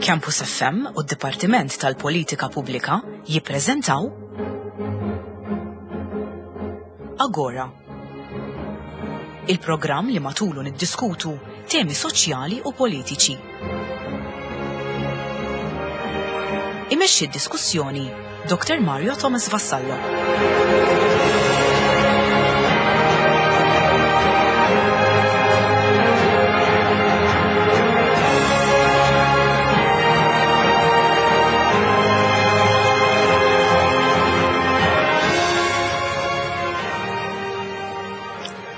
Campus FM u d-Dipartiment tal-Politika Pubblika jippreżentaw Agora. Il-programm li matulu niddiskutu temi soċjali u politiċi. Imexxi d-diskussjoni Dr. Mario Thomas Vassallo.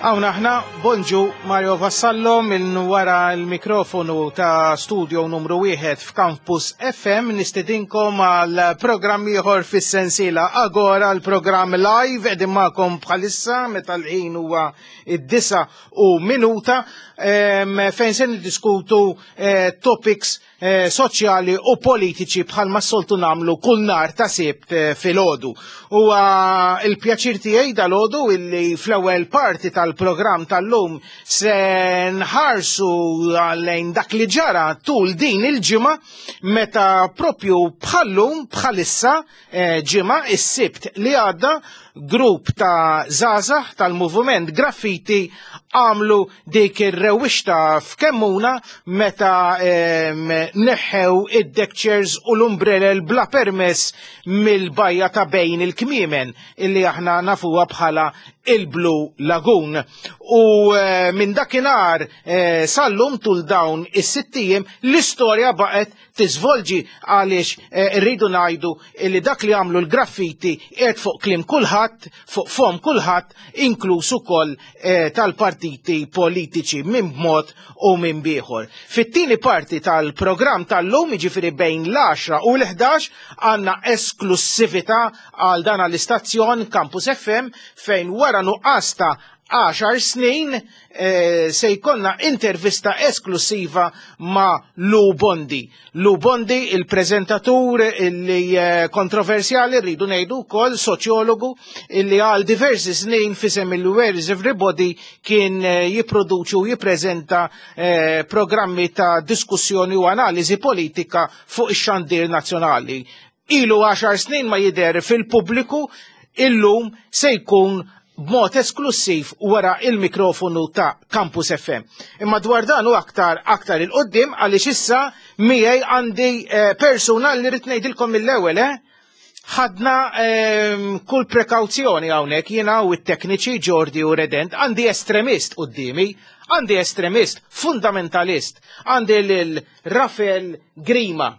Hawn aħna, bonġu Mario Vassallo minn wara l-mikrofonu ta' studio numru 1 f'Campus FM nistedinkom għal programm ieħor fis-sensiela Agora l-programm live qegħdin magħkom bħalissa meta l-ħin huwa id-disa u minuta fejn se niddiskutu eh, topics eh, soċjali u politiċi bħalma s-soltu namlu kull nar ta' sibt eh, filgħodu. Huwa il-pjaċir tiegħi dal-għodu illi fl-ewwel parti tal-programm tal-lum se nħarsu lejn dak li ġara tul din il-ġimgħa meta propju bħallum bħalissa eh, ġimgħa is-sibt li għadda grupp ta' żgħażagħ tal-moviment Graffiti għamlu dik ir-rewwixta f'Kemmuna meta neħħew id-deck chairs u l-umbrelel bla permess mill-bajja ta' bejn il-kmiemen illi aħna nafuha bħala il-Blue Lagoon. U eh, minn dakinhar eh, sallum tul dawn is-sittijiem l-istorja baqgħet tiżvolġi għaliex eh, rridu ngħidu li dak li għamlu l-graffiti qiegħed fuq kliem kulħadd, fuq fom kulħadd, inkluż ukoll eh, tal-partiti politiċi minn b'mod u minn bieħor. Fit-tieni parti tal-programm tal-lum, jiġifieri bejn l-10 u l-11, għandna esklussività għal dan għall-istazzjon Campus FM fejn wara nuqqas ta' 10 snin eh, se jkollna intervista esklusiva ma' Lou Bondi. Lou Bondi, il-prezentatur li eh, kontroversjali rridu ngħidu wkoll soċjologu illi għal diversi snin fisem il-Where is Everybody kien eh, jipproduċi u jippreżenta programmi ta' diskussjoni u analiżi politika fuq ix-xandir nazzjonali. Ilu 10 snin ma jidher fil-pubbliku, illum se jkun b'mod esklussiv wara il-mikrofonu ta' Campus FM. Imma dwar dan u aktar aktar il-qoddim għaliex issa miegħi għandi eh, persuna li rrid ngħidilkom mill-ewwel eh? ħadna ehm, kull prekawzjoni hawnhekk jiena u t-tekniċi Jordi u Redent għandi estremist qudiemi, għandi estremist fundamentalist, għandi lil Rafael Grima.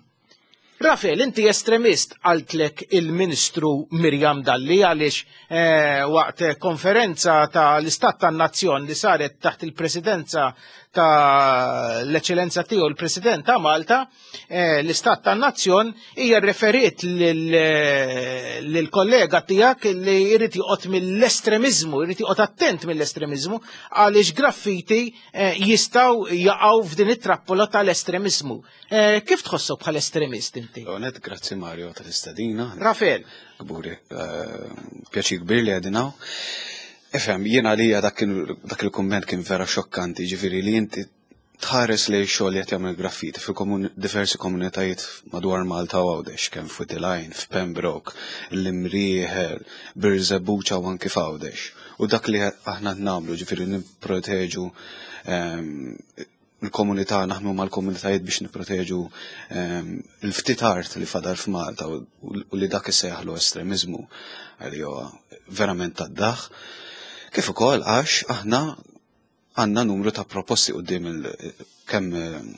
Rafel, inti estremist, qaltlek il-Ministru Miriam Dalli għaliex eh, waqt konferenza ta' l-Istat tan-Nazzjon li saret taħt il-Presidenza ta' l-Eċċellenza tiegħu l-President ta' Malta, eh, l-Istat tan-Nazzjon hija referiet lill-kollega tiegħek li jrid joqgħod mill-estremiżmu, jrid joqgħod attent mill-estremiżmu għaliex graffiti eh, jistgħu jaqgħu f'din it-trappola tal-estremiżmu. Eh, kif tħossok bħal estremist inti? Onet, grazzi Mario tal-istadina. Rafael. Kburi, eh, pjaċi kbir li għedinaw. Efem, jiena għalija dak il-komment kien vera xokkanti, ġifiri li inti tħares li xogħol qed jagħmel graffiti fi diversi komunitajiet madwar Malta u Għawdex, kemm f'Witilajn, f'Pembroke, l-Imrieħel, Birżebbuġa u anki f'Għawdex. U dak li aħna nagħmlu ġifieri nipproteġu ehm, il-komunità, naħdmu mal-komunitajiet biex nipproteġu ehm, il-ftit art li fadal f'Malta u li dak isejjaħlu estremizmu għalli huwa verament tad-daħ. Kif ukoll għax aħna għandna numru ta' proposti qudiem kemm ehm,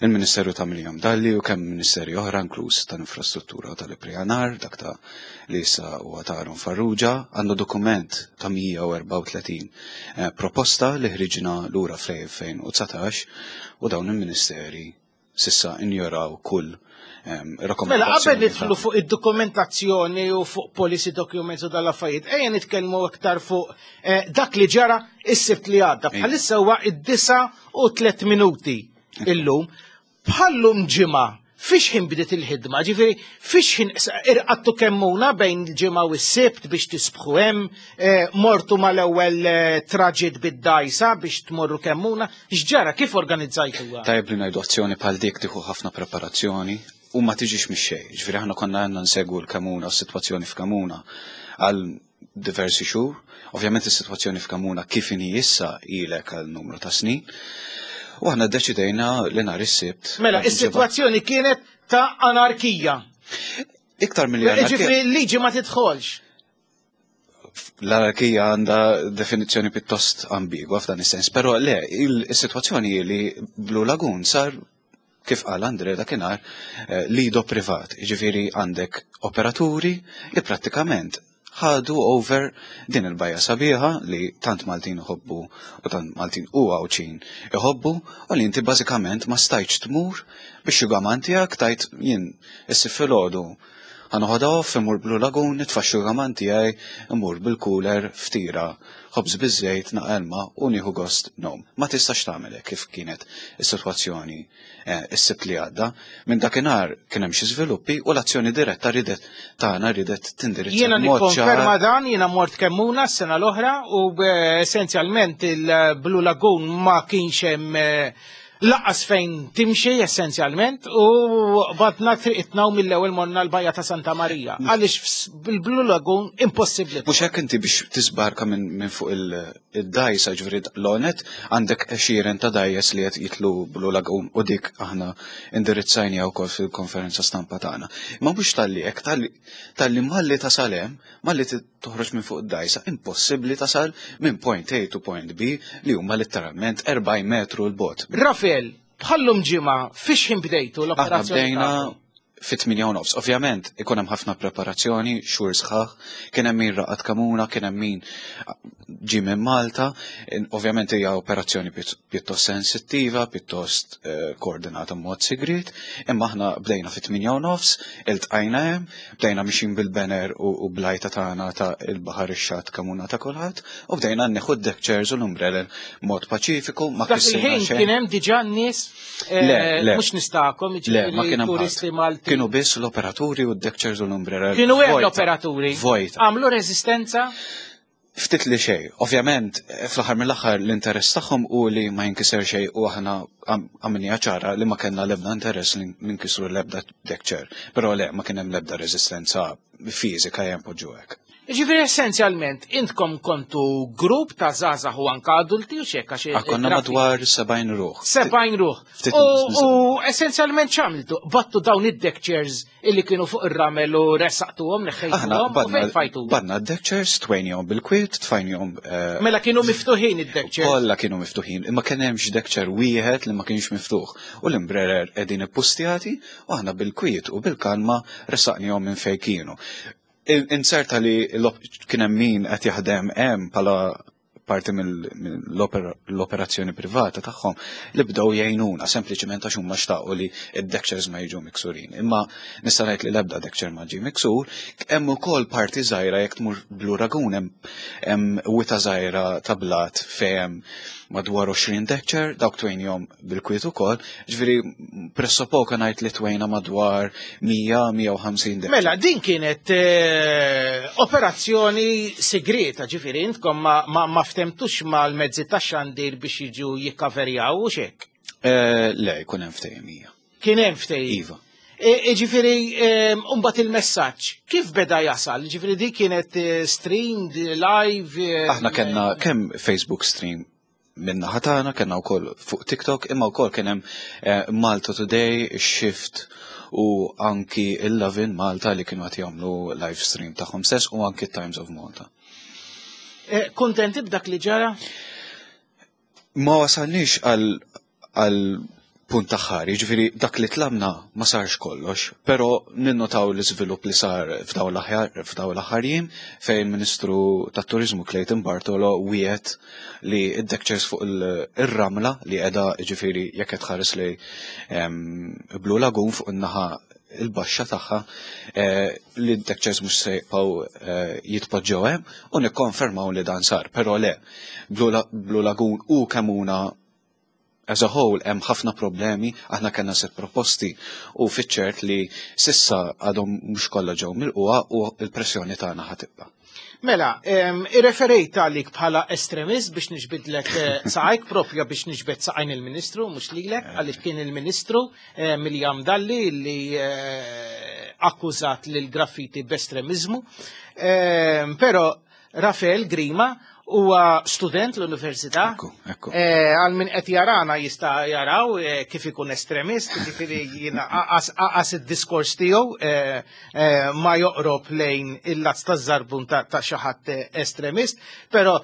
il-Ministeru ta' Miriam Dalli u kemm ministeri oħra inkluż tal-infrastruttura u tal-ippjanar, dak ta' li issa huwa ta' Aaron Farrugia, għandna dokument ta' 134 eh, proposta li ħriġna lura fl-2019 u dawn il-ministeri sissa injoraw kull ehm, Mela, qabel nidħlu fuq id-dokumentazzjoni u fuq policy documents u dal-affarijiet, ejja nitkellmu aktar fuq eh, dak li ġara is-sibt li għadda. Bħalissa huwa id-disa u tlet minuti illum. Bħallum ġimgħa. Fiex ħin bdiet il-ħidma, ġifieri fiex ħin irqattu Kemmuna bejn il-ġimgħa u s-Sibt biex tisbħu hemm, eh, mortu mal-ewwel eh, traġit bid-dajsa biex tmorru Kemmuna, x'ġara kif organizzajtuha? Tajjeb li ngħidu azzjoni bħal dik tieħu ħafna preparazzjoni u ma tiġix mix-xejn. Ġifieri aħna konna għandna nsegwu l-Kemmuna u s-sitwazzjoni f'Kemmuna għal diversi xhur. Ovvjament is-sitwazzjoni f'Kemmuna kif inhi issa ilek għal numru ta' snin. U aħna ddeċidejna li nhar is-Sibt. Mela, is-sitwazzjoni kienet ta' anarkija. Iktar milli anarkija. Ġifieri l-liġi ma tidħolx. L-anarkija għandha definizzjoni pjuttost ambigwa f'dan is-sens, però le, is-sitwazzjoni li Blue Lagoon sar kif qal Andre dakinhar, eh, lido privat, jiġifieri għandek operaturi li prattikament ħadu over din il-bajja sabiħa li tant Maltin iħobbu u tant Maltin u Għawdxin iħobbu u li inti bażikament ma stajtx tmur biex xugaman tiegħek tajt jien issib filgħodu ħa noħodha off immur Blue Lagoon nitfa' x-xugaman tiegħi immur bil-cooler ftira ħobż biż-żejt naqra ilma u nieħu gost ngħum. Ma tistax tagħmel hekk kif kienet is-sitwazzjoni eh, is-Sibt li għadda. Minn dakinhar kien hemm xi żviluppi u l-azzjoni diretta ridet tagħna ridet tindirizza. Jiena nikkonferma dan, jiena mort Kemmuna s-sena l-oħra u eh, essenzjalment il-Blue Lagoon ma kienx hemm eh, Laqas fejn timxi essenzjalment u badna triqitna u mill-ewwel morna l-bajja ta' Santa Marija. Għaliex bil-Blue Lagoon impossibbli. Mhux hekk inti biex tisbarka minn fuq il-dajsa ġifieri l-onet għandek għexieren ta' dajjes li qed jitlu Blue Lagoon u dik aħna indirizzajniha wkoll fil-konferenza stampa tagħna. Imma mhux talli hekk talli malli tasal hemm, malli toħroġ minn fuq id-dgħajsa, impossibbli tasal minn point A to point B li huma litteralment 40 metru 'l bogħod. Rafel, bħal-lum ġimgħa, fiex ħin bdejtu l-operazzjoni? Aħna bdejna fit-8 u nofs. Ovvjament, ikun hemm ħafna preparazzjoni, xhur sħaħ, kien hemm min raqad Kamuna, kien hemm min ġie minn Malta. Ovvjament hija operazzjoni pjuttost sensittiva, pjuttost eh, koordinata mod sigriet, imma aħna bdejna fit-8 u nofs, iltqajna hemm, bdejna mixin bil-banner u blajta tagħna ta' il-baħar ix-xatt kamuna ta' kulħadd, u bdejna nieħu d-deck chairs u l-umbrella mod paċifiku ma Dak il-ħin kien hemm diġà nies eh, mhux nistakom, le, ma kien hemm turisti Malti. Kienu biss l-operaturi u d-deck chairs u l-umbrella. Kienu hemm l-operaturi. Vojt. Għamlu reżistenza? Ftit li xejn. Ovvjament, fl-aħħar mill-aħħar l-interess tagħhom hu li ma jinkiser xejn u aħna għamilniha ċara li ma kellna l-ebda interess li ninkisru l-ebda deck chair. Però le, ma kien hemm l-ebda reżistenza fiżika ejja npoġġu hekk. Jiġifieri essenzjalment intkom kontu grupp ta' żgħażagħ u anke adulti u x'hekk għax Ah, konna madwar 70 ruħ. 70 ruħ. U essenzjalment x'għamiltu? Battu dawn id-deck chairs illi kienu fuq ir-ramel u ressaqtuhom, neħħejtuhom u fejn tfajtu? Badna d-deck chairs, twejnihom bil-kwiet, tfajnihom. Eh, mela kienu miftuħin id-deck chairs? Kollha kienu miftuħin, imma kien hemmx deck chair wieħed li ma kienx miftuħ. U l-imbrerer qegħdin ippustjati u aħna bil-kwiet u bil-kalma ressaqnihom minn fejn kienu. Inserta li kien hemm min qed jaħdem hemm bħala parti mill-operazzjoni privata tagħhom li bdew jgħinuna sempliċement għax huma xtaqu li id-deck chairs ma jiġu miksurin. Imma nista' ngħid li l-ebda deck chair ma ġie miksur, hemm ukoll parti żgħira jekk tmur Blue Lagoon hemm wita żgħira ta' blat fejn hemm madwar 20 deck chair, dawk twejnihom bil-kwiet ukoll, ġifieri pressappoco ngħid li twejna madwar 100-150 deck. Mela, din kienet eh, operazzjoni segreta, ġifieri intkom ma, ma, ma ftemtux mal-mezzi tax-xandir biex jiġu jikkaverjaw u xek. Eh, le, jkun hemm ftehim hija. Kien hemm ftehim. Iva. E, ġifieri, mbagħad il-messaġġ, kif beda jasal? Ġifieri di kienet eh, streamed live? Aħna kellna kemm Facebook stream minna ħatana, kellna wkoll fuq TikTok, imma wkoll kien hemm eh, Malta Today, Shift u anki il-Lovin Malta li kienu qed jagħmlu live stream tagħhom stess u anki Times of Malta. Eh, kuntenti b'dak li ġara? Ma wasalniex għal punt aħħari, ġifieri dak li tlabna ma sarx kollox, però ninnotaw l-iżvilupp li sar f'dawn l-aħħar jiem fejn il-Ministru tat-Turiżmu Clayton Bartolo wiegħed li d-deck chairs fuq ir-ramla li qiegħda ġifieri jekk qed tħares lejn Blue Lagoon fuq in-naħa il-baxxa tagħha eh, li d-deck chairs mhux se jibqgħu eh, jitpoġġew hemm u nikkonfermaw li dan sar, però le Blue Lagoon u Kemmuna. As a whole hemm ħafna problemi, aħna kellna set proposti u fiċ-ċert li sissa għadhom mhux kollha ġew milqugħa u l-pressjoni tagħna ħa tibqa'. Mela, irreferejt għalik bħala estremist biex niġbidlek eh, saqajk propja biex niġbed saqajn il-Ministru, mhux lilek, eh. għaliex kien il-Ministru eh, Miljam Dalli li akkużat lil graffiti b'estremizmu. Però Rafael Grima huwa student l-università. Ekku, eh, Għal min qed jarana jista' jaraw eh, kif ikun estremist, jiġifieri jiena aqas id-diskors tiegħu eh, ma joqrob lejn il-lazz taż-żarbun ta' xi ħadd estremist, però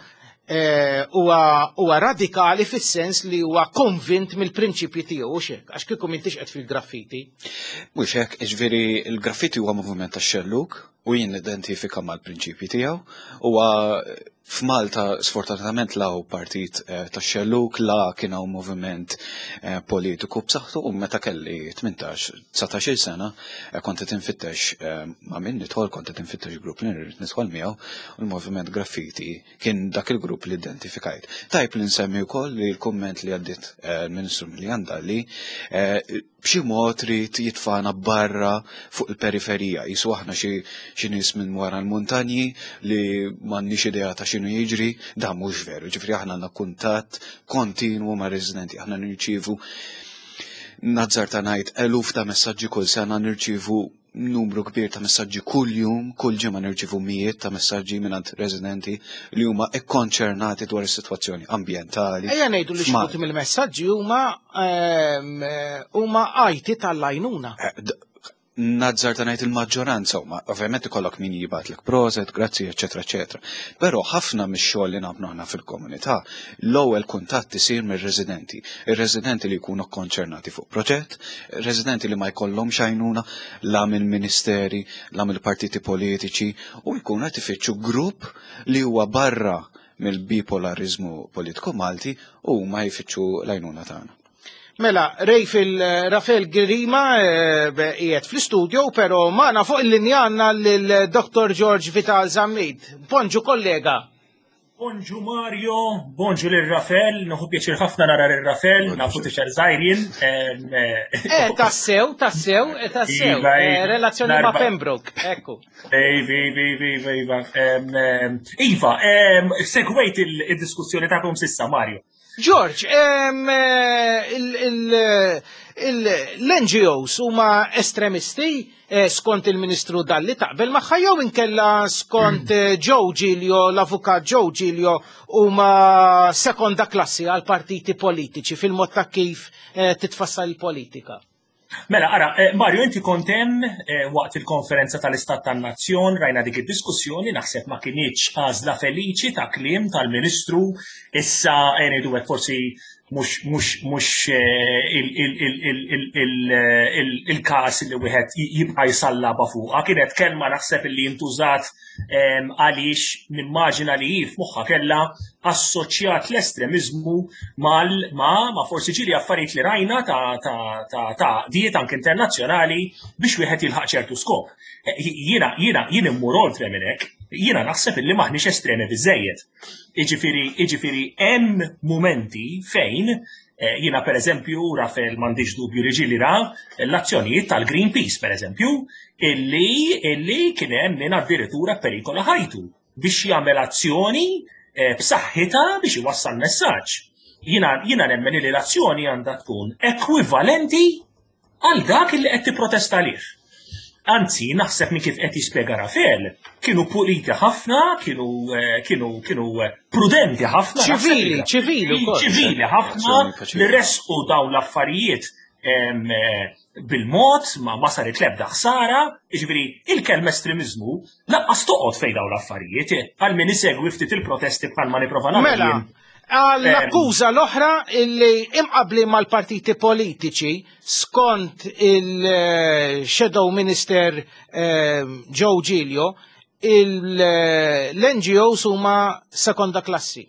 huwa radikali fis-sens li huwa konvint mill-prinċipji tiegħu u xek, għax kieku m'intix qed fil-graffiti. Mhux hekk, jiġifieri l-graffiti huwa moviment tax-xellug, u jien nidentifika mal-prinċipji tiegħu. Huwa f'Malta sfortunatament la hu partit eh, tax-xellug, la kien hawn moviment eh, politiku b'saħħtu u meta kelli 18-19 sena eh, kont qed infittex ma' min nidħol, kont qed infittex grupp li nrid nidħol miegħu u l-moviment graffiti kien dak il-grupp li identifikajt. Tajb li nsemmi wkoll li l-kumment li għaddit l-Ministru Miljan Dalli b'xi mod ried jitfagħna barra fuq il-periferija, qisu aħna xi xi nies minn wara l-muntanji li m'għandniex idea ta' x'inhu jiġri, dan mhux veru. Ġifieri aħna għandna kuntatt kontinwu ma' residenti, aħna nirċievu nazzarta ngħid eluf ta' messaġġi kull sena nirċievu numru kbir ta' messaġġi kull jum, kull ġimgħa nirċievu mijiet ta' messaġġi mingħand residenti li huma ikkonċernati dwar is-sitwazzjoni ambjentali. Ejja ngħidu li xi mill-messaġġi huma ehm, huma għajti tal-lajnuna. Eh, nazzar ta' ngħid il-maġġoranza huma, ovvjament ikollok min jibgħatlek proset, grazzi, eċetera, eċetera. Però ħafna mix-xogħol li nagħmlu aħna fil-komunità, l-ewwel kuntatt isir mir-residenti. Ir-residenti li jkunu kkonċernati fuq proġett, residenti li ma jkollhomx għajnuna la mill-ministeri, la mill-partiti politiċi u jkunu qed ifittxu grupp li huwa barra mill-bipolariżmu politiku Malti u ma jfittxu l-għajnuna tagħna. Mela, Rejfil Rafael Grima eh, qiegħed fl-istudio, però magħna fuq il-linja għandna lil Dr. George Vital Zammit. Bonġu kollega. Bonġu Mario, bonġu lil Rafel, nuħu pjaċir ħafna nara lil Rafel, nafu tifel żgħir jien. Eh, eh, tassew, tassew, eh, tassew. Iva, iva. Relazzjoni ma' Pembroke, ekku. Iva, iva, iva, iva. Iva, segwejt il-diskussjoni tagħkom sissa, Mario. George, l-NGOs huma estremisti eh, skont il-Ministru Dalli taqbel magħha jew inkella skont eh, Joe Giglio, l-avukat Joe Giglio huma sekonda klassi għal partiti politiċi fil-mod ta' kif eh, titfassal il-politika. Mela, ara, eh, Mario, inti kont hemm eh, waqt il-konferenza tal-Istat tan-Nazzjon, rajna dik id-diskussjoni, naħseb ma kinitx għażla feliċi ta' kliem tal-Ministru, issa eh, ngħidu hekk forsi mhux mhux mhux il-każ li wieħed jibqa' jsallaba fuqha. Kienet kelma naħseb li jintużat għaliex nimmaġina li hi f'moħħha kellha assoċjat l-estremiżmu mal ma ma forsi ġieli affarijiet li rajna ta' ta' ta' ta' diet anke internazzjonali biex wieħed jilħaq ċertu skop. Eh, jiena jiena jien immur oltre minn hekk, jiena naħseb illi maħniex estremi biżejjed. Jiġifieri jiġifieri hemm mumenti fejn Eh, jiena per eżempju, Rafael m'għandix dubju li ġieli ra l-azzjonijiet tal-Greenpeace per eżempju, illi illi kien hemm min addirittura perikola ħajtu biex jagħmel azzjoni eh, b'saħħitha biex iwassal messaġġ. Jiena jiena nemmen li l-azzjoni għandha tkun ekwivalenti għal dak li qed tipprotesta għalih. Anzi, naħseb minn kif qed jispjega Rafael, kienu puliti ħafna, kienu eh, kienu kienu eh, prudenti ħafna. Ċivili, ċivili Ċivili ħafna li resqu dawn l-affarijiet eh, bil-mod, ma ma saret l-ebda ħsara, jiġifieri il-kelma estremiżmu laqqas toqgħod fejn dawn l-affarijiet, għal min isegwi ftit il-protesti bħal ma nipprova nagħmel. Mela, għall-akkuża l-oħra illi imqabli mal-partiti politiċi skont il-Shadow Minister ehm, Joe Giglio, l-NGOs huma sekonda klassi.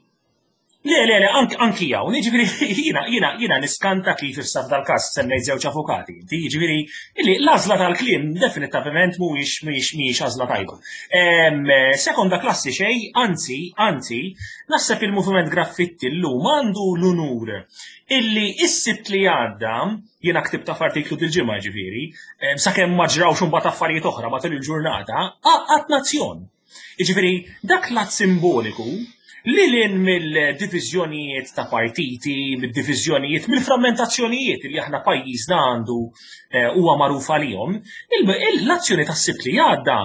Le, le, le, anki hawn, jiġifieri jiena jiena jiena niskanta kif issa f'dal-każ semmejt żewġ avukati. Inti jiġifieri illi l-għażla tal-kliem definitivament mhuwiex mhijiex mhijiex għażla tajba. Sekonda klassi xejn, anzi, anzi, naħseb il-Moviment Graffitti llum għandu l-unur illi s-Sibt li għadda, jiena ktibta f'artiklu dil-ġimgħa ġifieri, sakemm ma ġrawx imbagħad affarijiet oħra matul il-ġurnata, għaqqad nazzjon. Jiġifieri dak l-att simboliku li lin mill-diviżjonijiet ta' partiti, mid-diviżjonijiet, mill-frammentazzjonijiet li aħna pajjiżna għandu eh, huwa magħruf għalihom, l-azzjoni tas-Sibt li għadda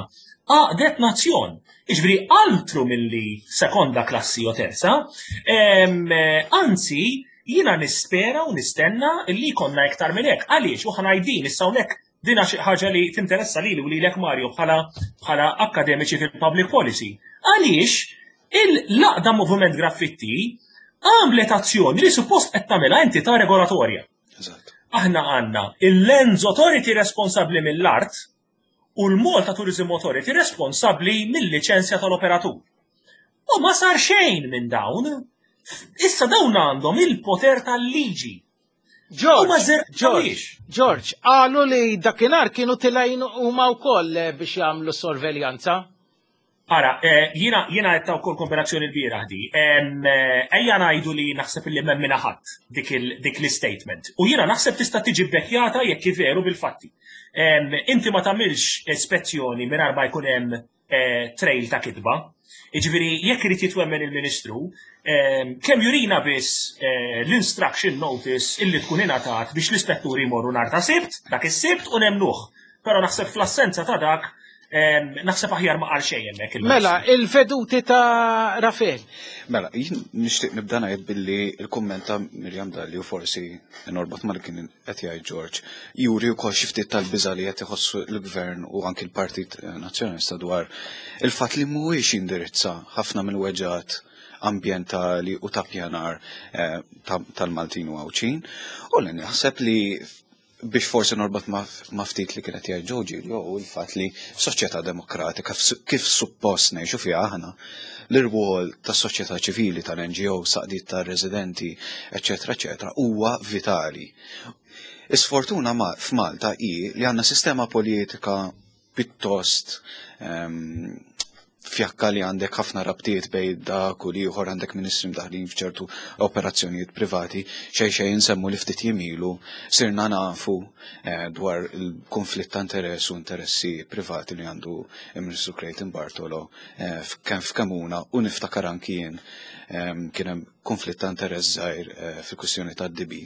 għaqdet nazzjon. Jiġifieri altru milli sekonda klassi jew terza, eh, anzi jiena nispera u nistenna li jkollna iktar minn hekk. Għaliex u ħanajdin issa hawnhekk Din xi ħaġa li tinteressa lili u lilek Mario bħala bħala akkademiċi fil-public policy. Għaliex il-laqda Moviment Graffitti għamlet azzjoni li suppost qed tagħmilha entità regolatorja. Aħna għandna il-Lands Authority responsabbli mill-art u l-Malta Tourism Authority responsabbli mill-liċenzja tal-operatur. U ma sar xejn minn dawn. Issa dawn għandhom il-poter tal-liġi. George, George, George, qalu li dakinhar kienu tilgħin huma wkoll eh, biex jagħmlu sorveljanza. Ara, eh, jiena jiena qed wkoll kombinazzjoni l-bieraħ di. Eh, ejja ngħidu li naħseb li m'hemm minna ħadd dik l-statement. U jiena naħseb tista' tiġi bekkjata jekk veru bil-fatti. Inti ma tagħmilx ispezzjoni mingħajr ma jkun hemm eh, trail ta' kitba. Jiġifieri jekk irid jitwemmen il-Ministru, eh, kemm jurina biss eh, l-instruction notice illi tkun ingħatat biex l-ispetturi jmorru nhar ta' Sibt, dak is-Sibt u nemnuh. Però naħseb fl-assenza ta' dak naħseb aħjar ma qal xejn hemmhekk. Mela, il-veduti ta' Rafel. Mela, jien nixtieq nibda ngħid billi l-kumment ta' Mirjam Dalli u forsi norbot ma' li kien qed jgħid George, juri wkoll xi ftit tal-biża' li qed iħossu l-Gvern u anki l-Partit Nazzjonalista dwar il-fatt li mhuwiex jindirizza ħafna mill-weġgħat ambjentali u ta' pjanar eh, tal-Maltin u Għawdxin. U li naħseb li biex forsi norbot ma' ftit li kienet jgħid Joe Giglio u l-fatt li f'soċjetà demokratika kif suppost ngħixu fiha aħna l-irwol tas-soċjetà ċivili, tal-NGO, saqdiet tar-residenti, eċċetera, eċċetera, huwa vitali. Is-sfortuna f'Malta hi li għandna sistema politika pittost ehm, fjakka li għandek ħafna rabtiet bej dak u liħor għandek ministri mdaħlin f'ċertu operazzjonijiet privati, xej xej insemmu li ftit jimilu sirna nafu eh, dwar il-konflitt ta' interess u interessi privati li għandu il-Ministru Clayton Bartolo eh, kemm f'Kemuna u niftakar anki jien ehm, kien hemm konflitt ta' interess żgħir eh, fil-kwistjoni tad-DB.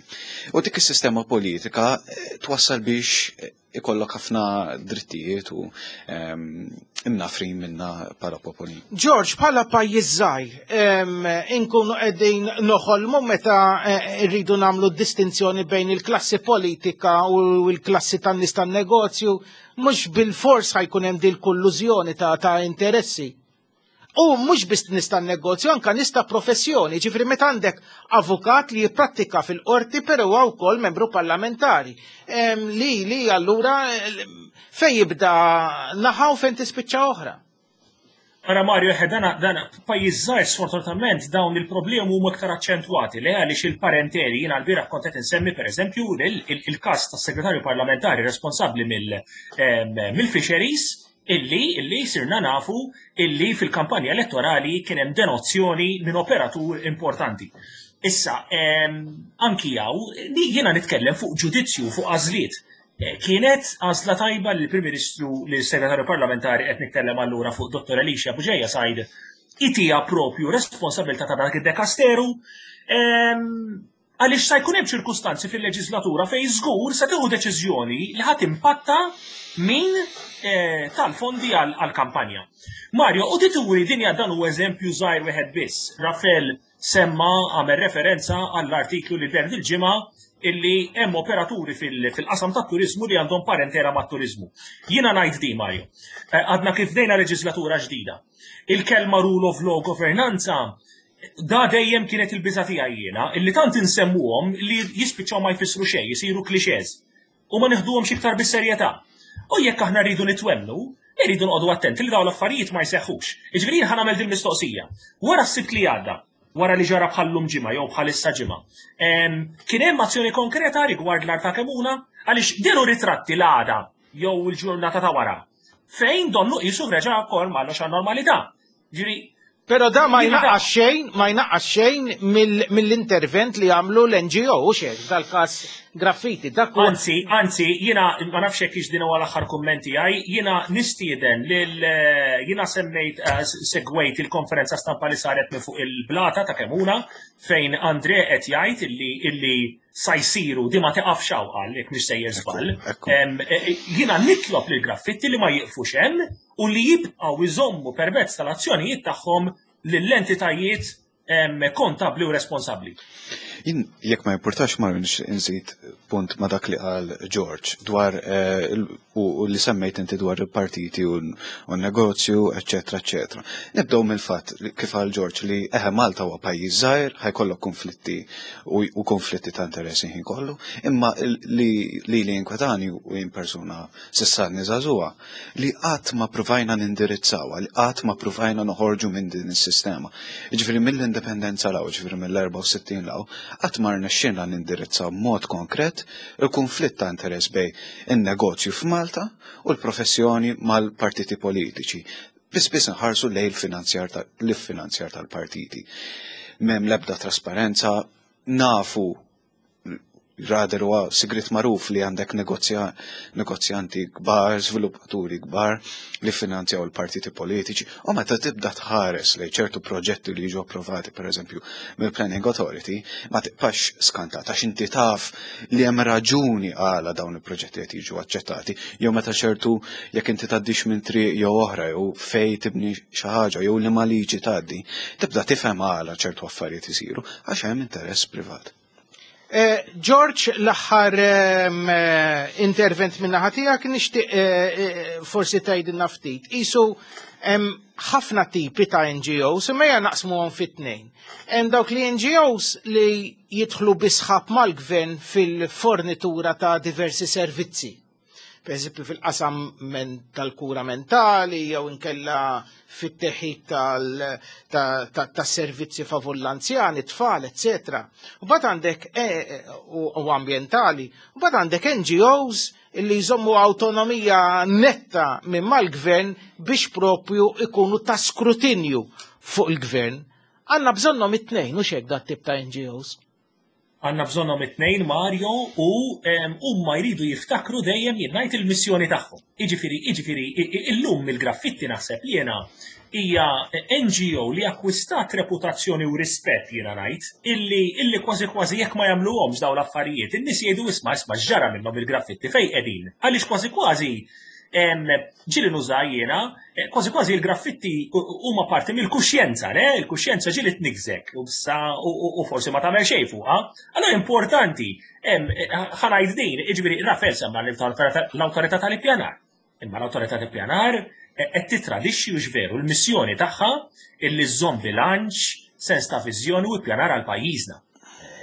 U dik is-sistema politika eh, twassal biex ikollok ħafna drittijiet u ehm, imnafrin minna bħala popoli. George, bħala pajjiż żgħir, ehm, inkunu qegħdin noħolmu meta rridu nagħmlu distinzjoni bejn il-klassi politika u l-klassi tan-nies tan-negozju Mhux bilfors ħa jkun hemm dil-kollużjoni ta', ta interessi. U mhux biss nies tan-negozju, anka nies ta' professjoni, ġifieri meta għandek avukat li jipprattika fil-qorti però huwa wkoll membru parlamentari. Li li allura fejn jibda naħa u fejn tispiċċa oħra. Ara Mario, eħe, dana, dana, pajjiż żgħir sfortunatament dawn il-problemi huma iktar aċċentwati le għaliex il-parenteli jiena l-bieraħ kont qed insemmi pereżempju il-każ tas-segretarju parlamentari responsabbli mill-fisheries illi illi sirna nafu illi fil-kampanja elettorali kien hemm denozzjoni minn operatur importanti. Issa, anki hawn, jiena nitkellem fuq ġudizzju, fuq għażliet. Eh, kienet għażla tajba li l-Prim Ministru li s-Segretarju Parlamentari qed nitkellem allura fuq Dottor Alicia Bugeja Said itija propju responsabilità ta' dak id-dekasteru ehm, għaliex sa jkun hemm ċirkustanzi fil-leġislatura fejn żgur se tieħu deċiżjoni li ħadd impatta min eh, tal-fondi għall-kampanja. Mario, u tituri dinja dan u eżempju żgħir wieħed biss. Rafael semma għamel referenza għall-artiklu li deher dil-ġimgħa illi hemm operaturi fil-qasam tat-turiżmu li għandhom parentela mat-turiżmu. Jiena ngħid di Mario, eh, għadna kif bdejna leġislatura ġdida. Il-kelma rule of law governanza da dejjem kienet il-biża tiegħi jiena, illi tant insemmuhom li jispiċċaw ma jfissru xejn, jisiru clichés. U ma neħduhomx iktar bis-serjetà. U jekk aħna rridu nitwemmnu, irridu noqogħdu attenti li dawn l-affarijiet ma jseħħux. Jiġifieri jien ħa nagħmel din mistoqsija. Wara s-Sibt li għadda, wara li ġara bħallum ġimgħa jew bħalissa ġimgħa. Kien hemm azzjoni konkreta rigward l-art ta' Kemuna għaliex dehru ritratti l-għada jew il-ġurnata ta' wara fejn donnu qisu reġa' kol mallox għan-normalità. Ġifieri Però da ma jnaqqas xejn, ma jnaqqas xejn mill-intervent li għamlu l-NGO, u xejn, dal-każ graffiti. Dak Anzi, anzi, jiena ma nafx hekk din huwa l-aħħar kumment tiegħi, jiena nistieden lil jiena semmejt eh, segwejt il-konferenza stampa li saret minn fuq il-blata ta' Kemuna fejn Andre qed jgħid illi illi sa jsiru di ma tiqafx hawn qal jekk mhix sejjer żball. Eh, eh, jiena nitlob lil graffitti li ma jiqfux hemm u li jibqgħu jżommu permezz tal-azzjonijiet tagħhom lill-entitajiet kontabbli u responsabbli. Jien jekk ma jimpurtax ma nżid punt ma dak li qal George dwar eh, u li semmejt inti dwar il-partiti u n-negozju, eċetera, eċetera. Nibdew mill-fatt kif qal George li eħe Malta huwa pajjiż żgħir, ħajkollok konflitti u konflitti ta' interessi ħin kollu, imma li li jinkwetani u jien persuna s'issa żagħżugħa li qatt ma pruvajna nindirizzawha, li qatt ma pruvajna noħorġu minn din is-sistema. Jiġifieri mill-indipendenza 'l hawn, jiġifieri mill-64 'l hawn, qatt ma rnexxielna nindirizzaw b'mod konkret il-kunflitt ta' interess bejn in-negozju f'Malta u l-professjoni mal-partiti politiċi. Biss biss nħarsu lejn l-iffinanzjar tal-partiti. M'hemm l-ebda trasparenza, nafu Rather huwa sigriet magħruf li għandek negozjanti kbar, żviluppaturi kbar li finanzjaw il-partiti politiċi u meta tibda tħares lejn ċertu proġetti li jiġu approvati pereżempju mill-Planning Authority ma tibqax skantat għax inti taf li hemm raġuni għala dawn il-proġetti qed jiġu aċċettati jew meta ċertu jekk inti tgħaddix minn triq jew oħra jew fej tibni xi ħaġa jew liema liġi tgħaddi, tibda tifhem għala ċertu affarijiet isiru għax hemm interess privat. Eh, George, l-aħħar ehm, eh, intervent minna ħatijak nixtieq eh, forsi tgħidilna ftit. Isu hemm ħafna tipi ta' NGOs, imma hija naqsmuhom fit-tnejn. Hemm dawk li NGOs li jidħlu bisħab mal-gvern fil-fornitura ta' diversi servizzi per eżempju fil-qasam tal-kura mentali jew inkella fit-teħid tas-servizzi favur l-anzjani, tfal, etc. U bad għandek e, e, u ambjentali, u bad għandek NGOs li jżommu autonomija netta minn mal-gvern biex propju ikunu ta' skrutinju fuq il-gvern. Għanna bżonnom it-tnejn, u xek dat tip ta' NGOs. Għandna bżonnhom it-tnejn Mario u huma jridu jiftakru dejjem jien ngħid il-missjoni tagħhom. Jiġifieri, jiġifieri illum il-graffitti naħseb li jiena hija NGO li akkwistat reputazzjoni u rispett jiena ngħid illi illi kważi kważi jekk ma jagħmluhomx dawn l-affarijiet in-nies jgħidu isma' isma' x'ġara minnhom il-graffitti fejn qegħdin. Għaliex kważi kważi ġieli nuża jiena, eh, kważi kważi il-graffitti huma parti mill-kuxjenza, le? Il-kuxjenza ġieli tniggżek u u forsi ma tagħmel xejn fuqha. Allora importanti, eh, ħanajt din, jiġifieri Rafael semma l-awtorità tal-ippjanar. Imma l-awtorità tal-ippjanar eh, qed titradixxi u veru l-missjoni tagħha illi żżomm bilanċ, sens ta' viżjoni u ippjanar għal pajjiżna.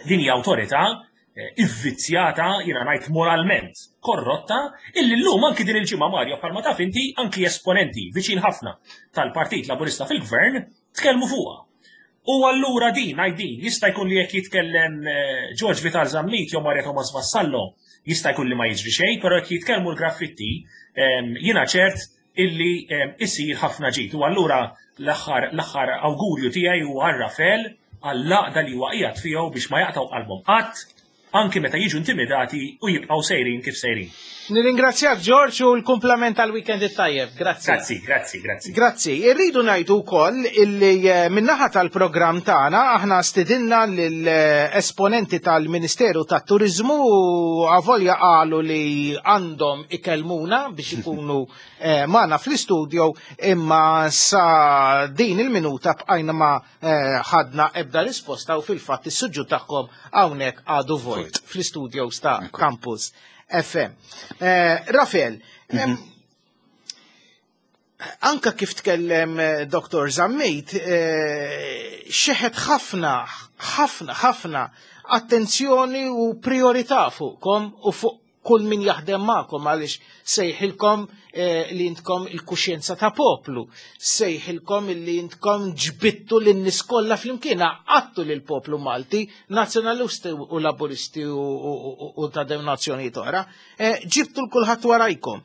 Din hija awtorità Eh, ivvizzjata, jiena ngħid moralment, korrotta, illi llum anki din il-ġimgħa Mario bħalma taf inti anki esponenti viċin ħafna tal-Partit Laburista fil-Gvern tkellmu fuqha. U allura din, ngħid din, jista' jkun li jekk jitkellem eh, George Vital Zammit jew Maria Thomas Vassallo, jista' jkun li ma jiġri xejn, però jekk jitkellmu l-graffitti, ehm, jiena ċert illi ehm, isir ħafna ġid. U allura l-aħħar l-aħħar awgurju tiegħi huwa għal Rafel għall-għaqda li huwa qiegħed fihom biex ma jaqtgħu qalbhom qatt anki meta jiġu intimidati u jibqgħu sejrin kif sejrin. Nirringrazzjak George u l-kumplament tal-weekend it-tajjeb. Grazzi. Grazzi, grazzi, grazzi. Grazzi. Irridu ngħidu wkoll illi eh, min-naħa tal-programm tagħna aħna stidinna lill-esponenti tal-Ministeru tat-Turiżmu u avolja qalu li għandhom ikellmuna biex ikunu eh, magħna fl-istudio imma sa din il-minuta bqajna ma eh, ħadna ebda risposta u fil-fatt is-suġġu tagħhom hawnhekk għadu vojt fl-istudios ta' Campus FM. Eh, Rafael, mhm. anka kif tkellem Dr. Zammit, xeħet ħafna, ħafna, ħafna attenzjoni u priorità fuqkom u fuq kull min jaħdem magħkom għaliex sejħilkom eh, li intkom il-kuxjenza ta' poplu, sejħilkom li intkom ġbittu lin nies kollha flimkien għattu lil poplu Malti, nazzjonalisti u laburisti u ta' denominazzjonijiet oħra, eh, ġibtu l-kulħadd warajkom.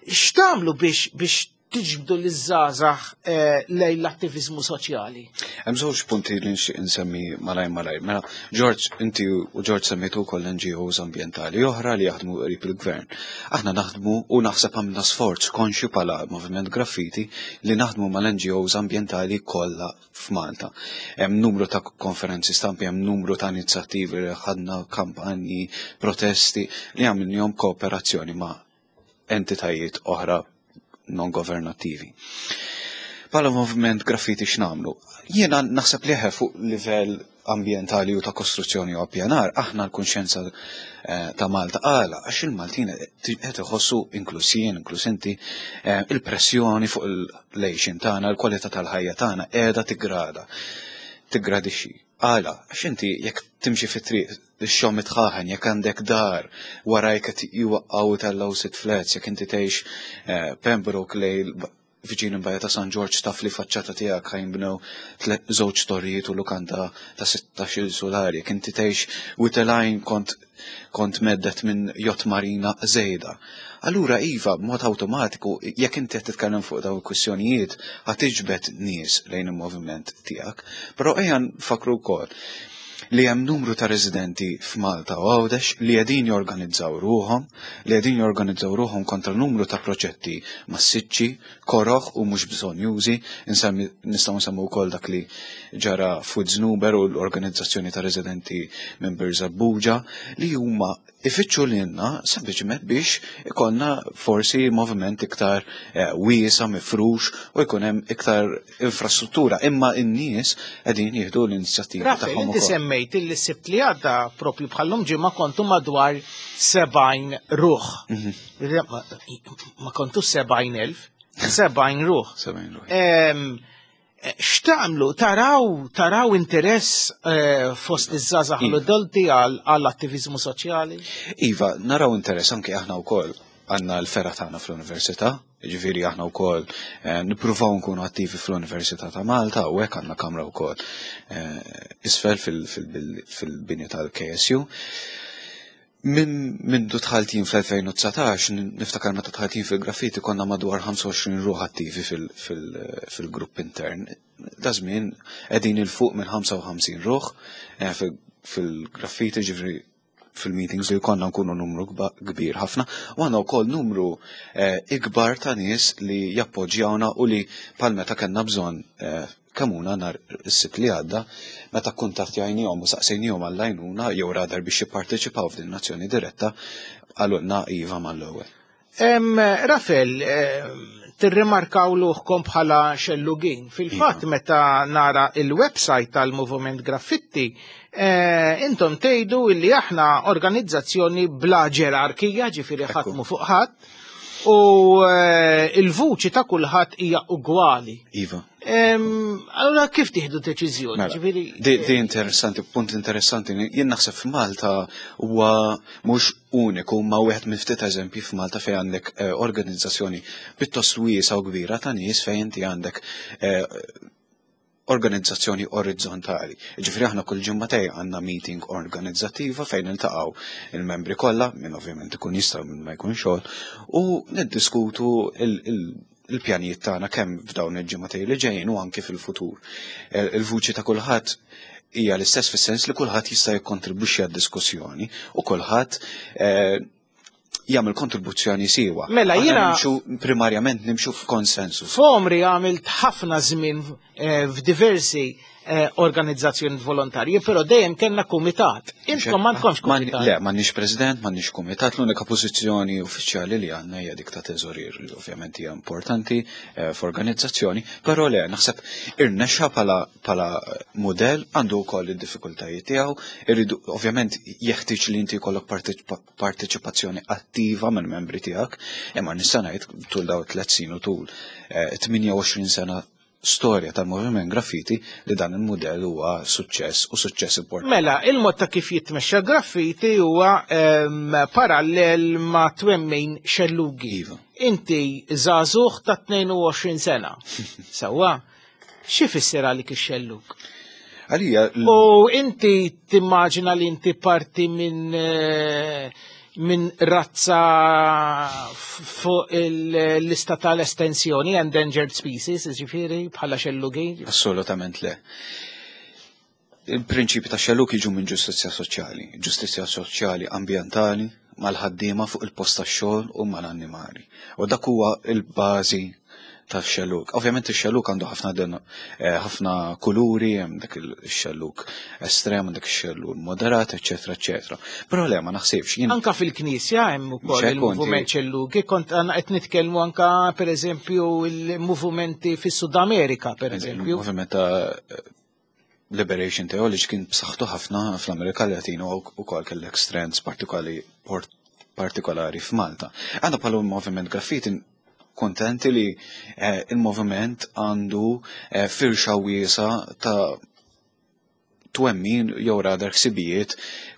X'tagħmlu biex tiġbdu liż-żgħażagħ eh, lejn l-attiviżmu soċjali? Hemm żewġ punti li nixtieq insemmi malaj malaj. Mela, George, inti u George semmejtu wkoll NGOs ambjentali oħra li jaħdmu qrib il-gvern. Aħna naħdmu u naħseb għamilna sforz konxju bħala Moviment Graffiti li naħdmu mal-NGOs ambjentali kollha f'Malta. Hemm numru ta' konferenzi stampi, hemm numru ta' inizjattivi li ħadna kampanji, protesti li għamilnihom kooperazzjoni ma' entitajiet oħra non governattivi. Bħala moviment graffiti x'namlu? Jiena naħseb li fuq livell ambjentali u ta' kostruzzjoni u appjanar, aħna l-kunxjenza eh, ta' Malta għala, għax il-Maltin qed iħossu inkluż jien, inkluż inti, eh, il-pressjoni fuq il-lejxin tagħna, il-kwalità tal-ħajja tagħna qiegħda tigrada, tiggradixxi. Għala, għax inti jekk timxi fit-triq ix-xogħol mitħaħen, jekk għandek dar warajk qed jwaqqgħu tellgħu sitt flats, jekk inti tgħix eh, Pembroke lejl viċin il-Bajja ta' San Ġorġ taf li faċċata tiegħek ħajnbnew żewġ torrijiet u lukanda ta' 16-il sulari, jekk inti tgħix Witelajn kont kont meddet minn jott marina żejda. Allura iva, b'mod awtomatiku, jekk inti qed titkellem fuq dawn il-kwistjonijiet, ħa tiġbed nies lejn il-moviment tiegħek. Però ejja nfakru wkoll li hemm numru ta' residenti f'Malta u Għawdex li qegħdin jorganizzaw ruħhom, li qegħdin jorganizzaw ruħhom kontra numru ta' proġetti massiċċi, koroh u mhux bżonjużi, insemmi nistgħu nsemmu wkoll dak li ġara f'Wied u l-organizzazzjoni ta' residenti minn Birżebbuġa li huma ifittxu lilna sempliċement biex ikollna forsi moviment iktar eh, wiesa, mifrux u jkun hemm iktar infrastruttura. Imma n-nies qegħdin jieħdu l-inizjattiva tagħhom. Inti semmejt li sibt li għadda propju bħallum ġimgħa kontu madwar 70 ruħ. Mhm. Ma kontu 70,000, 70 ruħ. 70 ruħ. X'tagħmlu? Taraw, taraw interess eh, fost iż-żgħażagħ iva. l-adulti għall-attiviżmu soċjali? Iva, naraw interess anke aħna wkoll għandna l-fergħa tagħna fl-università, ġifieri aħna wkoll eh, nippruvaw nkunu attivi fl-Università ta' Malta u hekk għandna kamra wkoll eh, isfel fil-bini tal-KSU. Minn mindu dħalt jien fl-2019, niftakar meta dħalt jien fil-graffiti konna madwar 25 ruħ attivi fil-grupp intern. Da żmien qegħdin il fuq minn 55 ruħ eh, fil-graffiti ġifri fil-meetings li konna nkunu numru kbir ħafna u għandna wkoll numru eh, ikbar ta' nies li jappoġġjawna u li pal meta kellna bżonn eh, Kemuna nhar is-Sibt li għadda, meta kkuntattjajniehom u saqsejniehom għall-għajnuna jew rather biex jipparteċipaw f'din l-azzjoni diretta, qalulna iva mal-ewwel. Rafel, tirrimarkaw luħkom bħala xellugin. Fil-fatt iva. meta nara il-website tal-Moviment Graffitti, eh, intom tgħidu illi aħna organizzazzjoni bla ġerarkija, ġifieri ħadd fuq ħadd, u eh, il-vuċi ta' kulħadd hija ugwali. Iva. Allora kif tieħdu deċiżjoni? Mela, di, di eh, interessanti, punt interessanti, jien naħseb f'Malta huwa mhux uniku ma wieħed minn ftit eżempji f'Malta fejn għandek eh, organizzazzjoni pjuttost wiesa u kbira ta' nies fejn inti għandek eh, organizzazzjoni orizzontali. Ġifri aħna kull ġimmatej għandna meeting organizzattiva fejn niltaqgħu il-membri kollha, minn ovvjament ikun jista' minn ma jkun xogħol, u niddiskutu il-pjanijiet tagħna kemm f'dawn il-ġimgħatej li ġejjin u anke fil-futur. Eh, il-vuċi ta' kulħadd hija l-istess fis-sens li kulħadd jista' jikkontribwixxi għad-diskussjoni u kulħadd eh, jagħmel kontribuzzjoni siwa. Mela jiena nimxu primarjament nimxu f'konsensus. F'omri għamilt ħafna żmien eh, f'diversi eh, organizzazzjoni volontarji, però dejjem kellna kumitat. Intkom m'għandkomx kumitat. Le, m'għandniex president, m'għandniex kumitat, l-unika pożizzjoni uffiċjali li għandna hija dik ta' teżorier li ovvjament hija importanti eh, f'organizzazzjoni, però le, naħseb irnexxa bħala mudell għandu wkoll id-diffikultajiet tiegħu, irridu ovvjament jeħtieġ li inti jkollok parteċipazzjoni attiva minn membri tiegħek, imma nista' ngħid tul daw tliet snin u tul 28 eh, sena storja tal-moviment graffiti li dan il-mudell huwa suċċess u suċċess importanti. Mela, il-mod ta' kif jitmexxa graffiti huwa parallel ma' twemmin xellugi. Iva. Inti żagħżugħ ta' 22 sena. Sewwa, xi fisser għalik ix-xellug? Għalija. U inti timmaġina li inti parti minn minn razza fuq il-lista tal-estensjoni, endangered species, ġifieri, bħala xellugi? Assolutament le. Il-prinċipi ta' xellug jiġu minn ġustizzja soċjali, ġustizzja soċjali ambjentali, mal-ħaddiema fuq il-post tax-xogħol u mal-annimali. U dak huwa il-bażi tax-xellug. Ovvjament ix-xellug għandu ħafna ħafna kuluri, hemm dak il-xellug estrem, dak ix-xellug moderat, eċetera, eċetera. Però le, ma naħsibx. Anka fil-Knisja hemm ukoll il-moviment xellugi, kont għandna qed nitkellmu anka pereżempju il-movimenti fis-Sud Amerika, pereżempju. Il-moviment ta' Liberation Theology kien b'saħħtu ħafna fl-Amerika Latina u wkoll kellek strands partikolari f'Malta. Għandna bħala moviment graffiti kontenti li il-moviment għandu firxa wiesa ta' twemmin jew rather ħsibijiet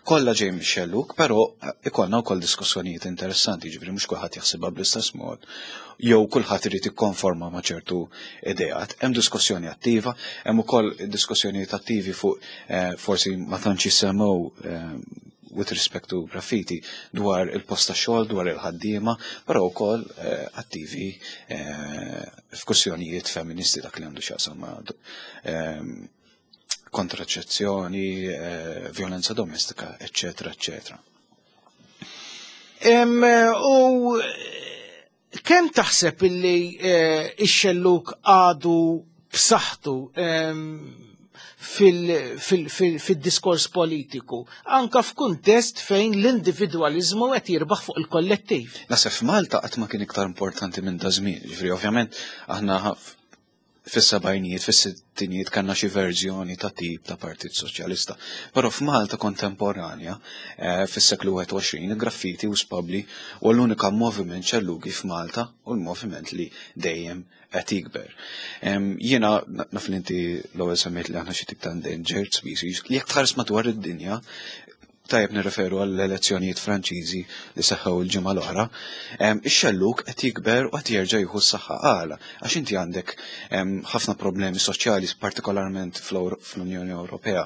kollha ġej mix-xellug, però ikollna wkoll diskussjonijiet interessanti, ġifieri mhux kulħadd jaħsibha bl-istess mod, jew kulħadd irid ikkonforma ma' ċertu ideat. Hemm diskussjoni attiva, hemm ukoll diskussjonijiet attivi fuq forsi ma tantx jissemmew with respect to graffiti dwar il-post ta' xogħol, dwar il-ħaddiema, però wkoll attivi f'kwistjonijiet femministi dak li għandu x'jaqsam ma' kontraċezzjoni, violenza domestika, eccetera, eccetera. U kemm taħseb illi ix-xellug għadu b'saħħtu fil-diskors politiku, anka f'kuntest fejn l-individwalizmu qed jirbaħ fuq il-kollettiv? Naħseb f'Malta qatt ma kien iktar importanti minn da żmien. Ġifieri ovvjament aħna fis-sebgħinijiet, fis-sittinijiet kellna xi verżjoni ta' tip ta' Partit Soċjalista. Però f'Malta kontemporanja, fis-seklu 21, il-graffiti u spabbli u l-unika moviment xellugi f'Malta u l-moviment li dejjem qed jikber. Jiena naf li inti l-ewwel semmejt li aħna xi tip ta' endangered species, li jekk tħares madwar id-dinja, tajjeb nirreferu għall-elezzjonijiet Franċiżi li seħħew il-ġimgħa l-oħra, ix-xellug qed jikber u qed jerġa' jieħu s-saħħa għala. Għax inti għandek ħafna problemi soċjali, partikolarment fl-Unjoni Ewropea,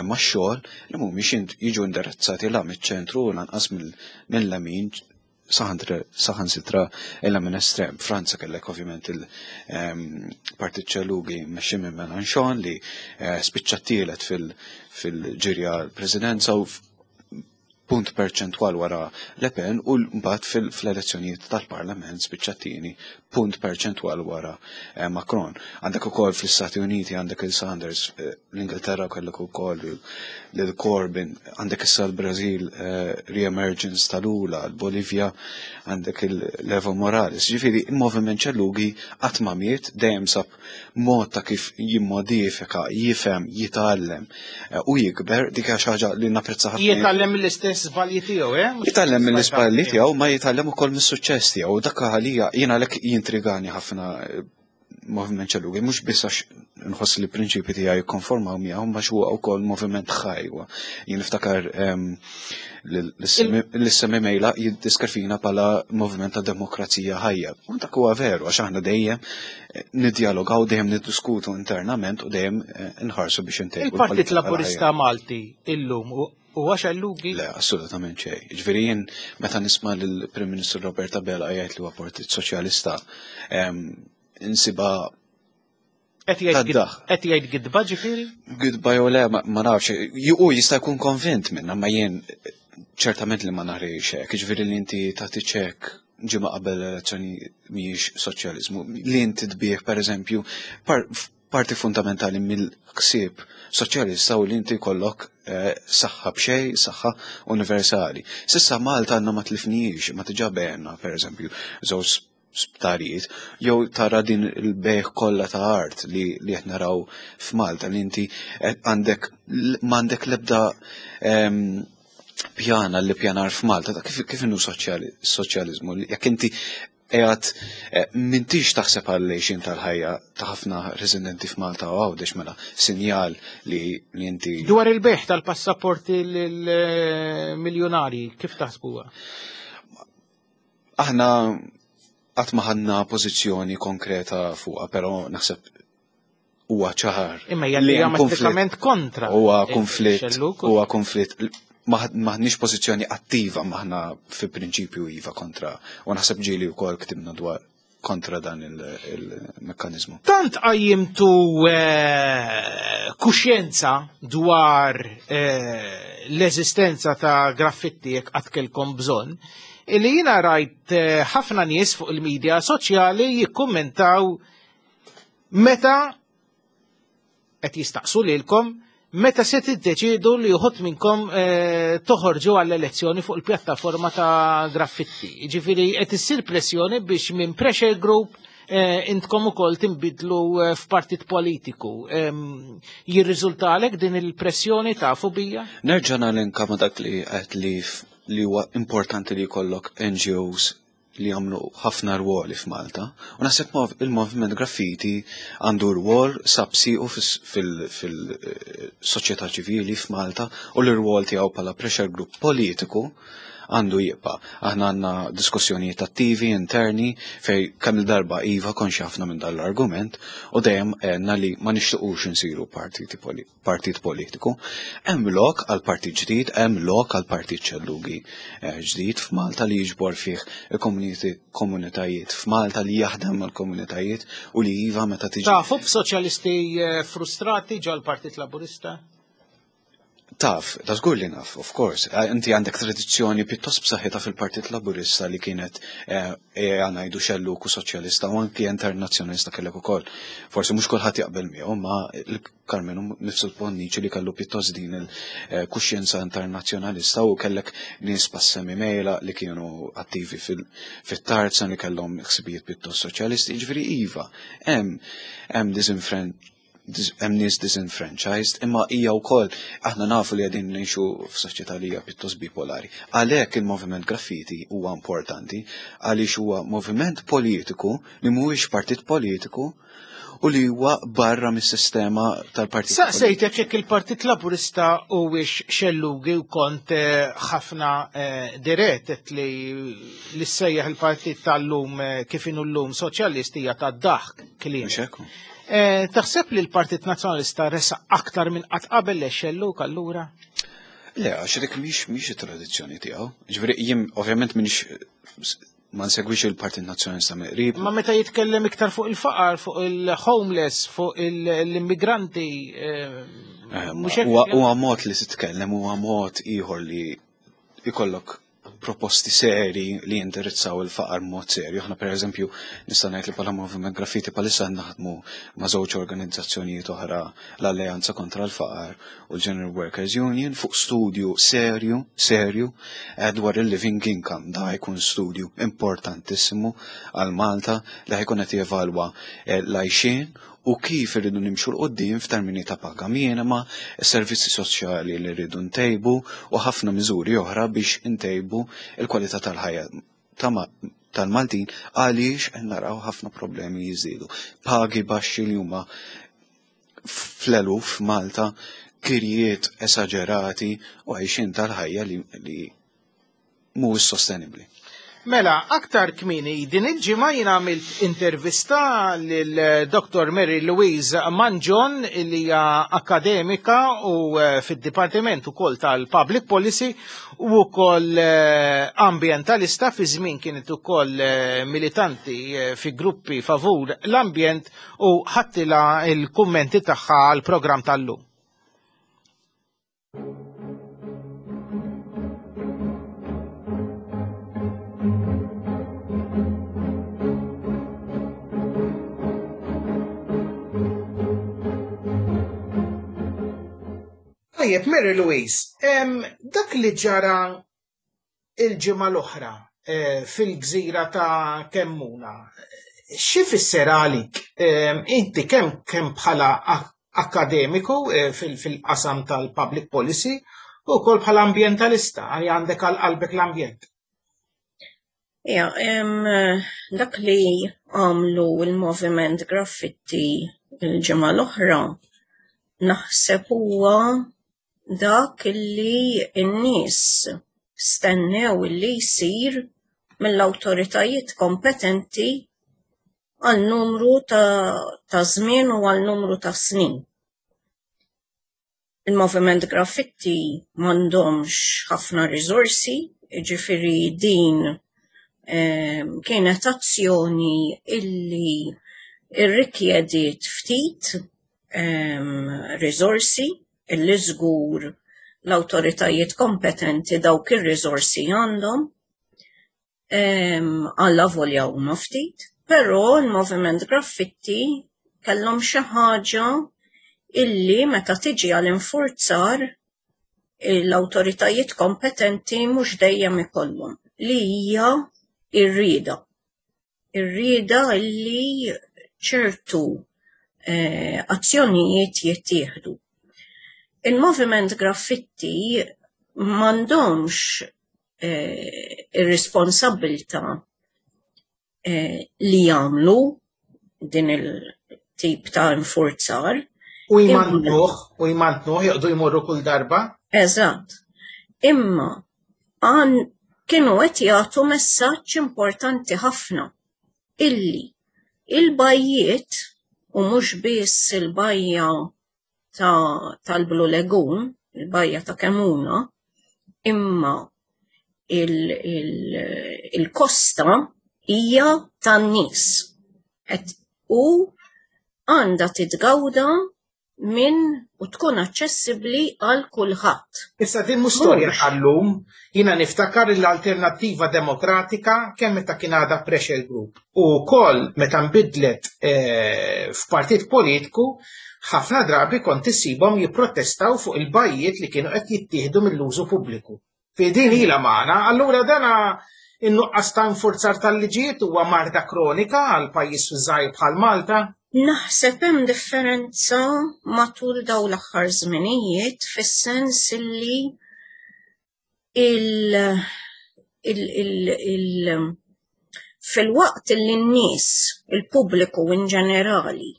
max-xogħol li mhumiex jiġu indirizzati la miċ-ċentru u lanqas mill-lemin, saħansitra illa minn estrem. Franza kellek ovvjament il-Partit Xellugi mmexxi minn Mélenchon li spiċċa tielet fil-ġirja l-presidenza u punt perċentwal wara Le Pen, u mbagħad fl-elezzjonijiet tal-Parlament spiċċa tieni punt perċentwal wara Macron. Għandek ukoll fl-Istati Uniti għandek il-Sanders, l-Ingilterra kellek ukoll lil Corbyn, għandek issa l-Brażil re-emergence ta' Lula, l-Bolivja għandek il-Evo Morales. Ġifieri il-moviment xellugi qatt ma miet, dejjem sab mod ta' kif jimmodifika, jifhem, jitgħallem u jikber, dik hija xi ħaġa li napprezza ħafna. Jitgħallem mill-istess żbalji tiegħu, eh? Jitgħallem mill-iżbalji tiegħu, ma jitgħallem ukoll mis-suċċess tiegħu. Dak għalija jien għalhekk jintrigani ħafna moviment xellugi, mhux biss għax nħoss li prinċipi tiegħi jikkonformaw miegħu, ma huwa wkoll moviment ħaj. Jien niftakar l-Sammy Meilaq jiddiskrifina bħala moviment ta' demokrazija ħajja. U dak huwa veru, għax aħna dejjem niddialogaw, dejjem niddiskutu internament u dejjem nħarsu biex intejbu Il-Partit l-politika Laburista ħajja. Malti illum huwa xellugi? Le, assolutament xejn. Ġifieri jien meta nisma' lill-Prim Ministru Robert Abela jgħid li huwa Partit Soċjalista, insiba Qed jgħid Taddaħ. qed jgħid gidba ġifieri? Gidba jew le, ma nafx. U jista' jkun konvint minna, ma jien ċertament li ma nagħrix hekk. Ġifieri li inti tagħti ċekk ġimgħa qabel l-elezzjoni mhijiex soċjaliżmu. Li inti tbieħ pereżempju parti fundamentali mill-ħsieb soċjalista u li inti jkollok saħħa b'xejn, saħħa universali. Sissa Malta għandna ma tlifnijiex, ma tiġa bejna pereżempju żewġ sptarijiet, jew tara din il-bejħ kollha ta' art li qed naraw f'Malta, li inti għandek m'għandek l-ebda pjana li pjanar f'Malta, ta' kif inhu soċjaliżmu, jekk inti qiegħed eh, m'intix taħseb għal għejxien tal-ħajja ta' ħafna residenti f'Malta u Għawdex mela sinjal li li inti. Dwar il-bejħ tal-passaporti lill-miljonari, kif taħsbuha? Aħna qatt ma ħadna pożizzjoni konkreta fuqha, però naħseb huwa ċar. Imma hija li hemm kontra. Huwa konflitt, huwa konflitt maħniex pożizzjoni attiva maħna fi prinċipju iva kontra u naħseb ġieli wkoll ktibna dwar kontra dan il-mekkanizmu. Tant qajjimtu eh, kuxjenza dwar eh, l-eżistenza ta' graffitti jekk qatt kellkom bżonn, illi jiena rajt eh, ħafna nies fuq il-medja soċjali jikkummentaw meta qed jistaqsu lilkom meta se tiddeċiedu li uħud minnkom eh, toħorġu għall-elezzjoni fuq il-pjattaforma ta' graffitti. Ġifieri qed issir pressjoni biex minn pressure group eh, intkom ukoll tinbidlu eh, f'partit politiku. Jirriżultalek din il-pressjoni tafu bija? Nerġa' nalinka ma' dak li qed li li huwa importanti li jkollok NGOs li jagħmlu ħafna rwoli f'Malta. U naħseb il-Moviment Graffiti għandu rwol sab siequ fil-soċjetà ċivili f'Malta u l-rwol tiegħu bħala pressure group politiku għandu jibqa'. Aħna għandna diskussjonijiet attivi interni fej kemm il-darba iva konxi ħafna minn dan l-argument u dejjem għedna li ma nixtiequx insiru partiti partit politiku. Hemm lok għal partit ġdid, hemm lok għal partit ċellugi eh, ġdid f'Malta li jiġbor fih il-komunitajiet f'Malta li jaħdem mal-komunitajiet u li iva meta tiġi. Tafu b'soċjalisti eh, frustrati ġol Partit Laburista? Taf, ta' żgur li naf, of course. Eh, inti għandek tradizzjoni pjuttost b'saħħitha fil-Partit Laburista li kienet eh, eh, ngħidu xelluk u soċjalista u anki internazzjonalista kellek ukoll. Forsi mhux kulħadd jaqbel miegħu, ma Karmenu nifsu l-Bonnici li kellu pjuttost din il-kuxjenza internazzjonalista u kellek nies passemi mejla li kienu attivi fit-tarzan li kellhom ħsibijiet pjuttost soċjalisti, jiġifieri iva, hemm hemm hemm nies disenfranchised, imma hija wkoll aħna nafu li qegħdin ngħixu f'soċjetà li hija pjuttost bipolari. Għalhekk il-moviment graffiti huwa importanti għaliex huwa moviment politiku li mhuwiex partit politiku u li huwa barra mis-sistema tal-Partit. Saqsejtek jekk il-Partit Laburista huwiex xellugi u kont eh, ħafna eh, dirett li li sejjaħ il-partit tal-lum eh, kif inhu llum soċjalist hija tad-daħk kliem. Taħseb li l-Partit Nazzjonalista resaq aktar minn qatt qabel le xelluk allura? Le, għax dik mhix mhix it-tradizzjoni tiegħu. Ġifieri jien ovvjament m'iniex ma nsegwix il-Partit Nazzjonalista mill-qrib. Ma meta jitkellem iktar fuq il-faqar, fuq il-homeless, fuq l-immigranti. Eh, eh, huwa mod li titkellem, huwa mod ieħor li ikollok proposti seri li jindirizzaw il-faqar mod serju. Aħna pereżempju nista' ngħid li bħala Moviment Graffiti bħalissa naħdmu ma' żewġ organizzazzjonijiet oħra l-Alleanza kontra l-Faqar u l-General Workers Union fuq studju serju, serju eh, dwar il-living income. Da jkun studju importantissimu għal Malta li ħajkun qed jevalwa eh, l-għajxien u kif irridu nimxu 'l quddiem f'termini ta' paga minima, servizzi soċjali li rridu ntejbu u ħafna miżuri oħra biex intejbu l-kwalità tal-ħajja tal-Maltin għaliex qed naraw ħafna problemi jiżdiedu. Pagi baxxi li huma fl-eluf f'Malta, kirjiet esaġerati u għajxien tal-ħajja li, li mhuwiex sostenibbli. Mela, aktar kmieni din il-ġimgħa jien għamilt intervista lil Dr. Mary Louise Mangion li hija akademika u eh, fid-Dipartiment ukoll tal-Public Policy u wkoll eh, ambientalista fi żmien kienet ukoll eh, militanti fi gruppi favur l-ambjent u ħadtilha l-kummenti tagħha għall-programm tal-lum. Tajjeb, Mary Louise, dak li ġara il-ġimgħa l-oħra eh, fil-gżira ta' Kemmuna, xi fisser għalik? Inti kemm kemm bħala akademiku eh, fil-qasam tal-public policy u wkoll bħala ambjentalista għal għandek għal qalbek l-ambjent. Ja, dak li għamlu il-Moviment Graffitti il-ġimgħa l-oħra naħseb huwa dak li n-nies stennew li jsir mill-awtoritajiet kompetenti għal numru ta' żmien u għal numru ta' snin. Il-Moviment Graffitti m'għandhomx ħafna riżorsi, jiġifieri din kienet azzjoni illi rrikjediet ftit riżorsi illi żgur l-awtoritajiet kompetenti dawk ir-riżorsi għandhom. Alla volja huma ftit, però l-Moviment Graffitti kellhom xi ħaġa illi meta tiġi għal infurzar l-awtoritajiet kompetenti mhux dejjem ikollhom li hija r-rieda. Ir-rieda illi ċertu eh, azzjonijiet jittieħdu. Il-Moviment Graffitti m'għandhomx eh, ir-responsabbiltà eh, li jagħmlu din il-tip ta' infurzar. U jmantnuh, u jmantnuh, joqdu jmorru kull darba. Eżatt. Imma għan kienu qed jagħtu messaġġ importanti ħafna illi il-bajjiet u mhux biss il-bajja tal-Blue Lagoon, il-bajja ta' Kemuna, imma il-kosta hija tan-nies u għandha titgawda minn u tkun aċċessibbli għal kulħadd. Issa din mhux storja tal-lum, jiena niftakar l-Alternattiva Demokratika kemm meta kien għadha pressure group u wkoll meta nbidlet eh, f'partit politiku ħafna drabi kont issibhom jipprotestaw fuq il-bajjiet li kienu qed jittieħdu mill-użu pubbliku. Fi din ilha magħna, allura dana in-nuqqas ta' infurzar tal-liġijiet huwa marda kronika għal pajjiż żgħir bħal Malta? Naħseb hemm differenza matul dawn l-aħħar żminijiet fis-sens illi il, il, il, il fil-waqt li n-nies, il-pubbliku in ġenerali,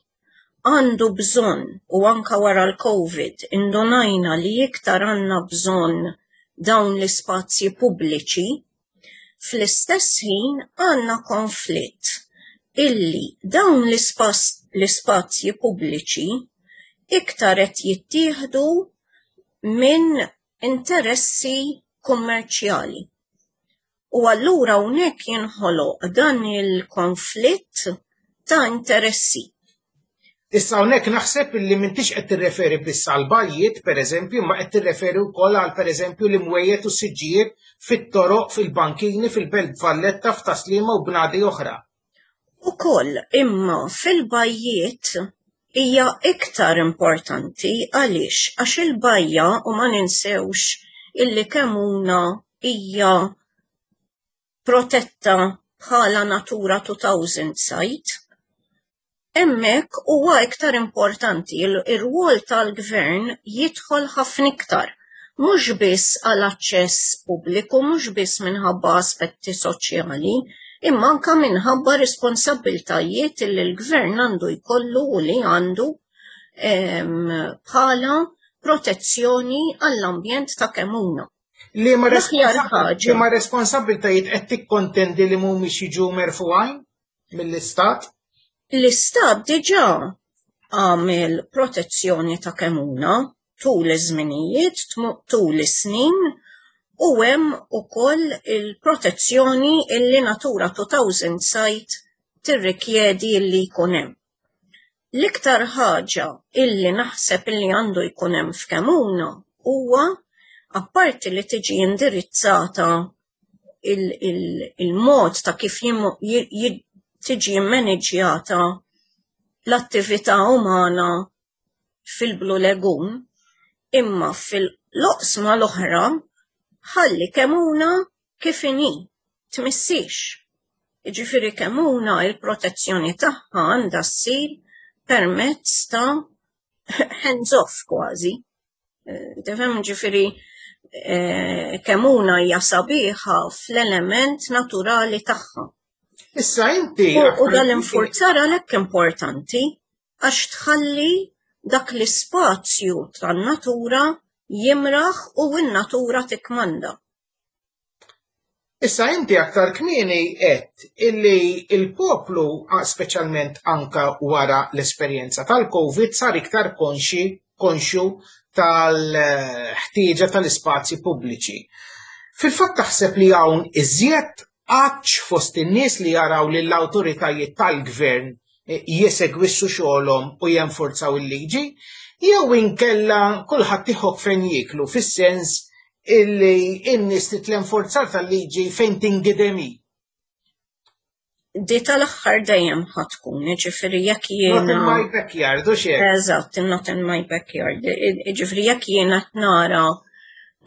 għandu bżonn u anka wara l-Covid indunajna li iktar għandna bżonn dawn l-ispazji pubbliċi, fl-istess ħin għandna konflitt illi dawn l-ispazji pubbliċi iktar qed jittieħdu minn interessi kummerċjali. U allura hawnhekk jinħoloq dan il-konflitt ta' interessi. Issa hawnhekk naħseb illi m'intix qed tirreferi biss għal bajjiet, pereżempju, imma qed tirreferi wkoll għal pereżempju l-imwejjed u s-siġġijiet fit-toroq, fil-bankini, fil-Belt Valletta, f'Tas-Sliema u bnadi oħra. Ukoll, imma fil-bajjiet hija iktar importanti għaliex għax il-bajja u ma ninsewx illi Kemmuna hija protetta bħala Natura 2000 site, Hemmhekk huwa iktar importanti ir-rwol tal-gvern jidħol ħafna iktar, mhux biss għal aċċess pubbliku, mhux biss minħabba aspetti soċjali, imma anke minħabba responsabbiltajiet li l-gvern għandu jkollu u li għandu bħala protezzjoni għall-ambjent ta' Kemmuna. Liema responsabbiltajiet qed tikkontendi li mhumiex jiġu merfugħin mill-Istat? L-Istat diġà għamel protezzjoni ta' Kemmuna tul iż-żminijiet, tul is-snin u hemm ukoll il-protezzjoni illi Natura 2000 site tirrikjedi illi jkun hemm. L-iktar ħaġa illi naħseb illi għandu jkun hemm f'Kemmuna huwa apparti li tiġi indirizzata il-mod ta' kif tiġi mmaniġjata l-attività umana fil-Blue Lagoon, imma fil-loqsma l-oħra ħalli Kemmuna kif inhi, tmissix. Jiġifieri Kemmuna il-protezzjoni tagħha għandha ssir permezz ta' hands off kważi. Eh, tifhem ġifieri Eh, Kemmuna hija sabiħa fl-element naturali tagħha. Issa inti. U dal-infurzar għalhekk importanti għax tħalli dak l-ispazju tan-natura jimraħ u n-natura tikmanda. Issa inti aktar kmieni għedt illi il-poplu, speċjalment anka wara l-esperjenza tal-Covid, sar iktar konxi konxju tal-ħtieġa tal-ispazji pubbliċi. Fil-fatt taħseb li hawn iżjed għatx fost in-nies li jaraw lill-awtoritajiet tal-gvern jesegwissu xogħolhom u jenforzaw il-liġi, jew inkella kulħadd iħokk fejn jieklu fis-sens illi n-nies trid l-enforzar tal-liġi fejn tingidem hi. Di tal-aħħar dejjem ħa tkun, jiġifieri jekk jiena. Not in my backyard, u xejn. Eżatt, not in my backyard. Jiġifieri jekk jiena nara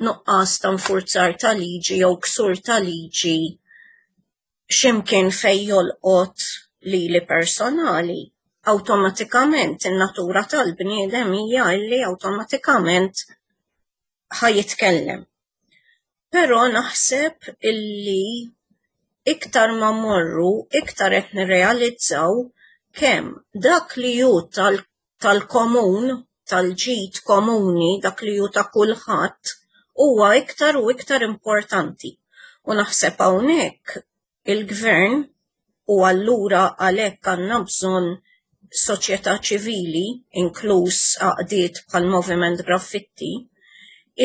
nuqqas ta' nfurzar ta' liġi jew ksur ta' liġi x'imkien fejn jolqot lili personali, awtomatikament in-natura tal-bniedem hija illi awtomatikament ħa jitkellem. Però naħseb illi iktar ma mmorru, iktar qed nirrealizzaw kemm dak li hu tal-komun, tal-ġid komuni, dak li hu ta' kulħadd, huwa iktar u iktar importanti. U naħseb hawnhekk il-gvern u allura għalhekk għandna bżonn soċjetà ċivili, inkluż għaqdiet bħal Moviment Graffitti,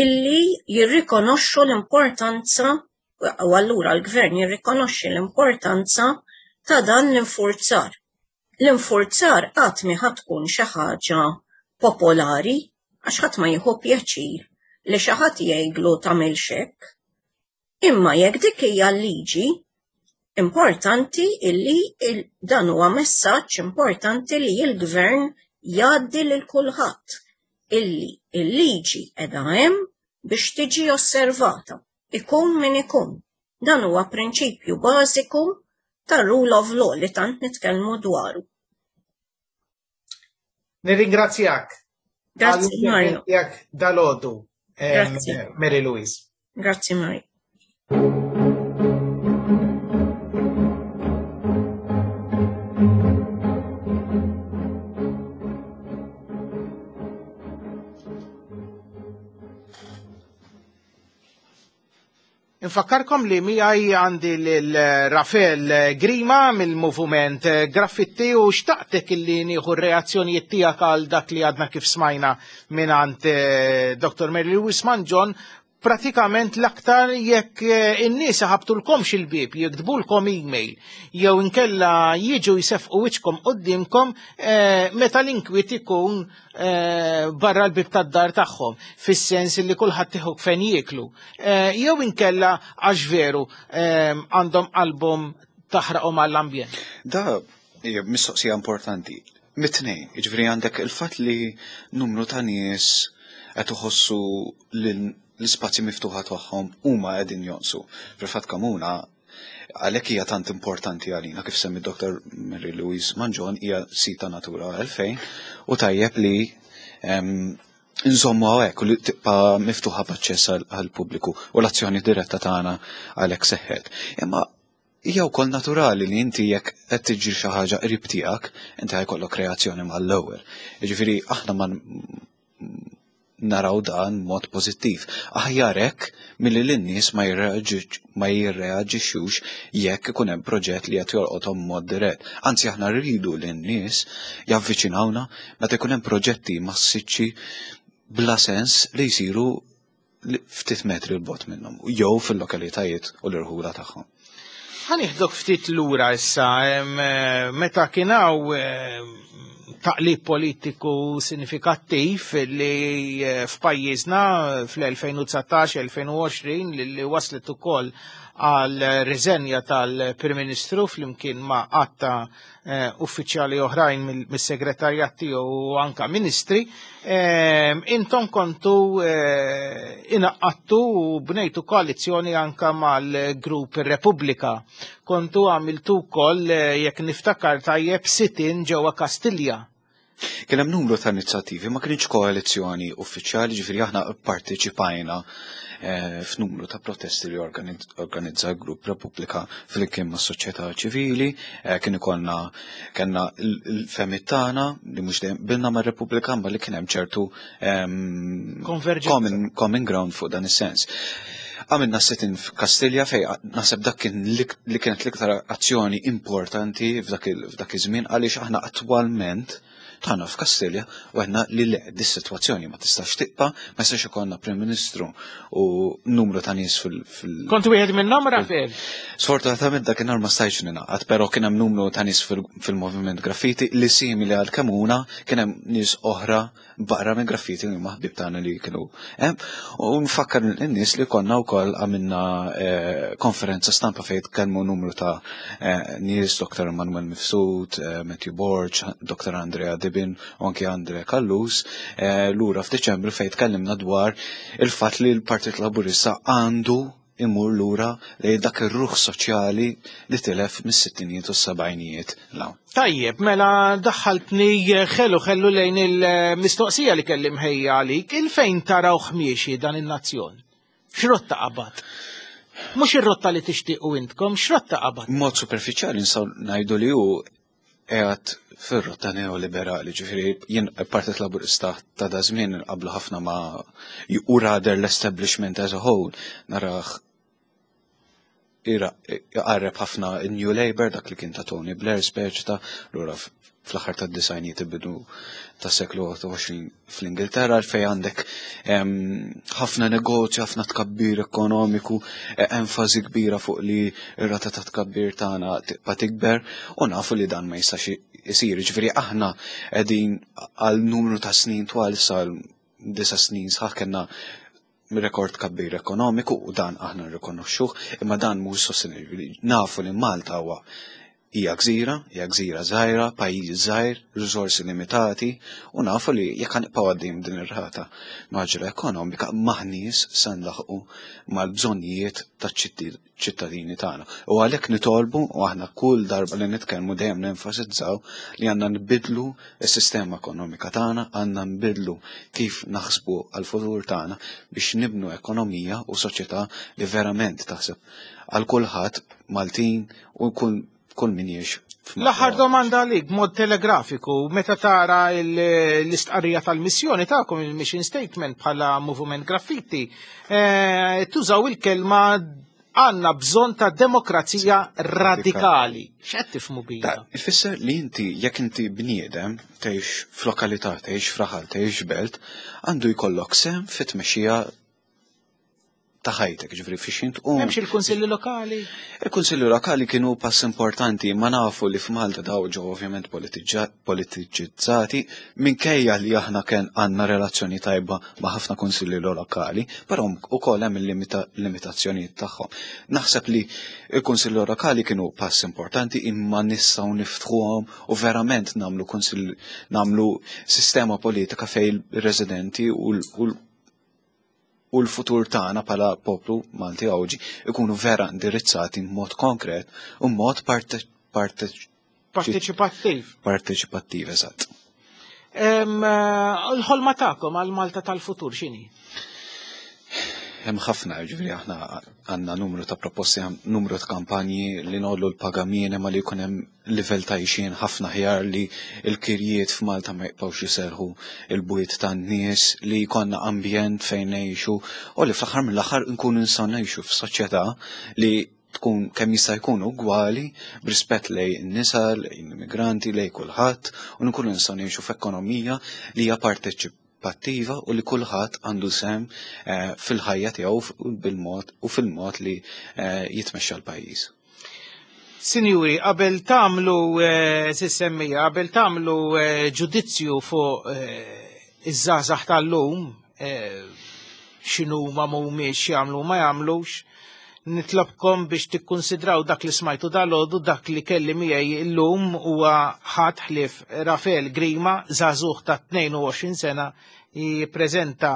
illi jirrikonoxxu l-importanza u allura l-gvern jirrikonoxxi l-importanza ta' dan l-infurzar. L-infurzar qatt mi ħa tkun xi ħaġa popolari għax ħadd ma jieħu pjaċir li xi ħadd jgħidlu tagħmilx hekk. Imma jekk dik hija l-liġi, importanti illi dan huwa messaġġ importanti li l-gvern jgħaddi lil kulħadd illi l-liġi qiegħda hemm biex tiġi osservata, ikun min ikun. Dan huwa prinċipju bażiku tar-rule of law li tant nitkellmu dwaru. Nirringrazzjak. Grazzi Mario. Nirringrazzjak dalodu, Mary Louise. Grazzi Mario. Infakkarkom li miegħi għandi lil Rafel Grima mill-Moviment Graffitti u xtaqtek illi nieħu r-reazzjonijiet tiegħek għal dak li għadna kif smajna mingħand eh, Dr. Mary Lewis Manġon pratikament l-aktar jekk eh, in-nies iħabtulkomx il-bieb, jiktbulkom email, jew inkella jiġu jsefqu wiċċkom qudiemkom eh, meta l-inkwiet ikun eh, barra l-bib tad-dar tagħhom, fis-sens li kulħadd iħuk fejn jieklu. Jew inkella għax veru għandhom qalbhom taħraqhom għall-ambjent. Da hija mistoqsija importanti. Mit-tnejn, jiġifieri għandek il-fatt li numru ta' nies qed iħossu li l-ispazji miftuħa tagħhom huma qegħdin jonqsu. Fil-fatt Kamuna għalhekk hija tant importanti għalina kif semmi Dr. Mary Louise Manġon hija sita Natura 2000 u tajjeb li nżommu hawnhekk u li tibqa' miftuħa b'aċċess għall-pubbliku u l-azzjoni diretta tagħna għalhekk seħħet. Imma hija wkoll naturali li inti jekk qed tiġri xi ħaġa qrib tiegħek, inti ħajkollok reazzjoni mal-ewwel. Jiġifieri aħna ma naraw dan mod pożittiv. Aħjar hekk milli lin-nies ma jirreaġixxux jekk ikun hemm proġett li qed jolqothom mod dirett. Anzi aħna rridu li n-nies javviċinawna meta jkun hemm proġetti massiċċi bla sens li jsiru ftit metri 'l bogħod minnhom jew fil-lokalitajiet u l-irħula tagħhom. Ħa nieħdok ftit lura issa meta kien hawn taqlib politiku sinifikattiv li eh, f'pajjiżna fl-2019-2020 li waslet ukoll għal riżenja tal-Prim Ministru flimkien ma' għatta eh, uffiċjali oħrajn mis-segretarjat tiegħu u anka ministri, eh, intom kontu eh, inaqqattu u bnejtu koalizzjoni anka mal-grupp Repubblika. Kontu għamiltu wkoll jekk niftakar tajjeb sitin ġewwa Kastilja. Kien hemm numru ta' inizjattivi, ma kienx koalizzjoni uffiċjali, ġifieri aħna pparteċipajna eh, f'numru ta' protesti li organizza l-grupp Repubblika flimkien mas soċjetà ċivili, eh, kien ikollna kellna l-femit tagħna li mhux dejjem bilna ma' Repubblika ma li kien hemm ċertu ehm, common, common ground fuq dan is-sens. Għamilna sit-in f'Kastilja fej naħseb dak kien li kienet l-iktar azzjoni importanti f'dak iż-żmien għaliex aħna attwalment tħanna f'Kastilja u għedna li le, dis-sitwazzjoni ma tistax tibqa', ma jistax ikollna Prim Ministru u numru ta' nies fil-. Kont wieħed minnhom, Rafael? Sfortunatament dakinhar ma stajtx ningħaqad, però kien hemm numru ta' nies fil-Moviment Graffiti li simili għal Kemuna kien hemm nies oħra barra minn graffiti li huma ħbieb tagħna li kienu hemm. U nfakkar lin-nies li konna wkoll għamilna eh, konferenza stampa fejn tkellmu numru ta' eh, nies, Dr. Manuel Mifsud, eh, Matthew Borg, Dr. Andrea Dibin u anki Andrea Callus, lura f'Diċembru fejn tkellimna dwar il-fatt li l-Partit Laburista għandu imur lura lejn dak ir-ruħ soċjali li tilef mis-sittinijiet u s-sebgħinijiet 'l hawn. Tajjeb, mela daħħaltni ħelu ħellu lejn il-mistoqsija li kelli mħejja għalik, il-fejn tarawh miexi dan in-nazzjon? X'rotta qabad? Mhux ir-rotta li tixtiequ intkom, x'rotta qabad? Mod superfiċjali nistgħu ngħidu li hu qiegħed fir-rotta neoliberali, ġifieri jien Partit Laburista ta' da żmien qablu ħafna ma' u rather l-establishment as a whole narah jqarreb ħafna New Labour dak li kien ta' Tony Blair speċi ta' lura fl-aħħar tad-disgħinijiet il-bidu tas-seklu 20 fl-Ingilterra fejn għandek ħafna negozju, ħafna tkabbir ekonomiku, e, enfasi kbira fuq li r-rata ta' tkabbir tagħna tibqa' tikber u nafu li dan ma jistax isir. Ġifieri aħna qegħdin għal numru ta' snin twal sal disa' snin sħaħ kellna rekord tkabbir ekonomiku u dan aħna nrikonoxxuh, imma dan mhux sostenibbli. Nafu li Malta huwa hija gżira, hija gżira żgħira, pajjiż żgħir, riżorsi limitati u nafu li jekk ħanibqgħu għaddejjin din ir-rata maġra ekonomika maħniex se nlaħqu mal-bżonnijiet taċ-ċittadini tagħna. U għalhekk nitolbu u aħna kull darba li nitkellmu dejjem nenfasizzaw li għandna nbidlu s-sistema ekonomika tagħna, għandna nbidlu kif naħsbu għall-futur tagħna biex nibnu ekonomija u soċjetà li verament taħseb għal kulħadd Maltin u kull kull min jgħix. L-aħħar domanda għalik b'mod telegrafiku, meta tara l-istqarrija tal-missjoni tagħkom il-mission statement bħala Movement Graffiti, eh, tużaw il-kelma għandna bżonn ta' demokrazija radikali. X'qed tifhmu bija? Ifisser li inti jekk inti bniedem tgħix f'lokalità, tgħix f'raħal, tgħix belt, għandu jkollok sehem fit-tmexxija ta' ħajtek, ġifri fiex int u. Hemmx il-kunsilli lokali? Il-kunsilli lokali kienu pass importanti, ma nafu li f'Malta daw ġew ovvjament politiċizzati minkejja li aħna kien għandna relazzjoni tajba ma' ħafna kunsilli lokali, però ukoll hemm il-limitazzjonijiet tagħhom. Naħseb li il-kunsilli lokali kienu pass importanti imma nistgħu niftħuhom u verament nagħmlu kunsill nagħmlu sistema politika fejn ir-residenti u u l-futur tagħna bħala poplu Malti Għawdxi ikunu vera indirizzati mod konkret u mod parteċipattiv. Parteċipattiv, eżatt. Eh, l-ħolma tagħkom għal Malta tal-futur x'inhi? Hemm ħafna, ġifieri aħna għandna numru ta' proposti, numru ta' kampanji li nollu l-paga minima li jkun hemm livell ta' għixien ħafna aħjar li l-kirjiet f'Malta ma jibqgħux jiserħu il-bwiet tan-nies, li jkollna ambjent fejn ngħixu u li fl-aħħar mill-aħħar nkunu nistgħu ngħixu f'soċjetà li tkun kemm jista' jkun ugwali b'rispett lejn in-nisa, lejn l-immigranti, lejn kulħadd u nkunu nistgħu ngħixu f'ekonomija li hija parteċipattiva u li kulħadd għandu sehem eh, fil-ħajja tiegħu bil-mod u fil-mod li eh, jitmexxa l-pajjiż. Sinjuri, qabel tagħmlu eh, sissemmija, qabel tagħmlu eh, ġudizzju fuq eh, iż-żgħażagħ tal-lum, x'inhu ma mhumiex jagħmlu ma jagħmlux, nitlobkom biex tikkunsidraw dak li smajtu dal-għodu dak li kelli miegħi llum huwa ħadd ħlief Rafael Grima, żagħżugħ ta' 22 sena jippreżenta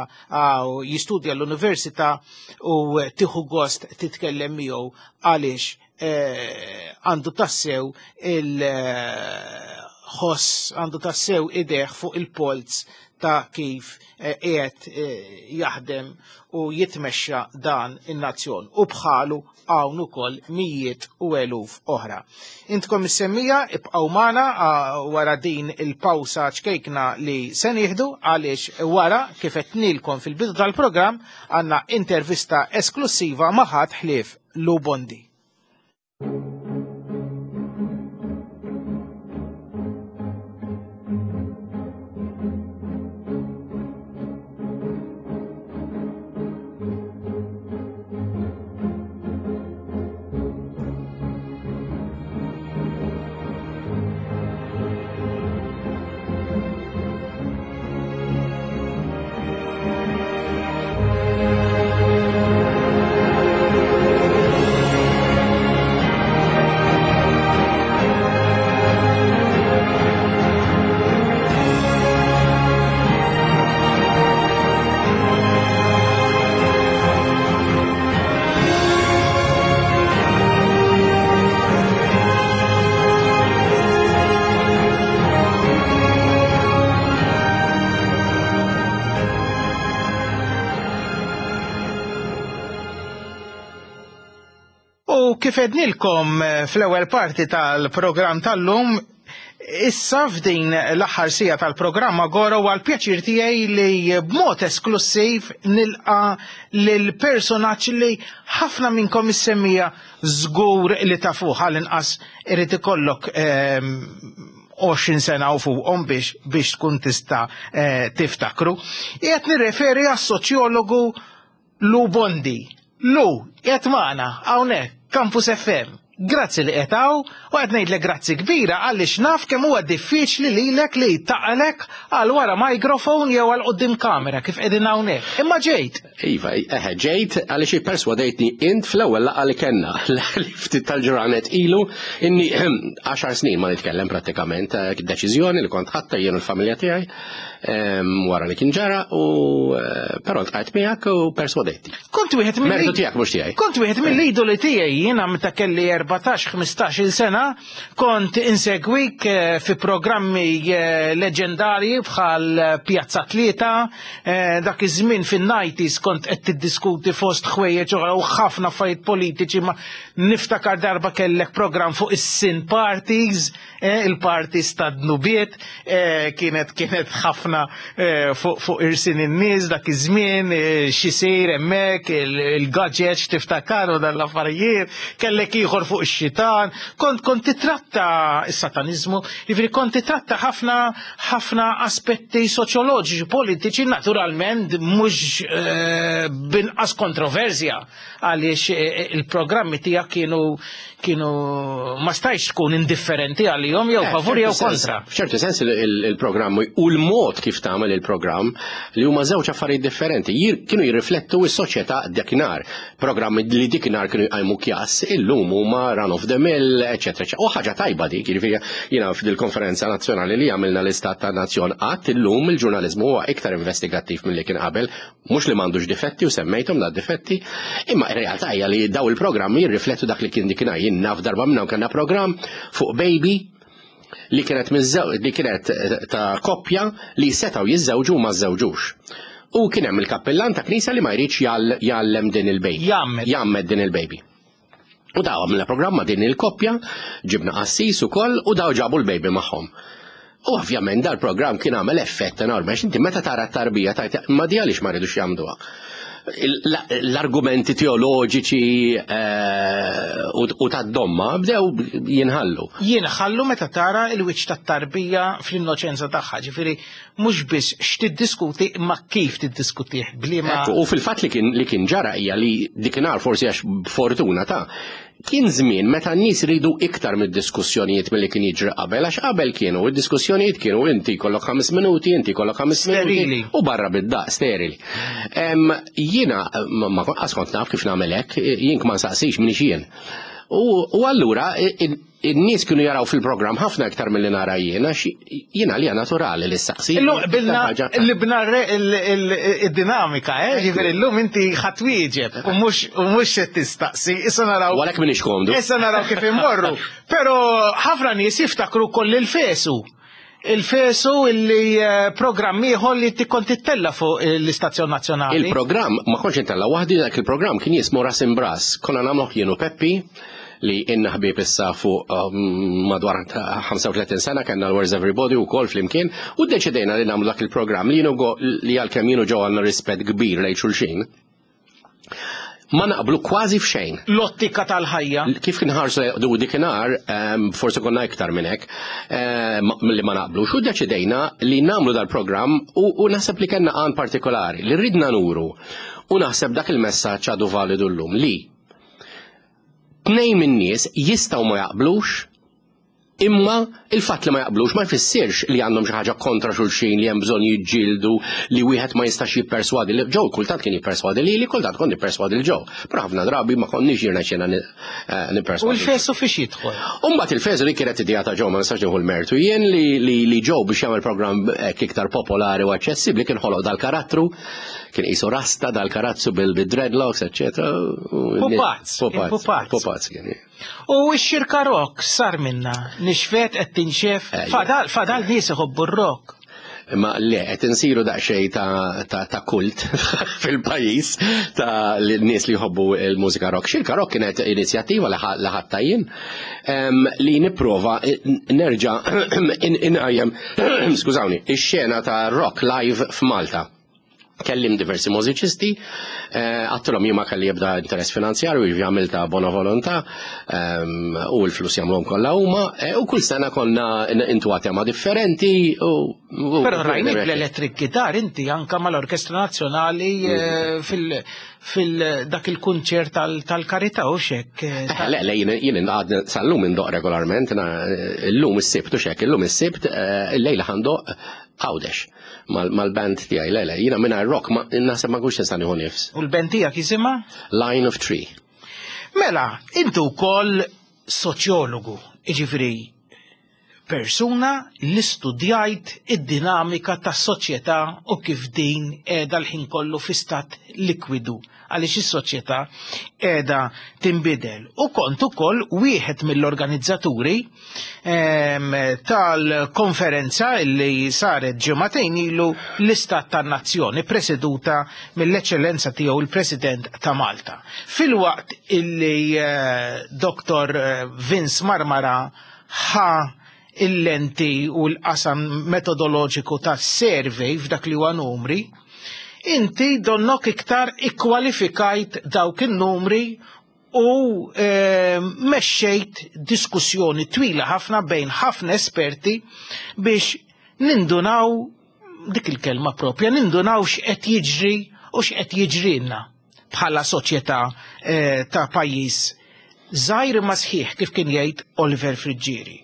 u jistudja l-università u tieħu gost titkellem miegħu għaliex eh, għandu tassew il- eh, ħoss għandu tassew idejh fuq il-polz ta' kif eh, qiegħed eh, jaħdem u jitmexxa dan in-nazzjon u bħalu hawn ukoll mijiet u eluf oħra. Intkom is-semmija ibqgħu magħna wara din il-pawsa ċkejkna li se nieħdu għaliex wara kif qed nilkom fil-bidu tal-programm għandna intervista esklusiva ma' ħadd ħlief Lou Bondi. U kif ednilkom eh, fl-ewwel parti tal-programm tal-lum, issa f'din l-aħħar sija tal-programm Agora huwa l-pjaċir tiegħi li b'mod esklusiv nilqa lil personaġġ li ħafna minnkom issemmija żgur li tafuh għall-inqas irid ikollok 20 ehm, sena u fuqhom biex biex tkun tista' eh, tiftakru. Qiegħed nirreferi għas-soċjologu Lou Bondi. Lou, qiegħed magħna hawnhekk, Campus FM. Grazzi li qiegħed hawn u qed ngħidlek grazzi kbira għaliex naf kemm huwa diffiċli lilek li taqalek għal wara microphone jew għal quddiem kamera kif qegħdin hawnhekk. Imma ġejt. Iva, eħe, ġejt għaliex ipperswadejtni int fl-ewwel laqgħa li kellna li ftit tal-ġranet ilu inni 10 snin ma nitkellem prattikament eh, deċiżjoni li kont ħatta jien u l-familja tiegħi wara li kien ġara u eh, però ltqajt miegħek u perswadejti. Kont wieħed mill Mertu tiegħek mhux tiegħi. Kont wieħed mill-idoli tiegħi jiena meta kelli 14-15 sena kont insegwik eh, fi programmi eh, leġendarji bħal Pjazza Tlieta, dak iż-żmien fin-90s kont qed tiddiskuti fost ħwejjeġ oħra u ħafna affarijiet politiċi ma niftakar darba kellek programm fuq is-sin parties Eh, il-parties ta' dnubiet eh, kienet kienet ħafna eh, fuq irsin in-nies dak iż-żmien xisir hemmhekk il-gadgets tiftakar u dan l-affarijiet, kellek ieħor fuq ix-xitan, kont kont titratta s-sataniżmu, jiġifieri kont titratta ħafna ħafna aspetti soċjoloġiċi, politiċi, naturalment mhux binqas kontroversja għaliex il-programmi tiegħek kienu kienu ma stajx tkun indifferenti għalihom jew eh, favur jew kontra. F'ċertu sens il-programm u l-mod kif tagħmel il-programm li huma żewġ affarijiet differenti kienu jirriflettu s-soċjetà dakinhar. Programmi li dikinhar kienu jqajmu kjas, illum huma run of the mill, eċetera. U ħaġa tajba dik, jiġifieri jiena f'dil-konferenza nazzjonali li għamilna l-Istat ta' Nazzjon qatt illum il-ġurnaliżmu huwa iktar investigattiv milli kien qabel Mhux li m'għandux difetti u semmejthom da difetti, imma r-realtà hija li daw il-programmi jirriflettu dak li kien dikinhar. Jien naf darba minnhom kellna programm fuq baby li kienet li kienet eh, ta' koppja li setgħu jiżżewġu u ma żżewġux. U kien hemm il-kappellan ta' knisja li ma jridx jgħallem din il-baby. Jgħammed din il-baby. U daw għamilna programm ma' din il-koppja, ġibna qassis ukoll u daw ġabu l-baby magħhom. U ovvjament dal-programm kien għamel effett enormi, għax inti meta tara t-tarbija tajt ma di għaliex ma rridux jagħmduha. L-argumenti teoloġiċi eh, u tad-domma bdew jinħallu. Jinħallu meta tara l-wiċċ tat-tarbija fl-innoċenza tagħha, ġifieri mhux biss x'tiddiskuti imma kif tiddiskutih bliema. U fil-fatt li kien li kien ġara hija li dikinhar forsi għax b'fortuna ta' kien żmien meta n-nies ridu iktar mid-diskussjonijiet milli kien jiġri qabel, għax qabel kienu id-diskussjonijiet kienu inti kollok ħames minuti, inti kollok ħames minuti u barra bid-daq sterili. Jiena ma kont naf kif nagħmel hekk, jien ma nsaqsix minix jien. U allura In-nies kienu jaraw fil-programm ħafna iktar milli nara jien għax jiena għalija naturali li ssaqsi. Illum qbilna li bna id-dinamika, eh? Ġifieri llum inti ħadd wieġeb u mhux u mhux se tistaqsi. Issa naraw. Għalhekk m'iniex komdu. Issa naraw kif immorru. Però ħafna nies jiftakru wkoll il-fesu. Il-fesu illi eh, programm ieħor li kont tittella fuq l-istazzjon nazzjonali. Il-programm ma kontx intella waħdi dak il-programm kien jismu Ras Imbras. Konna nagħmluh jien u Peppi li inna ħbieb issa fuq um, madwar 35 sena kellna l-Where's Everybody u kol flimkien u ddeċidejna li nagħmlu dak il-programm li jienu li għalkemm jienu ġew għandna rispett kbir lejn xulxin ma naqblu kważi f'xejn. L-ottika tal-ħajja. Kif nħarsu du dikinhar, ehm, forsi konna iktar minn hekk, ehm, li ma naqblux, u deċidejna li nagħmlu dal-programm u naħseb li kellna għan partikolari li ridna nuru u naħseb dak il-messaġġ għadu validu llum li tnejn min-nies jistgħu ma jaqblux Imma il-fatt li ma jaqblux ma jfissirx li għandhom xi ħaġa kontra xulxin li hemm bżonn jiġġieldu li wieħed ma jistax jipperswadi li Joe kultant kien jipperswadi lili, kultant kont nipperswadi lil Joe. Però ħafna drabi ma konniex jirnexxielna eh, nipperswadi. U l-fesu fiex jidħol? U mbagħad il-fesu li kienet idea ta' Joe ma nistax nieħu l-mertu jien li li Joe biex jagħmel programm hekk iktar popolari u aċċessibbli kien ħoloq dal-karattru kien qisu rasta dal-karazzu bil-dreadlocks, eċċetera. Pupazz, pupazz, pupazz kien. U x-xirka rock sar minna, nixfet qed tinxef, eh, fadal, fadal nies iħobbu r-rock. Ma le, qed insiru daqsxejn ta', ta, ta kult fil-pajjiż ta' nies li jħobbu l-mużika rock. Xirka rock kienet inizjattiva li ħadd jien li nipprova nerġa' inqajjem skużawni, ix-xena ta' rock live f'Malta. Kellim diversi mużiċisti, eh, għattilhom jien ma kelli jibda interess finanzjarju, jiġifieri għamilta bona volontà ehm, u l-flus jagħmluhom kollha huma, eh, u kull sena konna intu tema differenti. Però rajnik l-electric guitar inti anka mal-Orkestra Nazzjonali eh, fil- fil-dak il-kunċert tal-karità u xek. Le, le, jien għad sal-lum indoq regolarment, l-lum is-sibt u xek, l-lum is-sibt, il-lejla ħandoq Għawdex mal-band tiegħi, le, le, jiena mingħajr rock ma naħseb ma nkunx nista' nieħu nifs. U l-band tiegħek jisimha? Line of Tree. Mela, inti wkoll soċjologu, jiġifieri persuna li studjajt id-dinamika tas-soċjetà u kif din qiegħda l-ħin kollu fi stat likwidu għaliex is-soċjetà qiegħda tinbidel. U kont ukoll wieħed mill-organizzaturi ehm, tal-konferenza li saret ġimagħtejn ilu l-Istat tan-Nazzjoni preseduta mill-Eċċellenza tiegħu il-President ta' Malta. Filwaqt illi eh, Dr. Eh, Vince Marmara ħa il-lenti u l-qasam metodoloġiku tas-survey f'dak li huwa numri, inti donnok iktar ikkwalifikajt dawk in-numri u e, mexxejt diskussjoni twila ħafna bejn ħafna esperti biex nindunaw dik il-kelma propja, nindunaw x'qed jiġri u x'qed jiġrilna bħala soċjetà eh, ta' pajjiż żgħir imma sħiħ kif kien jgħid Oliver Friggieri.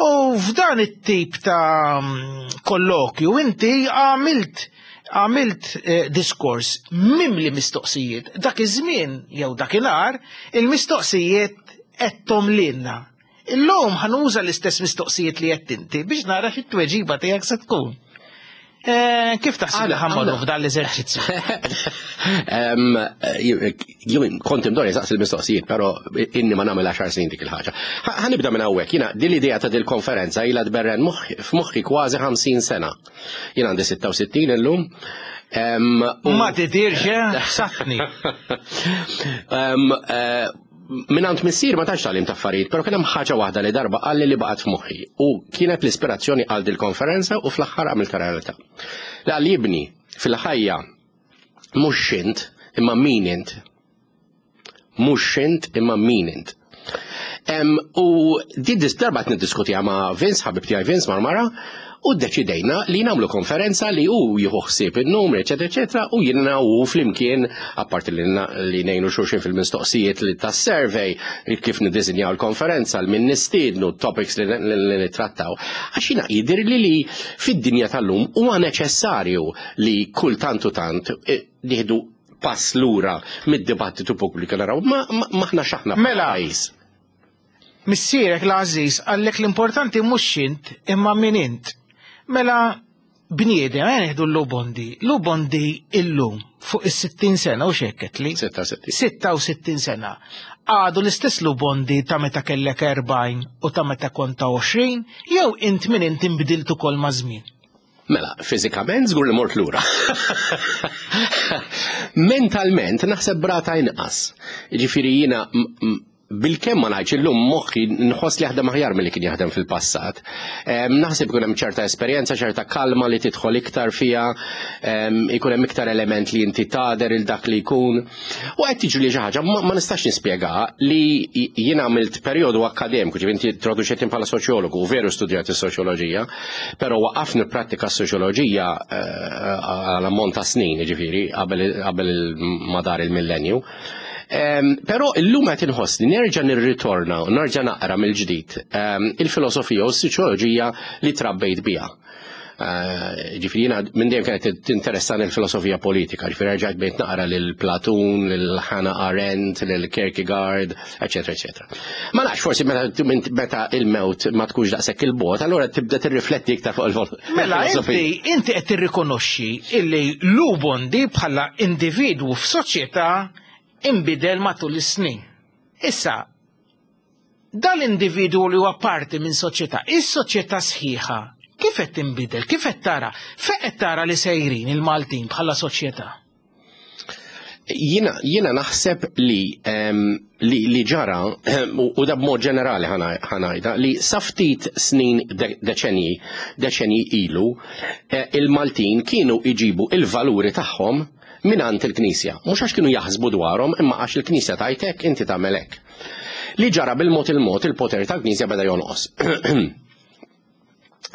U f'dan it-tip ta' mm, kollokju inti għamilt għamilt eh, diskors mimli mistoqsijiet. Dak iż-żmien jew dakinhar il-mistoqsijiet qedtom lilna. Illum ħanuża l-istess mistoqsijiet li qed inti biex nara xi tweġiba tiegħek se tkun. Eh, kif taħseb li ħammorru f'dan l-eżerċizzju? Jien kont imdorri saqsi l-mistoqsijiet, però inni ma nagħmel 10 snin dik il-ħaġa. Ħanibda minn hawnhekk, jiena din l-idea ta' dil-konferenza ilha tberren f'moħħi kważi 50 sena. Jien għandi 66 illum. Ma tidirx, eh? Satni. Minant missier ma tantx tagħlim ta' affarijiet, però kien hemm ħaġa waħda li darba qalli li baqgħet f'moħħi u kienet l-ispirazzjoni għal dil-konferenza u fl-aħħar għamiltha realtà. Li qal ibni fil-ħajja mhux x'int imma min int. Mhux x'int imma min int. U din darba qed niddiskutiha ma' Vince, ħabib tiegħi Vince Marmara, u ddeċidejna li nagħmlu konferenza li hu jieħu ħsieb in-numri, eċetera, eċetera, u jiena u flimkien, apparti li ngħinu xulxin fil-mistoqsijiet li tas-survey, kif niddisinjaw il-konferenza, l min nistiednu, topics li nittrattaw. Għax jiena jidhirli li fid-dinja tal-lum huwa neċessarju li kull tant u tant eh, nieħdu pass lura mid-dibattitu pubbliku naraw ma maħna x'aħna mela, pajjiż. Missierek l-għażiż qallek l-importanti mhux x'int imma min int. Mela bniedem, ejja nieħdu l-Lubondi. Lubondi illum. fuq is-60 sena u xekket li? 66. 66 sena. Għadu l-istess Lubondi ta' meta kellek 40 u ta' meta kont ta' 20, jew int min int inbdilt ukoll maż-żmien? Mela, fiżikament żgur li mort lura. Mentalment naħseb brata inqas. Ġifieri jiena bilkemm ma ngħidx illum moħħi nħoss li jaħdem aħjar milli kien jaħdem fil-passat. Naħseb ikun hemm ċerta esperjenza, ċerta kalma li tidħol iktar fiha, ikun hemm iktar element li inti tagħder il dak li jkun. U qed tiġri li xi ħaġa ma nistax nispjega li jien għamilt perjodu akkademiku, ġifieri inti introduċejtni bħala soċjologu, u veru studjat is-soċjoloġija, però waqaft nipprattika s-soċjoloġija eh, għal ammont ta' snin, ġifieri qabel madar il-millenju. Però illum qed inħossni nerġa' nirritorna u nerġa' naqra mill-ġdid il-filosofija u s-soċjoloġija li trabbejt biha. Eh, ġifieri jiena minn dejjem kienet tinteressani l-filosofija politika, ġifieri rġajt bejt naqra lil Platun, lil Hannah Arendt, lil Kierkegaard, eċetera, eċetera. Ma nafx forsi meta il-mewt ma tkunx daqshekk il-bot, allura tibda tirrifletti iktar fuq il-filosofija. Mela inti inti qed tirrikonoxxi illi Lubondi bħala individwu f'soċjetà inbidel matul is-snin. Issa, dal-individwu li huwa parti minn soċjetà, is-soċjetà sħiħa, kif qed tinbidel, kif qed tara, fejn qed tara li sejrin il-Maltin bħala soċjetà? Jiena jiena naħseb li li, li ġara u da b'mod ġenerali ħanajda li sa ftit snin deċenji deċenji ilu eh, il-Maltin kienu iġibu il-valuri tagħhom mingħand il-Knisja. Mhux għax kienu jaħsbu dwarhom imma għax il-Knisja tgħid hekk inti tagħmel hekk. Li ġara bil-mod il-mod il-poter tal-Knisja beda jonqos.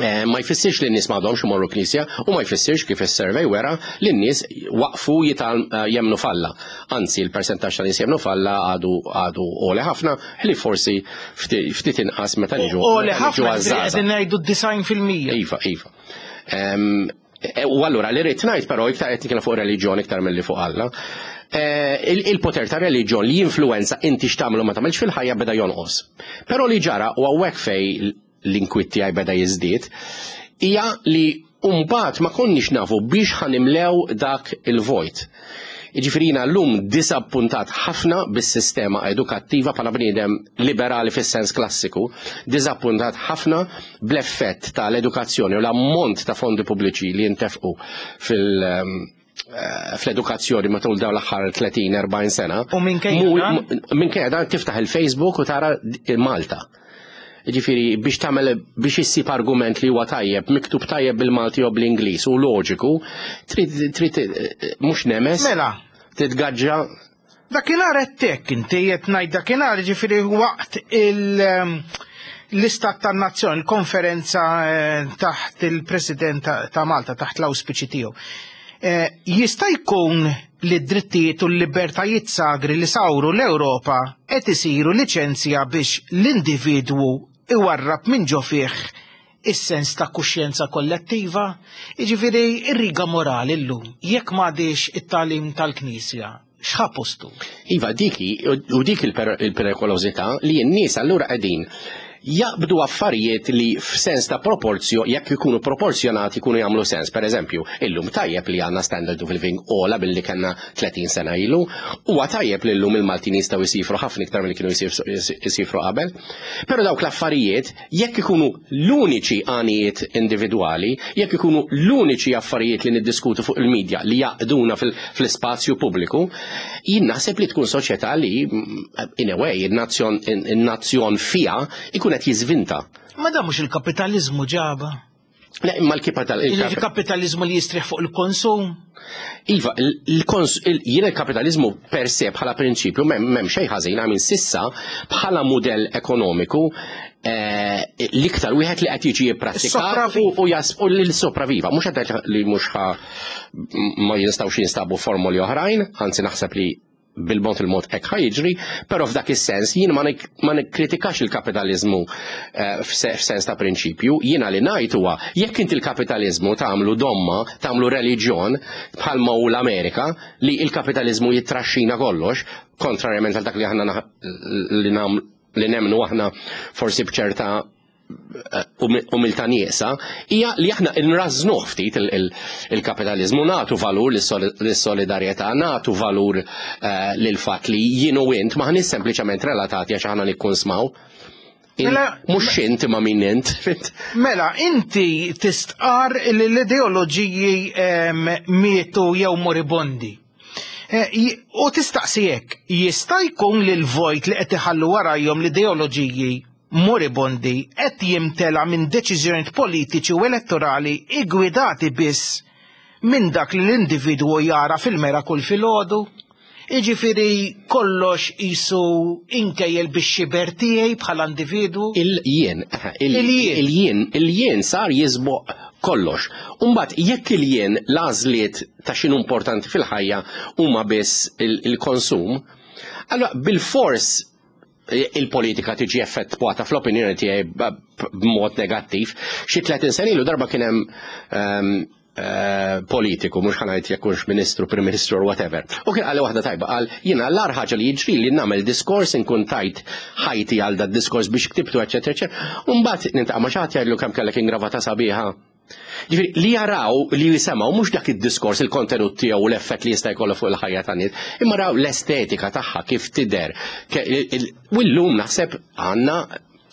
Eh, ma jfissirx li n-nies m'għadhomx imorru knisja u ma jfissirx kif is-survey wera li n-nies waqfu jital eh, jemnu falla. Anzi, il-persentaġġ ta' nies jemnu falla għadu għadu għoli ħafna, li forsi ftit inqas meta niġu. Għoli ħafna, qegħdin ngħidu 90%. Iva, iva. E, u allura li rrid ngħid però iktar qed nitkellem fuq reliġjon iktar milli fuq Alla. E, il-poter ta' reliġjon li jinfluwenza inti x'tagħmel u ma tagħmelx fil-ħajja beda jonqos. Però li ġara u hawnhekk fej l-inkwiet tiegħi beda jiżdied hija li mbagħad ma konniex nafu biex ħanimlew dak il-vojt. Jiġifieri jiena llum diżappuntat ħafna bis-sistema edukattiva bħala bniedem liberali fis-sens klassiku, diżappuntat ħafna bl-effett tal-edukazzjoni u l-ammont ta' fondi pubbliċi li jintefqu fil- eh, fl-edukazzjoni matul dawn l-aħħar 30-40 sena. U minkejja dan tiftaħ il-Facebook u tara Malta. Ġifieri biex tagħmel biex issib argument li huwa tajjeb, miktub tajjeb bil-Malti jew bl-Ingliż u loġiku, trid trid eh, mhux nemes. Mela. Titgaġġa. Dakinhar qed hekk inti qed ngħid dakinhar ġifieri waqt il- ehm, l-istat tan-nazzjon, il-konferenza eh, taħt il-President ta' Malta, taħt l-auspiċi tiegħu. Eh, jista' jkun li d-drittijiet u l-libertajiet sagri li sawru l-Ewropa qed isiru liċenzja biex l-individwu iwarrab minn ġo fih is-sens ta' kuxjenza kollettiva? Jiġifieri r-riga morali llum, jekk m'għadhiex it-tagħlim tal-Knisja, x'ħa postu? Iva, dik hi, u dik il-perikolożità li n-nies allura qegħdin jaqbdu affarijiet li f'sens ta' proporzjo, jekk ikunu proporzjonati jkunu jagħmlu sens. Per eżempju, illum tajjeb li għandna standard of living ogħla billi kellna 30 sena ilu, huwa tajjeb li llum il-Maltin jistgħu jsifru ħafna iktar milli kienu jsifru qabel. Però dawk l-affarijiet jekk ikunu l-uniċi għanijiet individwali, jekk ikunu l-uniċi affarijiet li niddiskutu fuq il-medja li jaqduna fl-ispazju pubbliku, jien naħseb li tkun soċjetà li in a way in-nazzjon fiha ikun qed jiżvinta. Ma dan mhux il-kapitaliżmu ġaba. Le, imma l-kapital. Il-kapitalizmu li jistrieħ fuq il-konsum. Iva, jien il-kapitalizmu per se bħala prinċipju m'hemm xejn ħażin għamin sissa bħala mudell ekonomiku eh, l-iktar wieħed li qed jiġi jipprattika u jasbu l-sopraviva. Mhux qed li mhux ma jinstawx jinstabu formoli oħrajn, anzi naħseb li bil-mod il-mod hekk ħa jiġri, però f'dak is-sens jien ma nikkritikax il-kapitaliżmu eh, f'sens ta' prinċipju, jiena li ngħid huwa jekk inti l-kapitaliżmu tagħmlu domma, tagħmlu reliġjon bħalma hu l-Amerika li l-kapitaliżmu jittraxxina kollox, kontrarjament għal dak li aħna li nemmnu aħna forsi b'ċerta umiltà nieqsa, hija li aħna nrażżnuh ftit il-kapitaliżmu, nagħtu valur lis-solidarjetà, nagħtu valur eh, lil fatt li jien u int maħniex sempliċement relatati għax aħna nikkunsmaw. Mela, mhux int ma min int. Mela, inti tistqar li l-ideoloġiji mietu jew moribondi. Eh, u tistaqsi hekk, jista' jkun li l-vojt li qed iħallu warajhom l-ideoloġiji moribondi qed jimtela minn deċiżjonijiet politiċi u elettorali iggwidati biss minn dak li l-individwu jara fil-mera kull filgħodu? Jiġifieri kollox qisu inkejjel bix-xiber tiegħi bħala individwu? Il-jien, il-jien, il-jien sar jisboq kollox. Umbagħad jekk il-jien l-għażliet ta' x'inhu importanti fil-ħajja huma biss il-konsum, allura bilfors il-politika tiġi effettwata fl-opinjoni tiegħi b'mod negattiv. Xi 30 sena ilu darba kien hemm ehm, eh, politiku, mhux ħanajt jekk hux ministru, prim ministru or whatever. U kien qal waħda tajba, qal jiena l-ar ħaġa li jiġri li nagħmel diskors inkun tajt ħajti għal dat diskors biex ktibtu eċetera eċetera. U mbagħad nintaqa' ma' xi ħadd jgħidlu kemm kellek ingravata sabiħa. Ġifieri li jaraw li jisemgħu mhux dak id-diskors il-kontenut tiegħu u l-effett li jista' jkollu fuq il-ħajja tan-nies, imma raw l-estetika tagħha kif tidher. U llum naħseb għandna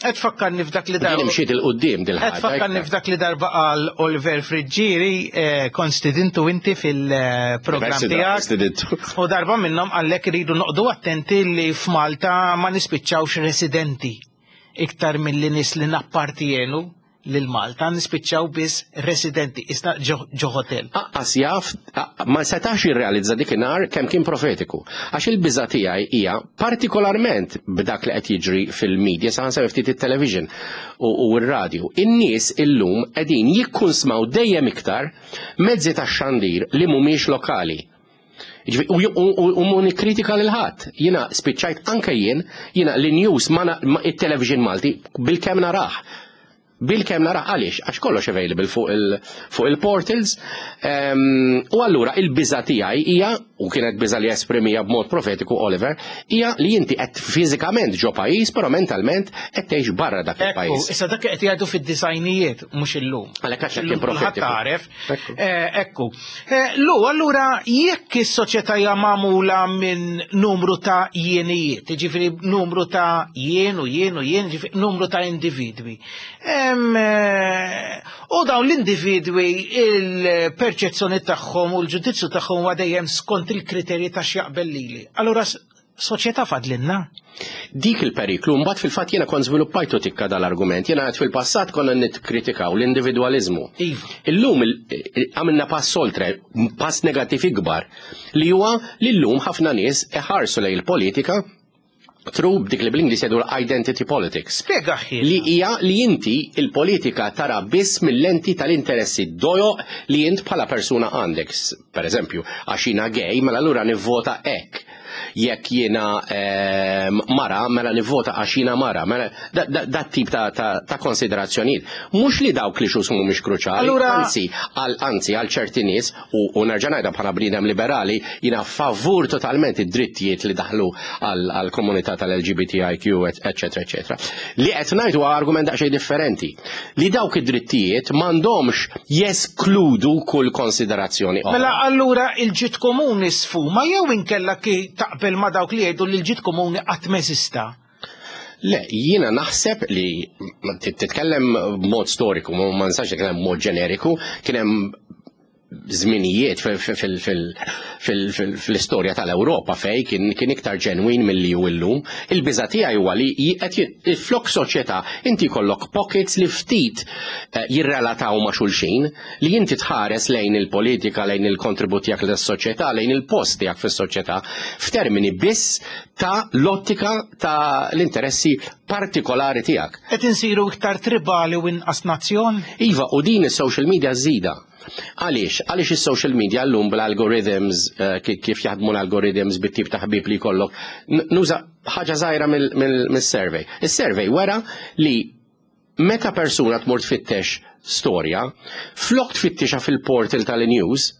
Qed tfakkarni f'dak li darba. Imxiet il-qudiem dil-ħaġa. Qed tfakkarni f'dak li darba qal Oliver Friggieri, eh, kont stidintu inti fil-programm tiegħek. U darba minnhom qallek iridu noqdu attenti li f'Malta ma nispiċċawx residenti iktar milli nies li nappartienu lil Malta nispiċċaw biss residenti, isna ġo hotel. Aqqas jaf, ma setax jirrealizza dikinhar kemm kien profetiku. Għax il-biża' tiegħi hija partikolarment b'dak li qed jiġri fil-media, saħansitra ftit it-television u r-radju. In-nies illum qegħdin jikkunsmaw dejjem iktar mezzi tax-xandir li mhumiex lokali. U mu nikkritika lil ħadd. Jiena spiċċajt anke jien, jiena l-news ma it-television Malti bil-kemm narah. Bil-kemm narah għaliex? Għax kollox available fuq il-portals. Ehm, u allura il-biża tiegħi hija, u kienet biża li esprimija b'mod profetiku Oliver, hija li inti qed fiżikament ġo pajjiż, però mentalment qed tgħix barra dak il-pajjiż. Issa dak qed jgħidu fid-disajnijiet mhux illum. Għalhekk għax kien profetiku. Taref. Eh, ekku. Eh, lu, allura jekk is-soċjetà hija magħmula minn numru ta' jienijiet, jiġifieri numru ta' jien u jien u jien, jiġifieri numru ta' individwi. Eh, u dawn l-individwi il-perċezzjoni tagħhom u l-ġudizzju tagħhom huwa dejjem skont il-kriterji ta' x'jaqbel lili. Allura soċjetà fadlinna. Dik il-periklu, mbagħad fil-fatt jiena kont żviluppajtu tikka dal-argument, jiena għed fil-passat konna nitkritikaw l-individwaliżmu. Iva. Illum għamilna pass oltre, pass negattiv ikbar, li huwa li llum ħafna nies iħarsu lejn il-politika through dik li bl-Ingliż jgħidu identity politics. Spjega ħin. Li hija li inti il-politika tara biss mill-lenti tal-interessi dojo li int bħala persuna għandek. Per eżempju, għax jiena gay, mela allura nivvota hekk. Jekk jiena ehm, mara, mela nivvota għax jiena mara. Mela dat tip ta' konsiderazzjonijiet. Mhux li dawk li xus mhumiex kruċali, anzi, anzi għal ċerti nies u nerġa' ngħidha bħala bniedem liberali, jiena favur totalment id-drittijiet li daħlu għall-komunità tal-LGBTIQ, eċetera, eċetera. Li qed ngħid huwa argument daqsxejn differenti. Li dawk id-drittijiet m'għandhomx jeskludu kull konsiderazzjoni oħra. Mela allura il-ġid komuni sfuma jew inkella ki taqbel ma' dawk li jgħidu li l-ġid komuni qatt m'eżista? Le, jiena naħseb li titkellem b'mod storiku, ma nistax nitkellem b'mod ġeneriku, kien hemm żminijiet fl-istorja tal-Ewropa fej kien iktar ġenwin milli hu illum. Il-biża' tiegħi huwa li qed flok soċjetà inti jkollok pockets li ftit eh, jirrelataw ma' xulxin, li inti tħares lejn il-politika, lejn il-kontribut tiegħek lis-soċjetà, lejn il-post tiegħek fis-soċjetà f'termini biss ta' l-ottika ta' l-interessi partikolari tiegħek. Qed insiru iktar tribali u inqas nazzjon? Iva, u din is-social media żida. Għaliex? Għaliex is-social media llum bl-algorithms, eh, kif jaħdmu l-algorithms bit-tip ta' ħbieb li jkollok, nuża ħaġa żgħira mill-survey. Is-survey wera li meta persuna tmur tfittex storja, flok tfittixa fil-portal tal-news,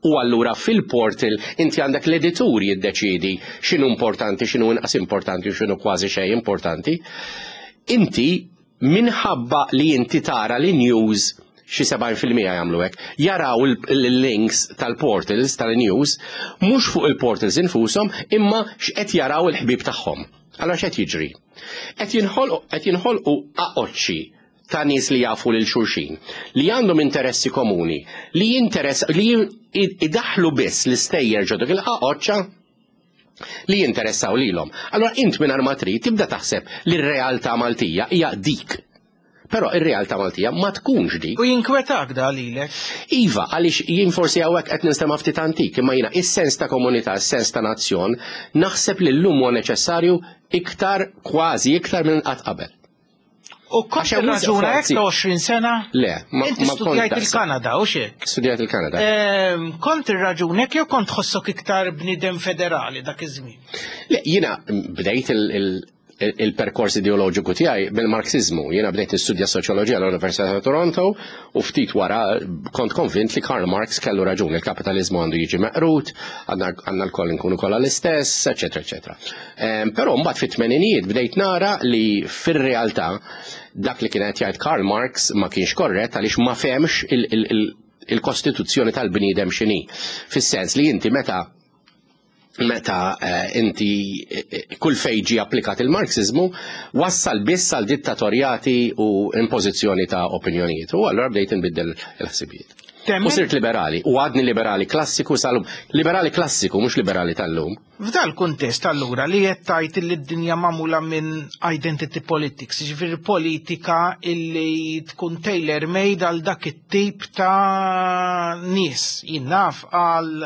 u allura fil-portal inti għandek l-editur jiddeċidi x'inhu importanti, x'inhu inqas importanti u x'inhu kważi xejn importanti, inti Minħabba li inti tara li news xi 70% jagħmlu hekk, jaraw il-links tal-portals tal-news mhux fuq il-portals infushom imma x'qed jaraw il-ħbieb tagħhom. Allora x'qed jiġri? Qed jinħolqu aqoċċi ta' nies li jafu lil xulxin, li għandhom interessi komuni, li jinteress li idaħlu biss l-istejjer ġo dik il-qaqoċċa li jinteressaw lilhom. Allora int mingħajr ma trid tibda taħseb li r-realtà Maltija hija dik. Però ir-realtà Maltija ma tkunx dik. U jinkwetak da lilek? Iva, għaliex jien forsi hawnhekk qed ninstema' ftit antik, imma jiena is-sens ta' komunità, is-sens ta' nazzjon, naħseb li llum huwa neċessarju iktar kważi iktar minn qatt qabel. U kont raġuna hekk ta' 20 sena? Le, ma Inti studjajt il-Kanada, u xek? Studjajt il-Kanada. Ehm, kont ir-raġuna hekk jew kont tħossok iktar bniedem federali dak iż-żmien? Le, jiena bdejt il-perkors ideoloġiku tiegħi bil-Marxiżmu. Jiena bdejt nistudja soċjoloġija l-Università ta' Toronto u ftit wara kont konvint li Karl Marx kellu raġun, il-kapitaliżmu għandu jiġi meqrut, għandna l-koll nkunu kollha l-istess, eċetera, eċetera. Però mbagħad fit-tmeninijiet bdejt nara li fir-realtà dak li kien qed jgħid Karl Marx ma kienx korrett għaliex ma fehmx il-kostituzzjoni tal-bniedem x'inhi. Fis-sens li inti meta meta eh, inti eh, eh, kull fejn ġie applikat il-Marxiżmu wassal biss għal dittatorjati u impożizzjoni ta' opinjonijiet. U allura bdejt inbiddel il-ħsibijiet. U sirt liberali, u għadni liberali klassiku sal-lum. Liberali klassiku, mhux liberali tal-lum. F'dal-kuntest allura li qed tgħid illi d-dinja magħmula minn identity politics, jiġifieri politika illi tkun tailor made għal dak it-tip ta' nies, jien naf għal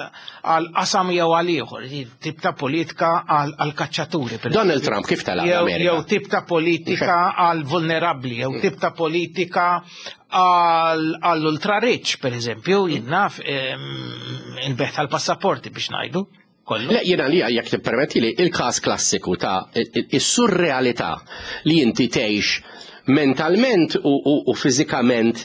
qasam jew għal ieħor, tip ta' politika għal kaċċaturi. Donald Trump kif tela' Jew tip ta' politika għal vulnerabbli, jew tip ta' politika għall-ultra rich, per eżempju, jien naf il-beħ tal-passaporti biex ngħidu. Kollu. Le, jiena li jekk tippermetti li il-każ klassiku ta' is-surrealità li inti tgħix mentalment u, u, u fiżikament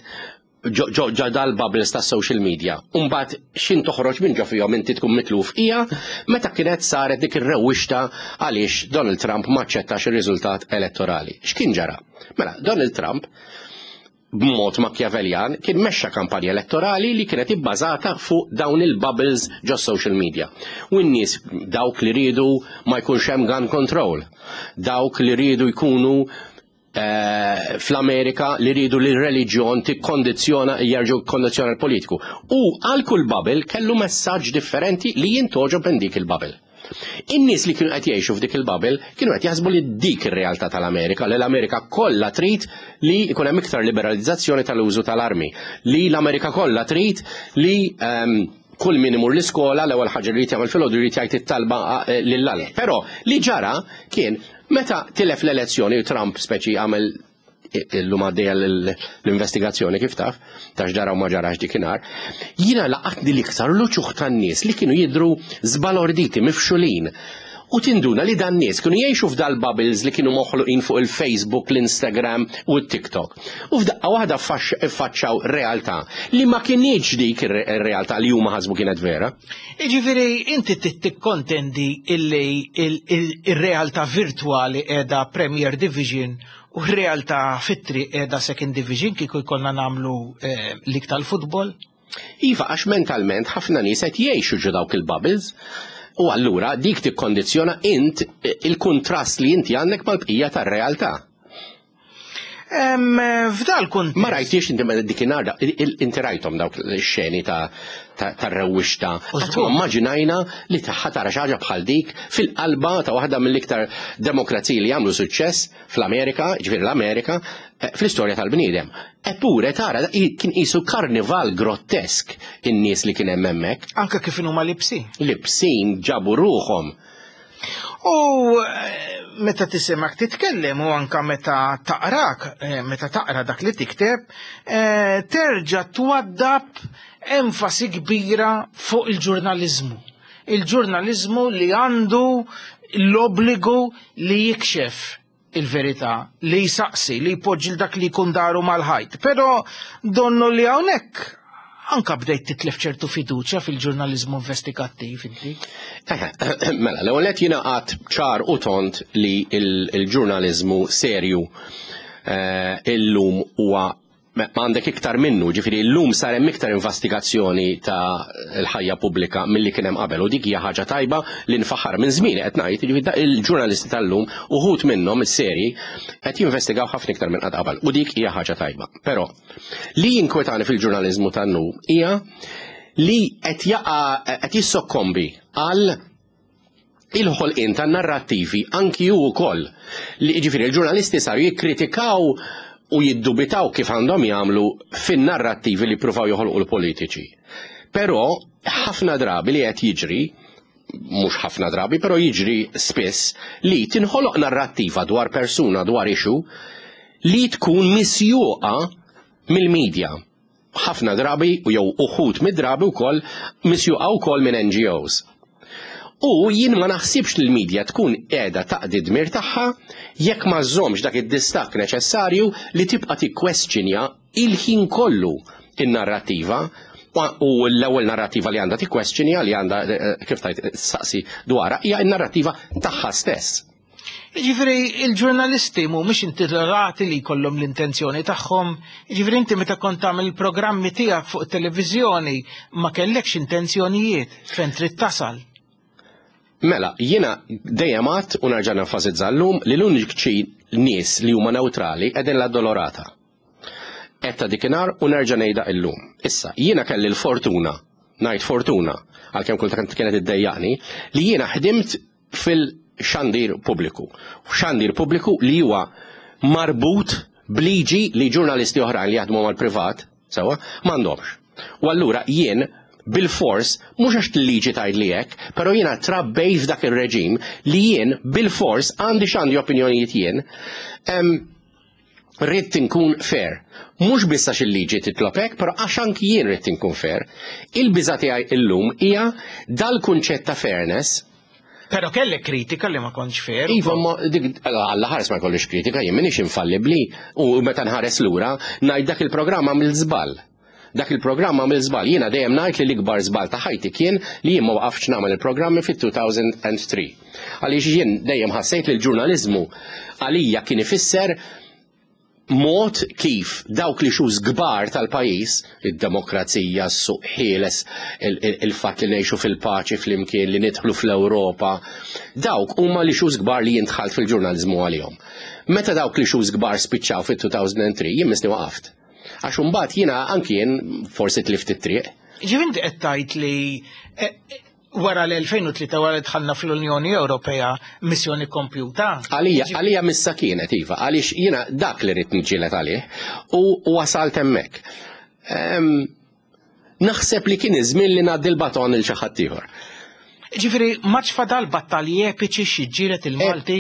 ġo dal-bubbles ta' social media. Umbat xin toħroġ minn ġo fihom inti tkun mitluf hija meta kienet saret dik ir-rewwixta għaliex Donald Trump ma aċċettax ir-riżultat elettorali. X'kien ġara? Mela, Donald Trump b'mod Machiavellian, kien mexxa kampanja elettorali li kienet ibbażata fuq dawn il-bubbles ġo social media. U n-nies dawk li riedu ma jkunx hemm gun control, dawk li riedu jkunu eh, fl-Amerika li riedu li r-reliġjon tikkondizzjona jerġgħu kondizzjona l-politiku. U għal kull bubble kellu messaġġ differenti li jintoġob minn dik il-bubble. In-nies li kienu qed jgħixu f'dik il-bubble kienu qed jaħsbu li dik ir-realtà tal-Amerika, li l-Amerika kollha trid li jkun hemm iktar liberalizzazzjoni tal-użu tal-armi, li l-Amerika kollha trid li ehm, kull min imur l-iskola l-ewwel ħaġa li jrid jagħmel filgħodu jrid jgħid it-talba eh, lil Alla. Però li ġara kien meta tilef l-elezzjoni Trump speċi għamel illum għaddejja l-investigazzjoni kif taf, ta' x'ġara u ma ġarax dikinhar, jiena laqatni l-iktar l-uċuħ tan-nies li kienu jidhru żbalorditi, mifxulin. U tinduna li dan nies kienu jgħixu f'dal bubbles li kienu moħluqin fuq il-Facebook, l-Instagram u t-TikTok. U f'daqqa waħda ffaċċaw realtà li ma kinitx dik ir-realtà li huma ħasbu kienet vera. Jiġifieri inti trid tikkontendi illi ir-realtà virtwali qiegħda Premier Division U r-realtà fit-triq qiegħda second division kieku jkollna nagħmlu eh, lig tal-futbol? Iva, għax mentalment ħafna nies qed jgħixu ġo dawk il-bubbles. U allura dik tikkondizzjona int eh, il-kuntrast li inti għandek mal-bqija tar-realtà. F'dal kunt. Ma rajtix inti meta dikinhar inti rajthom dawk ix-xeni ta' tar-rewwixta. Qatt ma immaġinajna li tagħha tara xi ħaġa bħal dik fil-qalba ta' waħda mill-iktar demokraziji li jagħmlu suċċess fl-Amerika, ġifieri l-Amerika, eh, fl-istorja tal-bniedem. Eppure tara kien qisu karnival grottesk in-nies li kien hemm hemmhekk. Anke kif inhuma libsin. Libsin ġabu ruħhom. U eh, meta tisimak titkellem u anka meta taqrak, eh, meta taqra dak li tikteb, terġa' twaddab enfasi kbira fuq il-ġurnaliżmu. Il-ġurnaliżmu li għandu l-obbligu li jikxef il-verità, li jsaqsi, li jpoġġi dak li jkun daru mal-ħajt. Però donnu li hawnhekk anka bdejt titlef ċertu fiduċja fil-ġurnaliżmu investigattiv inti. Mela, l-ewwel qed jiena qatt ċar u tont li il-ġurnaliżmu serju. Illum huwa għandek iktar minnu, ġifieri llum sar hemm iktar investigazzjoni ta' l-ħajja pubblika milli kien hemm qabel u dik hija ħaġa tajba li nfaħħar minn żmien qed ngħid, ġifieri il-ġurnalisti tal-lum uħud minnhom is-seri qed jinvestigaw ħafna iktar minn qatt qabel u dik hija ħaġa tajba. Però li jinkwetani fil-ġurnaliżmu tan-lum hija li qed jaqa' qed jissokkombi għal il-ħolqien ta' narrattivi anki hu wkoll li jiġifieri l-ġurnalisti saru jikkritikaw u jiddubitaw kif għandhom jagħmlu fin-narrattivi li jippruvaw joħolqu l-politiċi. Però ħafna drabi li qed jiġri mhux ħafna drabi, però jiġri spiss li tinħoloq narrattiva dwar persuna dwar issue li tkun misjuqa mill-media. Ħafna drabi u jew uħud mid-drabi wkoll misjuqa wkoll minn NGOs. U jien ma naħsibx li l-media tkun qiegħda taqdi d-dmir tagħha jekk ma żżommx dak id-distakk neċessarju li tibqa' tikkwestjonja il-ħin kollu in-narrattiva u l-ewwel narrattiva li għandha tikkwestjonja li għandha eh, kif tajt saqsi dwarha hija n-narrattiva tagħha stess. Jiġifieri il-ġurnalisti mhumiex intitolati li jkollhom l-intenzjoni tagħhom. Jiġifieri inti meta kont tagħmel il-programmi tiegħek fuq it-televiżjoni ma kellekx intenzjonijiet fejn trid tasal. Mela, jiena dejjem għadt u nerġa' nenfasizza llum li l-uniċi nies li huma newtrali qegħdin l-Addolorata. Għedtha dikinhar u nerġa' ngħidha illum. Issa, jiena kelli l-fortuna, ngħid fortuna, għalkemm kultant kienet iddejjaqni, li jiena ħdimt fil-xandir pubbliku. Xandir pubbliku li huwa marbut b'liġi li ġurnalisti oħrajn li jaħdmu mal-privat, sewwa, m'għandhomx. U allura jien bil-fors, mhux għax liġi tgħidli hekk, però jiena trabbejt f'dak ir-reġim li jien bil-fors għandi x'għandi opinjonijiet jien, ridt inkun fair. Mhux biss għax il-liġi titlob hekk, però għax anki jien ridt inkun fair. Il-biża' tiegħi illum hija dal-kunċett ta' fairness. Però kellek kritika li ma kontx fair. Iva, ma dik Alla ħares ma jkollix kritika, jien m'iniex infallibbli u meta nħares lura ngħid dak il-programm għamil żball. Dak il-programm għamil żball. Jiena dejjem ngħid li l-ikbar żball ta' ħajti kien li jien ma waqaftx nagħmel il-programmi fit-2003. Għaliex jien dejjem ħassejt li l-ġurnaliżmu għalija kien ifisser mod kif dawk li xus kbar tal-pajjiż, id-demokrazija, s-suq ħieles, il-fatt li ngħixu fil-paċi flimkien, li nidħlu fl-Ewropa, dawk huma li xus kbar li jien dħalt fil-ġurnaliżmu għalihom. Meta dawk li xus kbar spiċċaw fit-2003, jien misni waqaft. Għax imbagħad jiena anki jien forsi tlift it-triq. Ġifieri inti qed tgħid li eh, eh, wara l-2003 wara li dħalna fl-Unjoni Ewropea missjoni kompjuta. Għalija, għalija missa kienet iva, għaliex jiena dak li rrid niġġieled għalih u wasalt hemmhekk. Naħseb li kien iż-żmien li ngħaddi l-baton il xi ħadd ieħor. Ġifieri ma fadal battalji epiċi xi ġġieled il-Malti?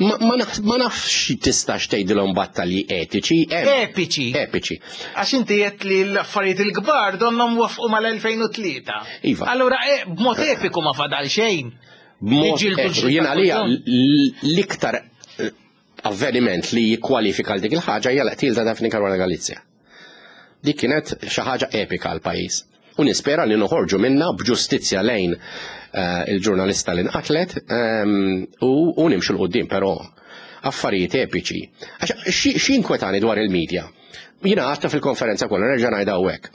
Ma nafx tistax tgħidilhom battalji etiċi. Epiċi. Epiċi. Għax inti qed li l-affarijiet il-kbar donnhom wafqu mal-2003. Iva. Allura e, b'mod epiku ma fadal xejn. B'mod epiku. Jien għalija l-iktar eh, avveniment li jikkwalifika għal dik il-ħaġa hija l-qtil ta' Daphne Caruana Galizia. Dik kienet xi ħaġa epika għal pajjiż. U nispera li noħorġu minna b'ġustizzja lejn eh, il-ġurnalista li nqatlet ehm, u nimxu l-qoddim, però affarijiet epiċi. Għax xi inkwetani dwar il-medja? Jiena għadta fil-konferenza kollha nerġa' ngħidha hawnhekk.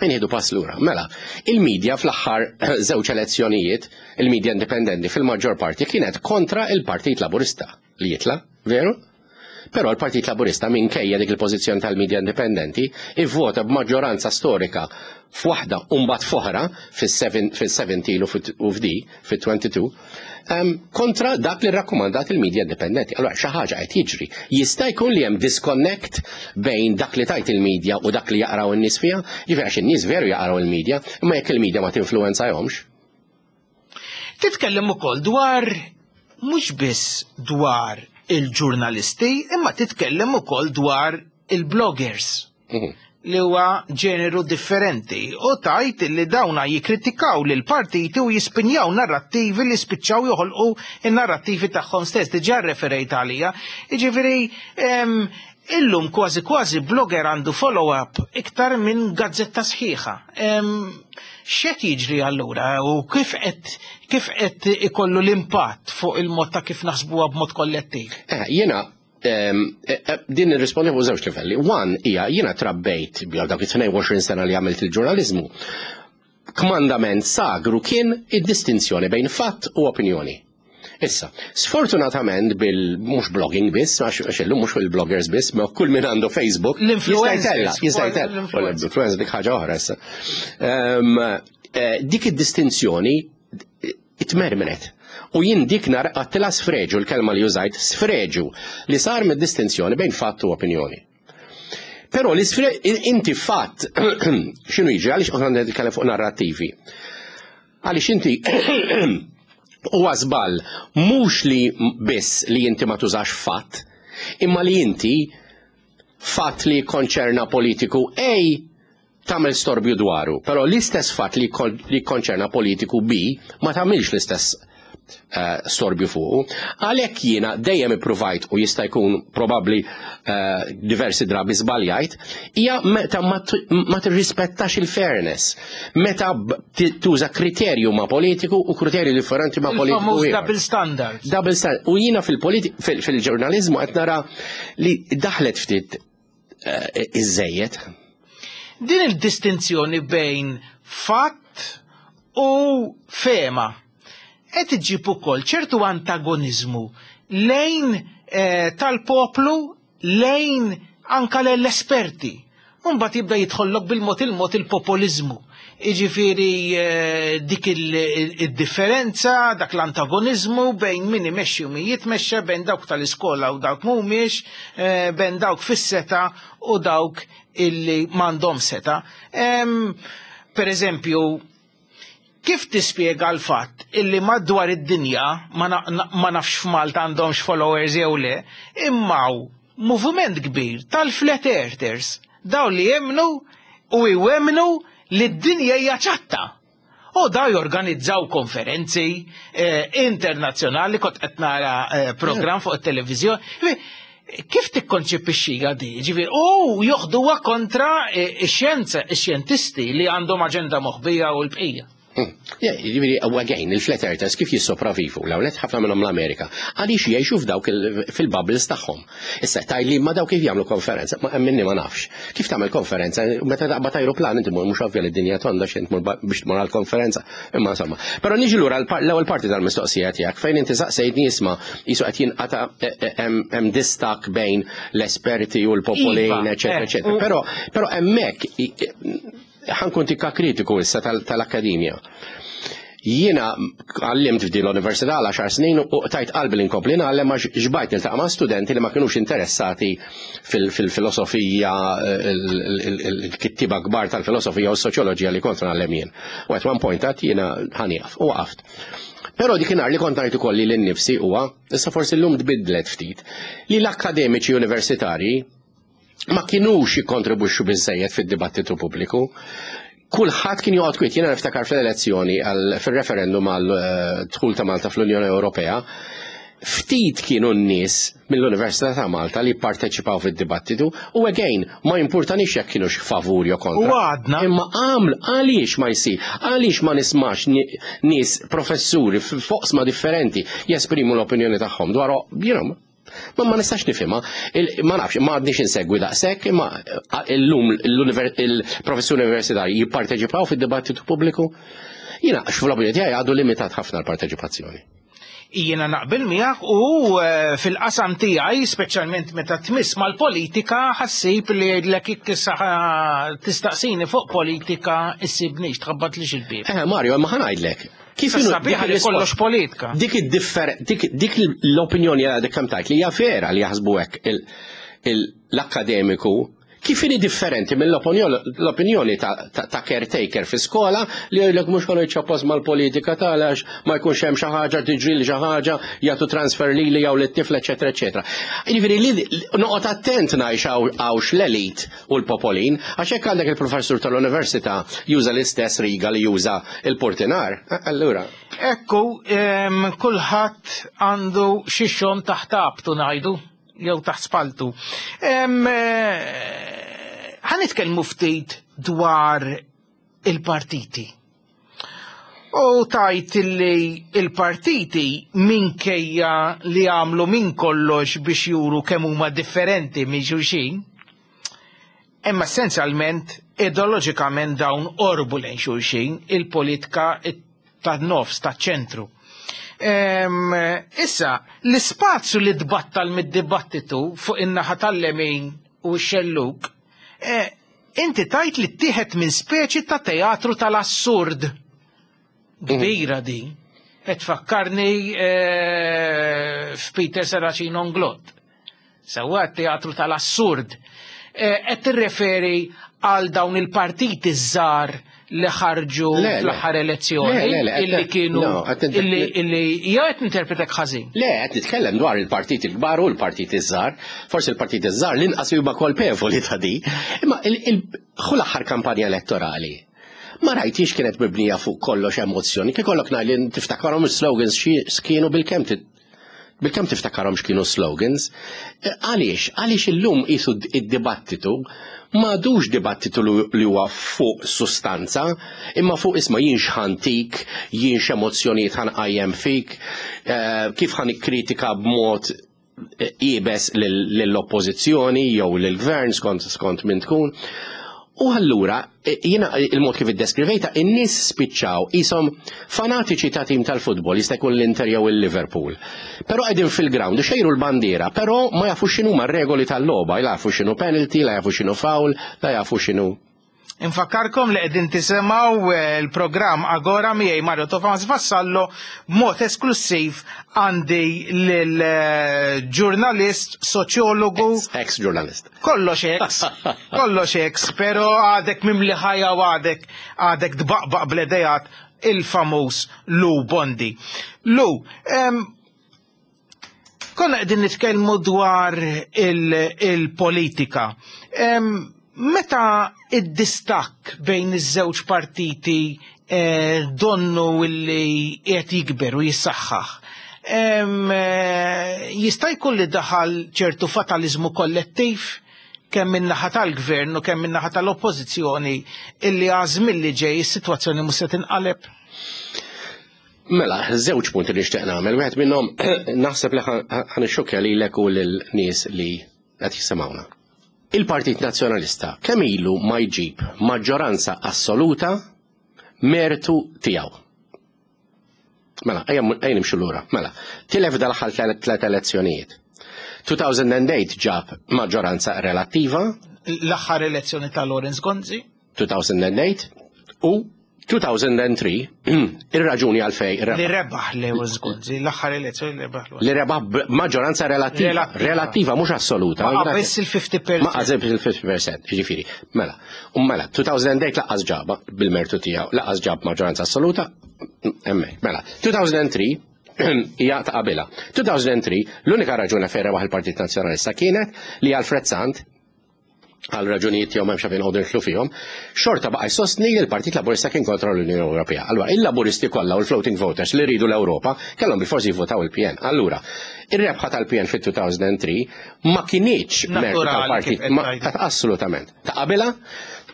Inħidu pass lura. Mela, il-medja fl-aħħar żewġ elezzjonijiet, il-medja indipendenti fil-maġġor parti kienet kontra il-Partit Laburista li jitla, veru? Però l-Partit Laburista minkejja dik il-pożizzjoni tal-media indipendenti ivvota b'maġġoranza storika f'waħda u mbagħad f'oħra fis-17 u f'di fit-22 kontra dak li rrakkomandat il-media indipendenti. Allora xi ħaġa qed jiġri. Jista' jkun li hemm disconnect bejn dak li tajt il-media u dak li jaqraw in-nies fiha, jiġifieri għax in-nies veru jaqraw il-media, imma jekk il-media ma tinfluwenzahomx. Titkellem ukoll dwar mhux biss dwar il-ġurnalisti, imma titkellem ukoll dwar il-bloggers. Mhm. li huwa ġeneru differenti u tajt li dawna jikkritikaw lil partiti u jispinjaw narrattivi li spiċċaw joħolqu in-narrattivi tagħhom stess. Diġà referejt għalija. Jiġifieri Illum kważi kważi blogger għandu follow-up iktar minn gazzetta sħiħa. X'qed jiġri allura u kif qed kif qed ikollu l-impatt fuq il-mod ta' kif naħsbuha b'mod kollettiv? Eh, jiena eh, eh, din nirrispondi fuq żewġ livelli. One hija jiena trabbejt bjew dak it-22 sena li għamilt il-ġurnaliżmu. Kmandament sagru kien id-distinzjoni bejn fatt u opinjoni. Issa, sfortunatament bil mhux blogging biss, għax illum mhux il-bloggers biss, ma kull min għandu Facebook, jista' jtella, jista' jtella. L-influencer dik ħaġa oħra issa. Ehm, eh, dik id-distinzjoni itmermret. U jien dik nar għattila sfreġu l-kelma li użajt, sfreġu li sar mid-distinzjoni bejn fatt u opinjoni. Però li inti fatt x'inhu jiġri għaliex aħna nitkellem fuq narrattivi. Għaliex inti huwa żball mhux li biss li inti ma tużax fatt, imma li inti fatt li jikkonċerna politiku A tagħmel storbju dwaru, però l-istess fatt li jikkonċerna politiku B ma tagħmilx l-istess Eh, storbju fuqu. Għalhekk jiena dejjem ippruvajt u jista' jkun probabbli eh, diversi drabi żbaljajt, hija meta ma tirrispettax il-fairness. Meta tuża kriterju ma' politiku u kriterju differenti ma' politiku. Double standard. Double standard. U jiena fil-ġurnalizmu qed nara li daħlet ftit eh, iżejjed. Din il-distinzjoni bejn fatt u fema qed iġġib ukoll ċertu antagoniżmu lejn eh, tal-poplu lejn anka l-esperti. Mbagħad jibda jidħollok bil-mod il-mod il-popoliżmu. Jiġifieri eh, dik id-differenza, dak l-antagoniżmu bejn min imexxi u min jitmexxa, bejn dawk tal-iskola u dawk mhumiex, eh, bejn dawk fis-seta u dawk illi m'għandhom seta. Per eżempju, kif tispjega l-fatt illi madwar id-dinja, ma nafx f'Malta għandhomx followers jew le, imma moviment kbir tal-flat earthers, dawn li jemmnu u jwemmnu li d-dinja hija ċatta. U daw jorganizzaw konferenzi eh, internazzjonali, kont qed nara eh, programm fuq it-televiżjoni. Kif tikkonċepixxiha di? Ġifieri, u joħduha kontra eh, ix-xjenza, ix-xjentisti li għandhom aġenda moħbija u l-bqija. Jiġifieri, u again, il-flat earthers kif jissopravivu, l-ewwel ħafna minnhom l-Amerika, għaliex jgħixu f'dawk fil-bubbles tagħhom. Issa tgħid li ma dawk kif jagħmlu konferenza, ma minni ma nafx. Kif tagħmel konferenza, meta taqbad ajruplan inti mhux ovvja li d-dinja tonda x'int biex tmur għall-konferenza, imma insomma. Però niġi lura l-ewwel parti tal-mistoqsija tiegħek fejn inti saqsejtni isma' qisu qed jinqata' e, e, hemm distak bejn l-esperti u l-popolin, iva, eċetera, eh, eċetera. Però però hemmhekk ħankun tikka kritiku issa tal-akkademja. Jiena għallimt f'din l-università għal 10 snin u tajt qalbi li nkompli ngħallem għax xbajt niltaqa' ma' studenti li ma kinux interessati fil-filosofija, il-kittiba kbar tal-filosofija u s-soċjoloġija li kont ngħallem jien. U at one point għat jiena ħanieqaf u waqaft. Però dik nhar li kont ngħid ukoll li nnifsi huwa, issa forsi llum tbiddlet ftit, li l-akkademiċi universitarji ma kinux jikkontribwixxu biżżejjed fid-dibattitu pubbliku. Kulħadd kien joqgħod kwiet, jiena niftakar fl-elezzjoni fil-referendum għal eh, dħul ta' Malta fl-Unjoni Ewropea, ftit kienu n-nies mill-Università ta' Malta li parteċipaw fid-dibattitu u again ma jimpurtanix jekk kienu favur jew kontra. U għadna. Imma għamlu għaliex ma jsir, għaliex ma nismax nies professuri f'oqsma differenti jesprimu l-opinjoni tagħhom dwar you know, Ma ma nistax nifhimha, ma nafx, ma għadniex insegwi daqshekk, imma illum il-professuri universitarji jipparteċipaw fid-dibattitu pubbliku. Jiena fl-opinjoni tiegħi għadu limitat ħafna l-parteċipazzjoni. Jiena naqbel miegħek u eh, fil-qasam tiegħi, speċjalment meta tmiss mal-politika, ħassib li jgħidlek jekk tistaqsini fuq politika issibnix tħabbat li xil-bib. Eh Mario, ma ħanajdlek. Kif inhu sabiħ li kollox politika. Dik id-differ, dik l-opinjoni għadek kemm tajt li hija vera li jaħsbu hekk l-akkademiku kif inhi differenti mill-opinjoni ta' caretaker fi skola li jgħidlek mhux ħa ċappas mal-politika tal għax ma jkunx hemm xi ħaġa tiġri li xi ħaġa jagħtu transfer lili jew lit-tifel eċetera eċetera. Jiġifieri li noqgħod attent ngħix hawnx l-elit u l-popolin, għax hekk għandek il-professur tal-università juża l-istess riga li juża il-portinar, allura. Ekku, kulħadd għandu xi xogħol taħt abtu ngħidu. jew taħt spaltu. Eh, ħa nitkellmu ftit dwar il-partiti. U tajt li il-partiti minkejja li għamlu minn kollox biex juru kemm huma differenti minn xulxin, imma essenzjalment ideoloġikament dawn orbu lejn xulxin il-politika tan-nofs taċ-ċentru. Issa, l-ispazju li tbattal mid-dibattitu fuq in-naħa tal-lemin u x-xellug, e, inti tajt li ttieħed minn speċi ta' teatru tal-assurd. Kbira din. Qed tfakkarni e, f'Peter Serracino Inglott. Sewwa teatru tal-assurd. E, qed tirreferi għal dawn il-partiti żgħar li ħarġu fl-aħħar elezzjoni illi kienu illi jew qed ninterpretek ħażin. Le, qed nitkellem dwar il-partiti l-kbar u l-partiti żgħar. Forsi l-partiti żgħar l-inqas huma kolpevoli ta' di. Imma ħu l-aħħar kampanja elettorali. Ma rajtix kienet mibnija fuq kollox emozzjoni. Kif kollok ngħid tiftakarhom is-slogans xi kienu bil-kemm bil-kemm tiftakarhom x'kienu slogans. E, għaliex? Għaliex illum qisu id-dibattitu m'għadux dibattitu li huwa fuq sustanza, imma fuq isma' jien x'ħantik, jien x'emozzjonijiet ħanqajjem fik, e, kif ħan ikkritika b'mod iebes lill-oppożizzjoni jew lill-gvern skont skont min tkun. U allura, e, jiena il-mod kif iddeskrivejta, in-nies spiċċaw qishom fanatiċi ta' tim tal-futbol, jista' jkun l-Inter jew il-Liverpool. Però qegħdin fil-ground, xejru l-bandiera, però ma jafu x'inhu r-regoli tal-logħba, la jafu x'inhu penalty, la jafu x'inhu foul, la jafu x'inhu. Infakkarkom li qegħdin tisimgħu eh, l-programm Agora miegħi Mario Tomas Vassallo b'mod esklusiv għandi lil eh, ġurnalist, soċjologu, Ex-ġurnalist. kollox ex, kollox ex, pero għadek mimli ħajja u għadek għadek tbaqbaq bl-idejat il-famuż Lou Bondi. Lou, konna qegħdin nitkellmu dwar il-politika. Meta id-distakk bejn iż-żewġ partiti eh, donnu illi qed jikber u jissaħħaħ, jista' jkun li daħal ċertu fatalizmu kollettiv kemm min-naħa tal-gvern u kemm min-naħa tal-oppożizzjoni illi għażmien li ġej is-sitwazzjoni mhux se tinqaleb? Mela, żewġ punti li nixtieq nagħmel. Wieħed minnhom naħseb li ħa nixxukkja lilek u lil-nies li qed jisimgħuna. Il-Partit Nazzjonalista kemm ilu ma jġib maġġoranza assoluta mertu tiegħu. Mela, ejja nimxu lura. Mela, tilef dal-aħħar tliet elezzjonijiet. 2008 ġab maġġoranza relattiva. L-aħħar elezzjoni ta' Lawrence Gonzi. 2008 u 2003 ir-raġuni għalfej Li rebaħ Lawrence Gonzi, l-aħħar elezzjoni li rebaħ. Li rebaħ maġġoranza relattiva. Relattiva, mhux assoluta. Ma qabeż il-50%. Ma qabeż il-50%, jiġifieri. Mela, u mela, 2008 lanqas ġab bil-mertu tiegħu, lanqas ġab maġġoranza assoluta, hemmhekk. Mela, 2003 hija ta' qabilha. 2003 l-unika raġuni fejn rebaħ il-Partit Nazzjonalista kienet li Alfred Sant għal raġunijiet tiegħu m'hemmx fejn noqogħdu nidħlu fihom, xorta baqa' jsostni li l-Partit Laburista kien kontra l-Unjoni Ewropea. Allura, il-Laburisti kollha u l-floating voters li rridu l-Ewropa kellhom bil-forsi jivvotaw il-PN. Allura, ir-rebħa tal-PN fit-2003 ma kinitx mertu tal-partit, assolutament. Ta' qabilha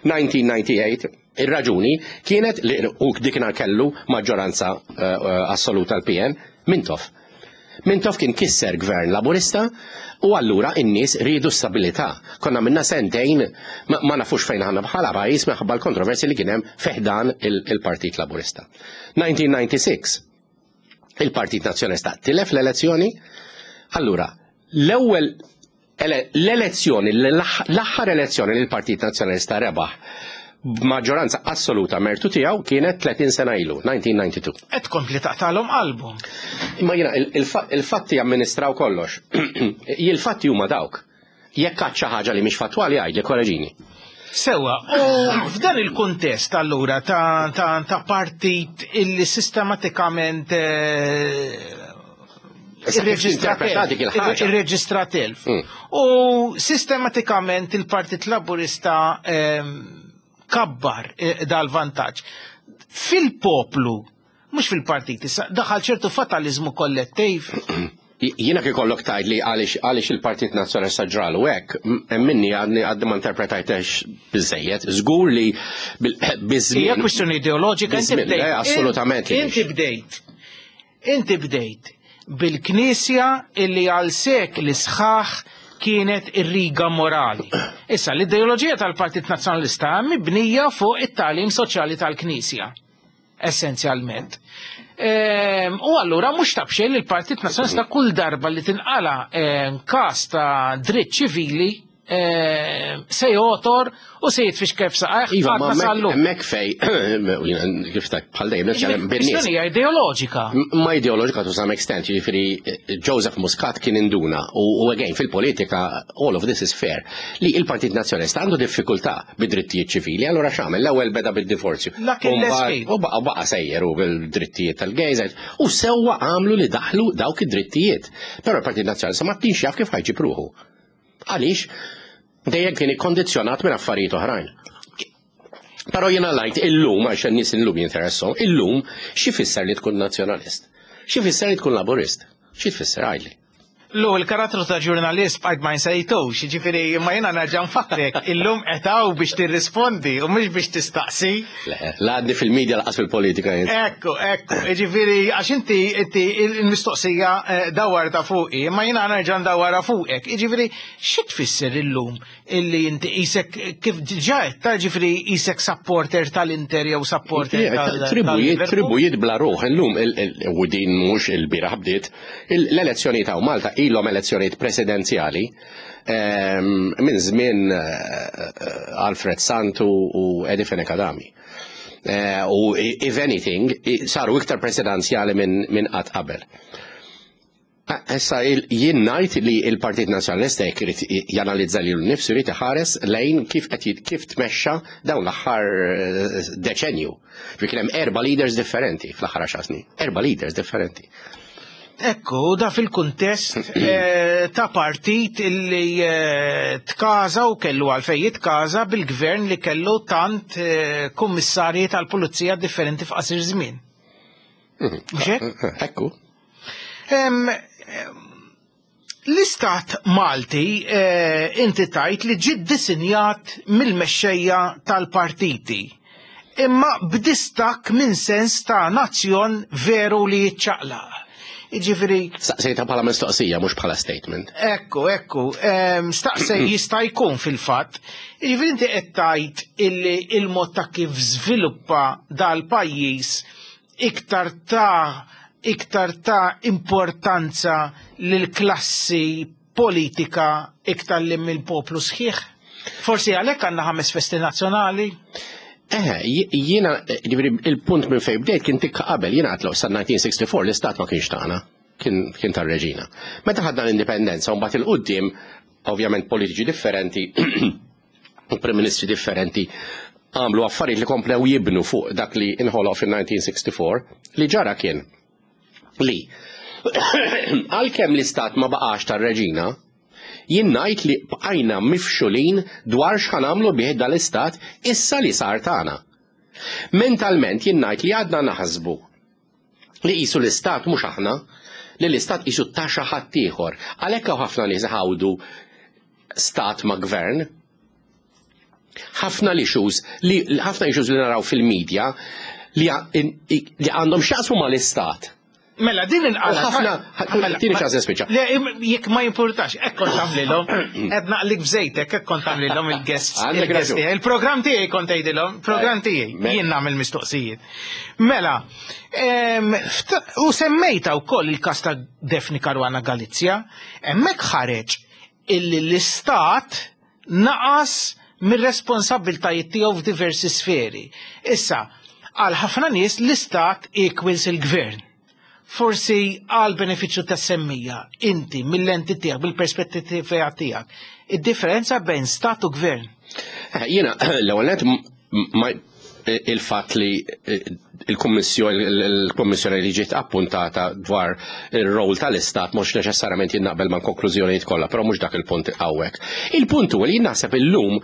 1998 ir-raġuni kienet li u dikinhar kellu maġġoranza assoluta l-PN Mintoff. Mintoff kien kisser gvern laburista u allura in-nies riedu stabilità. Konna minna sentejn ma nafux fejn ħanna bħala pajjiż minħabba l-kontroversi li kien hemm fi ħdan il-Partit Laburista. 1996 il-Partit Nazzjonalista tilef l-elezzjoni, allura l-ewwel l-elezzjoni, l-aħħar elezzjoni li l-Partit Nazzjonalista rebaħ b'maġġoranza assoluta mertu tiegħu kienet 30 sena ilu, 1992. Qed tkompli taqtalhom qalbhom. Imma jiena il-fatti jamministraw kollox. Il-fatti huma dawk. Jekk għad xi ħaġa li mhix fattwali għidli korreġini. Sewa, u f'dan il-kuntest allura ta', ta, ta partit illi sistematikament eh, irreġistra telf. U sistematikament il-Partit Laburista kabbar eh, dal-vantaġġ. Fil-poplu, mhux fil-partit, issa daħal ċertu fatalizmu kollettiv. Jiena kif ikollok tgħid li għaliex għaliex il-Partit Nazzjonalista ġralu hekk, minni għadni għadni ma interpretajtex biżejjed. Żgur li biż-żmien. Hija kwistjoni ideoloġika inti bdejt. Assolutament. Inti bdejt. Inti bdejt bil-Knisja illi għal sekli sħaħ kienet ir-riga morali. Issa l-ideoloġija tal-Partit Nazzjonalista mibnija fuq it-tagħlim soċjali tal-Knisja. essenzjalment. Ehm, u allura mhux ta' b'xejn li l-Partit Nazzjonalista kull darba li tinqala ehm, każ ta' dritt ċivili ehm, se jotor u se jitfix kif saqajh. Iva, ma hemmhekk fej, kif ta' bħal dejjem nitkellem bin-nies. Hija ideoloġika. Ma ideoloġika to some extent, jiġifieri eh, Joseph Muscat kien induna u again fil-politika all of this is fair li il-Partit Nazzjonalista għandu diffikultà bid-drittijiet ċivili, allura x'għamel? L-ewwel beda bid-divorzju. U baqa' baqa' sejjer u bil-drittijiet tal-gays u sewwa għamlu li daħlu dawk id-drittijiet. Però l-Partit Nazzjonalista ma kienx jaf kif ħajġib ruħu. Għaliex dejjem kien ikkondizzjonat minn affarijiet oħrajn. Però jiena lajt illum għax n-nies illum jinteressom, illum xi fisser li tkun nazzjonalist? Xi fisser li tkun laburist? Xi tfisser għajli? Lu, il-karattru ta' ġurnalist bqajt ma nsejtux, jiġifieri imma jiena nerġa' nfakkrek, illum qed hawn biex tirrispondi u mhux biex tistaqsi. Le, la għadni fil-media laqas fil-politika jien. Ekku, ekku, jiġifieri għax inti inti il-mistoqsija eh, dawwarta fuqi, imma jiena nerġa' ndawwarha fuqek. Jiġifieri xi tfisser illum illi inti qisek kif diġà għedtha, ġifieri qisek supporter tal-Inter jew supporter tal Tribujiet, tribujiet bla ruħ illum u din mhux il-bieraħ bdiet, l-elezzjonijiet hawn Malta ilhom elezzjonijiet presidenzjali ehm, minn żmien eh, eh, Alfred Santu u Eddie Fenech Adami. Eh, u if anything, saru iktar presidenzjali minn qatt qabel. Issa jien ngħid li l-Partit Nazzjonalista jekk irid janalizza lilu nnifsu jrid iħares lejn kif qed kif tmexxa dawn l-aħħar eh, deċenju. Ġifieri kien hemm erba' leaders differenti fl-aħħar għaxar snin. Erba' leaders differenti. Ekku, da fil-kuntest eh, ta' partit illi eh, tkaza u kellu għalfej jitkaza bil-gvern li kellu tant kummissarji tal-pulizija differenti f'qasir żmien. Mhux hekk? Ekku. L-istat Malti eh, inti tajt li ġi ddisinjat mill-mexxejja tal-partiti imma b'distakk minn sens ta' nazzjon veru li jiċċaqlaq. Jiġifieri. Staqsejta bħala mistoqsija mhux bħala statement. Ekku, ekku, staqsej jista' jkun fil-fatt. Jiġifieri inti qed tgħid illi il-mod ta' kif żviluppa dal-pajjiż iktar ta' iktar ta' importanza lill-klassi politika iktar li mill-poplu sħiħ? Forsi għalhekk għandna ħames festi nazzjonali? Eh, jiena, ġifieri il-punt minn fejn bdejt kien tikka qabel, jiena għatlu sa 1964 l-istat ma kienx tagħna, kien tar-reġina. Meta ħadna l-indipendenza u mbagħad il-qudiem, ovvjament politiċi differenti, u Prim Ministri differenti għamlu affarijiet li komplew jibnu fuq dak li inħoloq fil-1964, li ġara kien li għalkemm l-istat ma baqax tar-reġina, jien ngħid li bqajna mifxulin dwar x'ħanamlu bih dal-istat issa li sar tagħna. Mentalment jien ngħid li għadna naħsbu li qisu l-istat mhux aħna, li l-istat qisu ta' xi ħadd ieħor. Għalhekk hawn ħafna nies iħawdu stat ma' gvern. Ħafna l-issues li ħafna issues li naraw fil-medja li għandhom x'jaqsmu mal-istat. Mela din inqala. Ħafna mela, tieni ċans nispiċċa. Le jekk ma jimpurtax, hekk kont tagħmlilhom, qed naqlik b'żejtek, hekk kont tagħmlilhom il-guests. Il-programm tiegħi kont tgħidilhom, programm tiegħi, jien nagħmel mistoqsijiet. Mela, u semmejta wkoll il-każ ta' Daphne Caruana Galizia, hemmhekk ħareġ illi l-istat naqas mir-responsabbiltajiet tiegħu f'diversi sferi. Issa, għal ħafna nies l-istat equals il-gvern. Forsi għal benefiċċju tas-semmija, inti mill-lenti tiegħek, bil-perspettiva tiegħek, id-differenza bejn stat u gvern. Eh, jiena l-ewwel il-fatt li eh, il-Kummissjoni li ġiet appuntata dwar ir-rol tal-Istat mhux neċessarjament jien naqbel mal-konklużjonijiet kollha, però mhux dak il-punt hawnhekk. Il-punt huwa li jien naħseb illum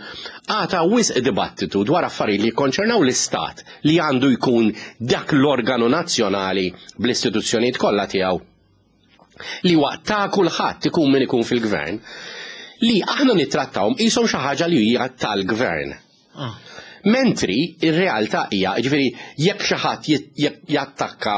għata wisq dibattitu dwar affarijiet li jikkonċernaw l-Istat li għandu jkun dak l-organu nazzjonali bl-istituzzjonijiet kollha tiegħu. Li huwa ta' kulħadd ikun min ikun fil-gvern, li aħna nittrattawhom qishom xi ħaġa li hija tal-gvern. Mentri ir-realtà hija, jiġifieri jekk xi ħadd jattakka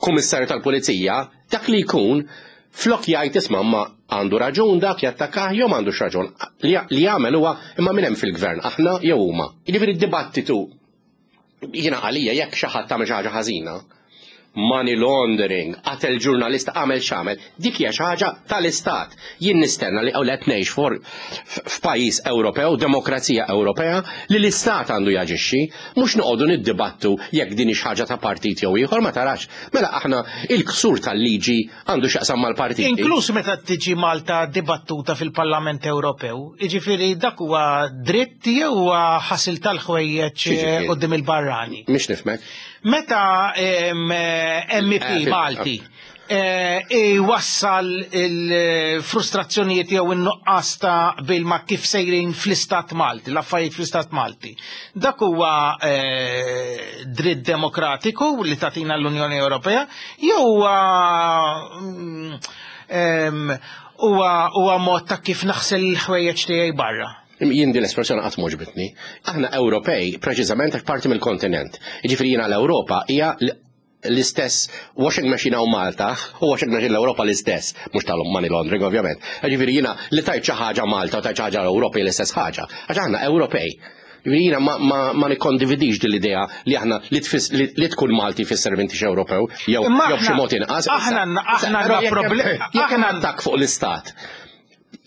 kummissarju tal-pulizija, dak li jkun flok jgħid isma' ma għandu raġun dak jattakkah jew m'għandux raġun. Li jagħmel huwa imma min hemm fil-gvern, aħna jew huma. Jiġifieri d-dibattitu jiena għalija jekk xi ħadd għamel xi ħaġa ħażina, money laundering, qatel ġurnalista għamel x'għamel, dik hija xi ħaġa tal-istat. Jien nistenna li qed ngħix f'pajjiż Ewropew, demokrazija Ewropea, li l-istat għandu jaġixxi, mhux noqogħdu niddibattu jekk din hix ħaġa ta' partit jew ieħor ma tarax. Mela aħna il-ksur tal-liġi għandu x'jaqsam mal-partiti. Inkluż meta tiġi Malta dibattuta fil-Parlament Ewropew, jiġifieri dak huwa dritt jew huwa ħasil tal-ħwejjeġ quddiem il-barrani. Mhix nifhmek. Meta MEP Malti iwassal il-frustrazzjonijiet jew in-nuqqas ta' qbil ma' kif sejrin fl-Istat Malti, l-affarijiet fl-Istat Malti. Dak huwa dritt demokratiku li tagħtina l-Unjoni Ewropea jew huwa huwa mod ta' kif naħsel il-ħwejjeġ tiegħi barra? Jien din l-espressjoni qatt m'għoġbitni. Aħna Ewropej preċiżament għax parti mill-kontinent. Jiġifieri jiena l-Ewropa hija l-istess washing machine hawn Malta u washing machine l-Ewropa l-istess, mhux tal-money laundering ovvjament. Jiġifieri jiena li tajt xi ħaġa Malta u tajt xi ħaġa l-Ewropa hija l-istess ħaġa. Għax aħna Ewropej. Jiġifieri jiena ma, ma, ma nikkondividix din l-idea li aħna li, tfis, li, li tkun Malti fisser m'intix Ewropew jew jew b'xi mod inqas. Aħna aħna problemi. Jekk hemm attakk fuq l-istat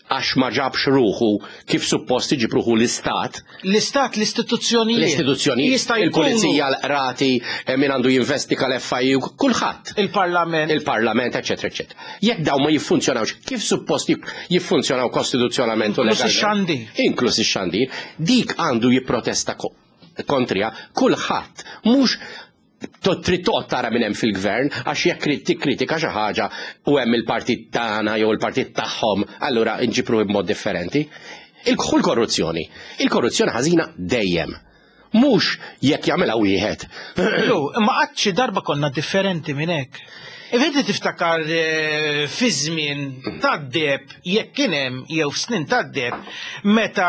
għax ma ġabx ruħu kif suppost iġib ruħu l-istat. L-istat, l-istituzzjonijiet. L-istituzzjonijiet, il-pulizija, l-qrati, eh, min għandu jinvestiga l-FIU, kulħadd. Il-parlament. Il-parlament, eccetera, eccetera. Jekk daw ma jiffunzjonawx, kif suppost jiffunzjonaw kostituzzjonalment u legalment. Inklus ix-xandir. Inklus ix-xandir. Dik għandu jipprotesta kontrija kulħadd, mhux trid toqgħod tara minn hemm fil-gvern għax jekk trid tikkritika xi ħaġa u hemm il-partit tagħna jew il-partit tagħhom, allura nġib ruħi b'mod differenti. Il-korruzzjoni. Il-korruzzjoni ħażina dejjem. Mhux jekk jagħmilha wieħed. Lu, imma qatt xi darba konna differenti minn hekk. Inti tiftakar eh, fi żmien tad-deb jekk kien hemm jew f'snin tad-deb meta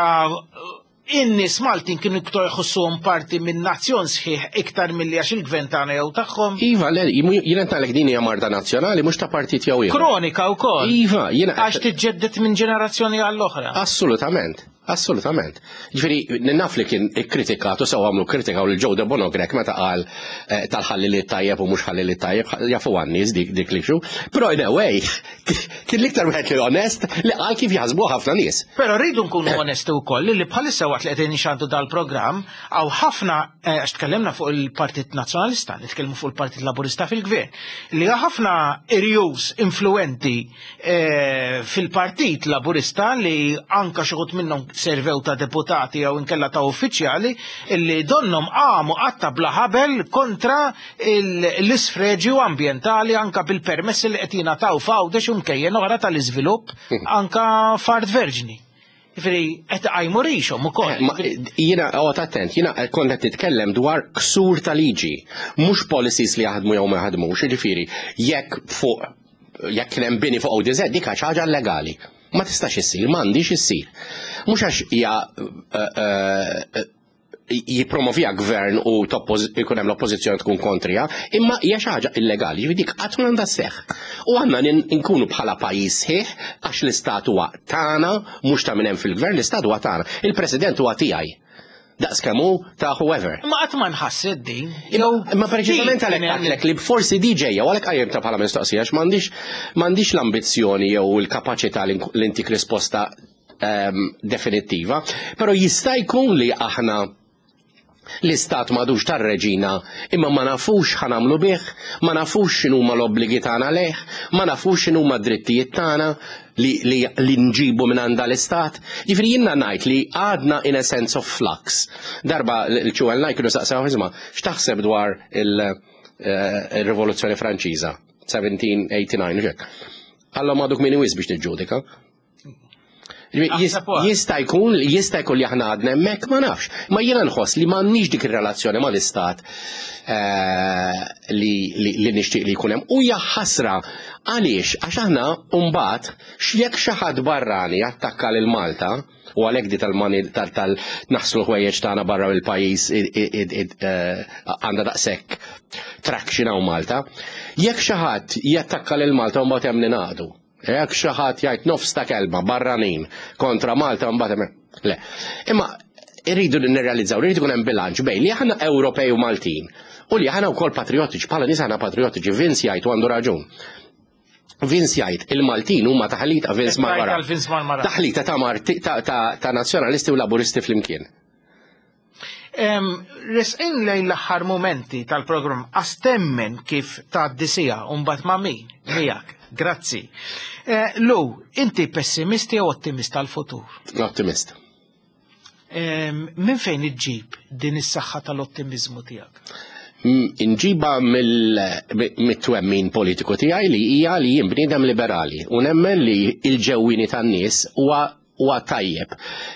In-nies Maltin kienu iktar iħossuhom parti minn nazzjon sħiħ iktar milli għax il-gvern tagħna jew tagħhom. Iva, le, jiena ngħidlek din hija marda nazzjonali mhux ta' partit jew ieħor. Kronika wkoll. Iva, jiena. Għax tiġġedded minn ġenerazzjoni għall-oħra. Assolutament, assolutament. Ġifieri, naf li kien ikkritikat u sew għamlu kkritikaw lil Joe Debono Grech meta qal eh, tal-ħalli li tajjeb u mhux ħalli li tajjeb, jafu għan-nies dik dik li xu. Però in a way, Kien l-iktar wieħed li onest li qal kif jaħsbu ħafna nies. Però rridu nkunu onesti wkoll li bħalissa waqt li qegħdin nxandu dal-programm hawn ħafna eh, għax tkellimna fuq il-Partit Nazzjonalista, nitkellmu fuq il-Partit Laburista fil-Gvern, li ħafna irjus influenti eh, fil-Partit Laburista li anka xi minnhom servew ta' deputati jew inkella ta' uffiċjali li donnom qamu qatta bla ħabel kontra l-isfreġju ambjentali anka bil-permessi li qed jingħataw f'Għawdex u mkejjen oħra tal-iżvilupp anka f'art verġni. Jiġifieri qed iqajmu rixhom ukoll. Eh, jiena qgħod attent, jiena kont qed titkellem dwar ksur ta' liġi, mhux policies li jaħdmu jew ma jaħdmux, jiġifieri jekk fuq jekk kien hemm bini fuq ODZ dik ħaġa illegali. Ma tistax issir, m'għandix issir. Mhux għax hija eh, eh, jippromovija gvern u jkun hemm l-oppożizzjoni tkun kontrija, imma hija xi ħaġa illegali, jiġifieri dik qatt ma għandha sseħħ. U għandna nkunu bħala pajjiż sħiħ għax l-istat huwa tagħna, mhux ta' min hemm fil-gvern, l-istat huwa tagħna. Il-President huwa tiegħi. Daqs kemm hu ta' whoever. Imma qatt ma nħasset din. Imma preċiżament għalhekk għedtlek li forsi di ġejja u għalhekk qajjimtha bħala mistoqsija għax m'għandix m'għandix l-ambizzjoni jew il-kapaċità li ntik risposta um, definittiva, però jista' jkun li aħna l-istat madux tar-reġina imma ma nafux ħanamlu bih, ma nafux x'inhuma l-obbligi tagħna lejh, ma nafux x'inhuma d-drittijiet tagħna li, li, li nġibu minn għanda l-istat. Ġifieri jiena ngħid li għadna in a sense of flux. Darba l-ċuwel kienu saqsew isma' x'taħseb dwar eh, il-Rivoluzzjoni Franċiża 1789 ġek. Għallhom għadu kmieni wisq biex niġġudika. Jista' jkun jista' jkun li aħna għadna hemmhekk ma nafx. Ma jiena nħoss li m'għandniex dik ir-relazzjoni mal-istat eh, li, li, li nixtieq li jkun hemm. U hija ħasra għaliex għax aħna mbagħad jekk xi ħadd barrani attakka lil Malta u għalhekk di tal-mani tal-naħslu ħwejjeġ tagħna barra mill-pajjiż eh, għandha daqshekk traction hawn Malta. Jekk xi ħadd jattakka lil Malta u mbagħad hemm ningħaqdu. Jekk xi ħadd jgħid nofs ta' kelma barranin kontra Malta mbagħad hemm le. Imma irridu nirrealizzaw li jkun hemm bilanċ bejn li aħna Ewropej u Maltin u li aħna wkoll patrijotiċi, bħala nies aħna patrijotiċi, Vince jgħid u għandu raġun. Vince jgħid il-Maltin huma taħlita Vince Marmara. Taħlita ta' Marti ta' nazzjonalisti u laburisti flimkien. Resqin lejn l-aħħar momenti tal-programm għastemmen kif tgħaddi sija u mbagħad ma' min miegħek. Grazzi. Eh, Lu, inti pessimist jew ottimist tal-futur? Ottimist. Minn fejn iġġib din is-saħħa tal-ottimizmu tiegħek? Inġiba mill-twemmin politiku tiegħi li hija li jien bniedem liberali u nemmen li l-ġewwini tan-nies huwa huwa tajjeb.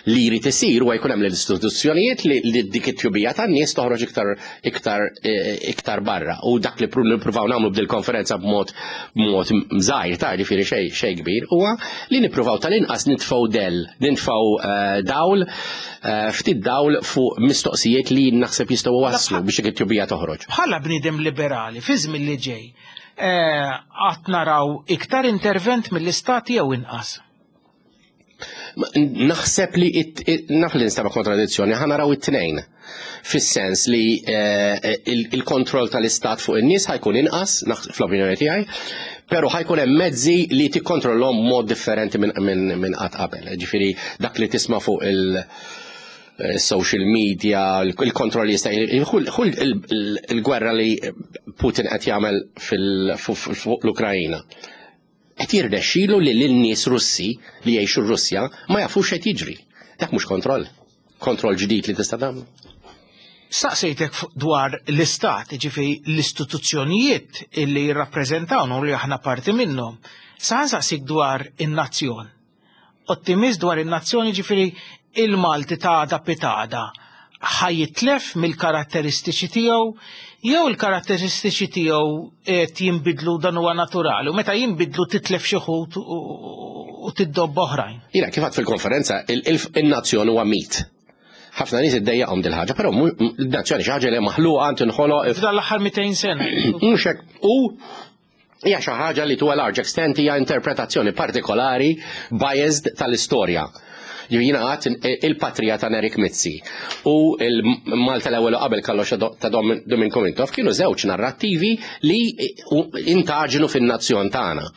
Li jrid isir huwa jkun hemm l-istituzzjonijiet li dik it-tjubija tan-nies toħroġ iktar iktar eh, iktar barra. U dak li nippruvaw nagħmlu b'dil konferenza b'mod b'mod żgħir ta' ġifieri xejn xejn kbir huwa li nippruvaw tal-inqas nitfgħu del, nitfgħu eh, dawl eh, ftit dawl fuq mistoqsijiet li naħseb jistgħu waslu biex dik it-tjubija toħroġ. Bħala bniedem liberali fi żmien li ġej, qatt naraw iktar intervent mill-istat jew inqas? Naħseb li naf li nistaba kontradizzjoni, ħa naraw it-tnejn. Fis-sens li eh, il-kontroll tal-istat fuq in-nies ħajkun inqas, fl-opinjoni tiegħi, però ħajkun hemm mezzi li tikkontrollhom mod differenti minn qatt qabel. Ġifieri dak li tisma' fuq il- eh, social media, il-kontroll jista' il-gwerra li Putin qed jagħmel fuq l-Ukrajina. Qed jirnexxilu li lin-nies Russi li jgħixu r-Russja ma jafux x'qed jiġri. Dak mhux kontroll. Kontroll ġdid li tista' tagħmlu. Saqsejtek dwar l-istat, ġifieri l-istituzzjonijiet illi jirrappreżentawna u li aħna parti minnhom. Sa nsaqsik dwar in-nazzjon. Ottimist dwar in-nazzjon jiġifieri il-Malti ta' għada pitgħada ħa jitlef mill-karatteristiċi tiegħu jew il-karatteristiċi tiegħu qed jinbidlu dan huwa naturali u meta jinbidlu titlef xi ħut u tiddobba oħrajn. Jiena kif għad fil-konferenza il-nazzjon huwa mit. Ħafna nies iddejjaqhom dil-ħaġa, però il-nazzjoni xi ħaġa li maħluqa tinħoloq. F'dan l-aħħar 200 sena. Mhux hekk. U hija xi ħaġa li to a large extent hija interpretazzjoni partikolari biased tal-istorja. Jiena għad il-patrija ta' Nerik Mizzi u il-Malta l-ewwel qabel kollox ta' Dominiku Mintoff kienu żewġ narrattivi li intaġnu fin-nazzjon tagħna.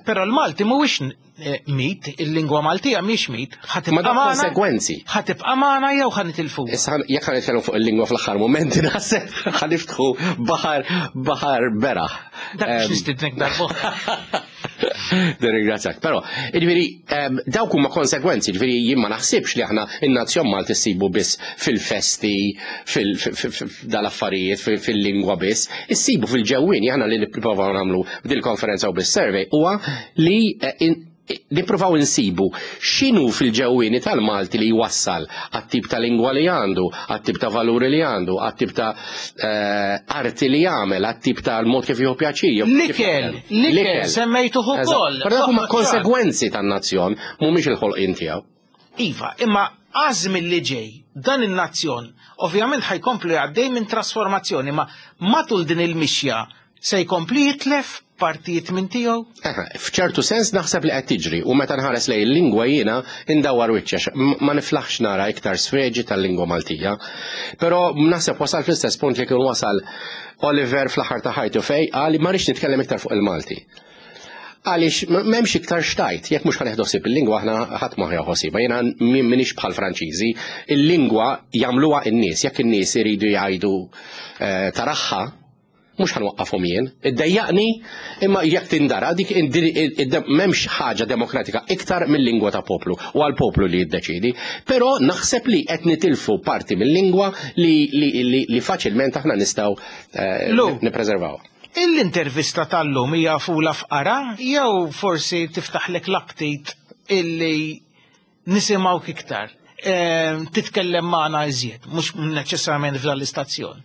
Però l-Malti mhuwiex Eh, mit, il-lingwa Maltija mhix mit, ħatibqa' magħna. konsegwenzi. Ħatibqa' magħna jew ħa nitilfu. Issa jekk ħa nitkellmu fuq il-lingwa fl-aħħar momenti naħseb ħa niftħu baħar baħar beraħ. Dak biex nistidnek darba. Nirringrazzjak. Però, jiġifieri dawk huma konsegwenzi, jiġifieri jien ma naħsibx li aħna in-nazzjon Malti ssibu biss fil-festi, fil-dal-affarijiet, fil-lingwa biss, issibu fil-ġewwien aħna li nippruvaw nagħmlu b'dil-konferenza u bis-survey huwa li eh, nippruvaw insibu x'inhu fil-ġewwieni tal-Malti li jwassal għat-tip ta' lingwa li għandu, għat-tip ta' valuri li għandu, għat-tip ta' eh, arti li jagħmel, għat-tip ta' mod kif jieħu pjaċir. L-ikel, l-ikel, semmejtuh ukoll. Però dak huma konsegwenzi tan-nazzjon, mhumiex il-ħolqien tiegħu. Iva, imma għażmin li ġej, dan in-nazzjon ovvjament ħajkomplu għaddej minn trasformazzjoni, ma matul din il-mixja se jkompli jitlef partijiet minn tiegħu? F'ċertu sens naħseb li qed tiġri u meta nħares lejn il-lingwa jiena indawwar wiċċi ma niflaħx nara iktar sfreġi tal-lingwa Maltija. Però naħseb wasal fl-istess punt li kien wasal Oliver fl-aħħar ta' ħajtu fej qal ma rridx nitkellem iktar fuq il-Malti. Għaliex m'hemmx iktar xtajt, jekk mhux ħaneħdu ħsieb il-lingwa aħna ħadd ma ħsiebha. Jiena m'iniex bħal Franċiżi, il-lingwa jagħmluha n-nies, jekk in-nies iridu jgħidu eh, taraħħa, mhux ħanwaqqafhom jien. Iddejjaqni imma jekk tindara dik m'hemmx ħaġa demokratika iktar mill-lingwa ta' poplu u għal poplu li jiddeċidi. Però naħseb li qed nitilfu parti mill-lingwa li, li, li, li faċilment aħna nistgħu eh, nippreservaw. L-intervista tal-lum hija fula fqara jew forsi tiftaħlek l-aptit? illi nisimgħuk iktar, titkellem magħna iżjed, mhux neċessarjament f'dan l-istazzjon?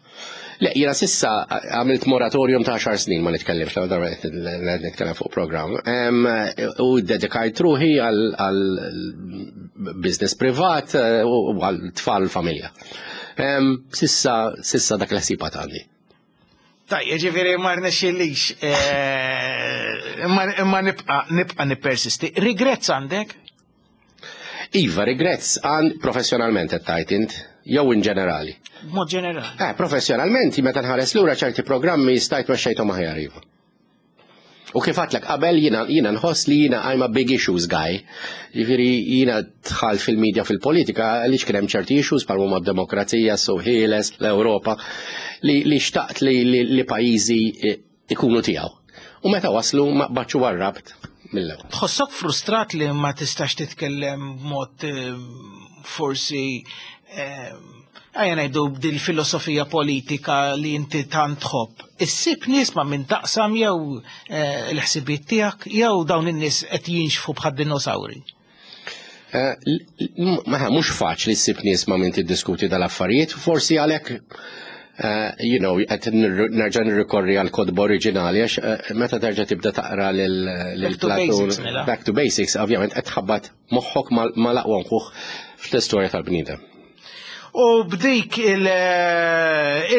Le, jiena sissa għamilt moratorium ta' 10 snin ma nitkellimx, l darba nitkellem fuq programm. U dedikajt ruħi għal business privat eh, u għal tfal familja. Sissa, sissa dak l-ħsiba għandi. Tajjeb, ġifieri ma rnexxilix, eh, imma nibqa' nibqa' nippersisti. Regrets għandek? Iva, regrets għan professjonalment qed tgħid int, jew in ġenerali. Mod ġenerali. Eh, professjonalment, meta nħares lura ċerti programmi stajt mexxejthom aħjar iva. U kif għatlek qabel jiena jiena nħoss li jiena I'm a big issues guy. Jiġifieri jiena dħalt fil-media fil-politika għaliex kien hemm ċerti issues bħal huma d-demokrazija, s-suq l-Ewropa, li, li xtaqt li, li, li pajjiżi eh, ikunu tiegħu. U meta waslu ma qbadx u warrabt mill-ewwel. Tħossok frustrat li ma tistax titkellem b'mod eh, forsi eh, ejja ngħidu b'dil filosofija politika li inti tant tħobb. Issib nies ma' min taqsam jew eh, l-ħsibiet tiegħek jew dawn in-nies qed jinxfu bħad dinosawri. Ma mhux faċli ssib nies ma' min tiddiskuti dal-affarijiet, forsi għalhekk qed nerġa' nirrikorri għal kotba oriġinali għax meta terġa' tibda taqra lil Platon mela. Back to Basics, ovvjament qed tħabbat moħħok mal-aqwa mħuħ fl-istorja tal-bniedem. U b'dik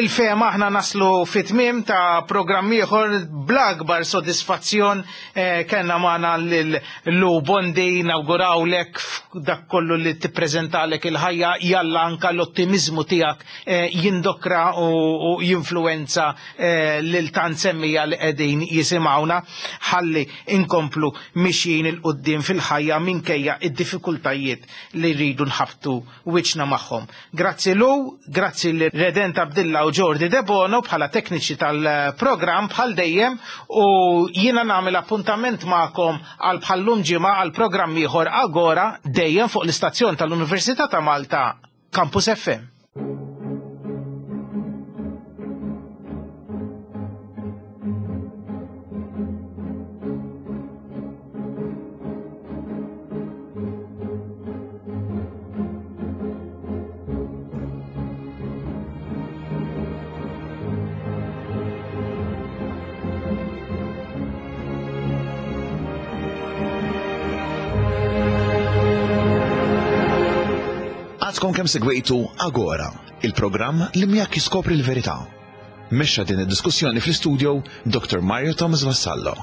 il-fehma aħna naslu fit-tmiem ta' programm ieħor bl-akbar sodisfazzjon eh, kellna magħna lil Lou Bondi nawgurawlek dak kollu li tippreżentalek il-ħajja jalla anka l-ottimizmu tiegħek eh, jindokra u jinfluenza eh, lil tant semmija li qegħdin jisimgħuna ħalli inkomplu mixjin 'il quddiem fil-ħajja minkejja id-diffikultajiet li rridu nħabtu wiċċna magħhom. Grazzi Lou, grazzi lil Redent Abdilla u Jordi Debono bħala tekniċi tal-programm bħal dejjem u jiena nagħmel appuntament magħkom għal bħallum ġimgħa għal programm ieħor Agora dejjem fuq l-istazzjon tal-Università ta' Malta Campus FM. Għadkom kemm segwejtu Agora, il-programm li miegħek jiskopri l-verità. Mexxa din id-diskussjoni fl-istudio Dr. Mario Thomas Vassallo.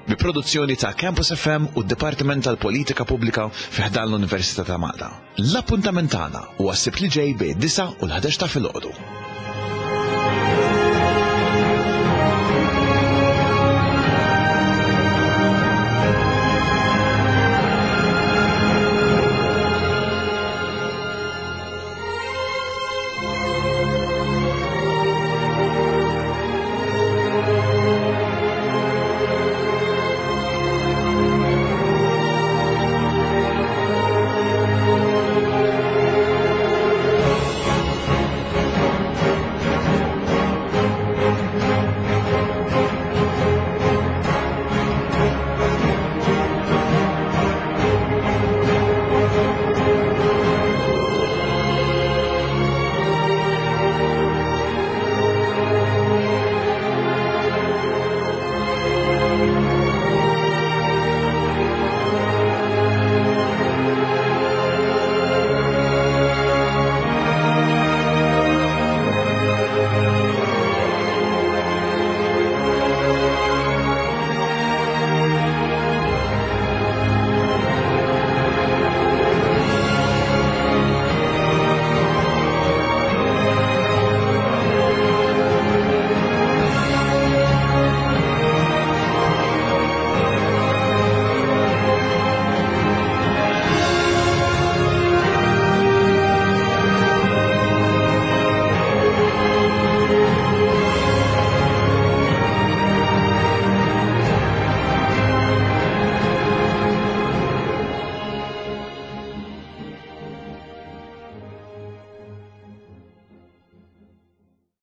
Bi produzzjoni ta' Campus FM u d-Dipartiment tal-Politika Pubblika fi ħdan l-Università ta' Malta. L-appuntament tagħna huwa s-Sibt li ġej bejn 9 u l-11 ta' filgħodu.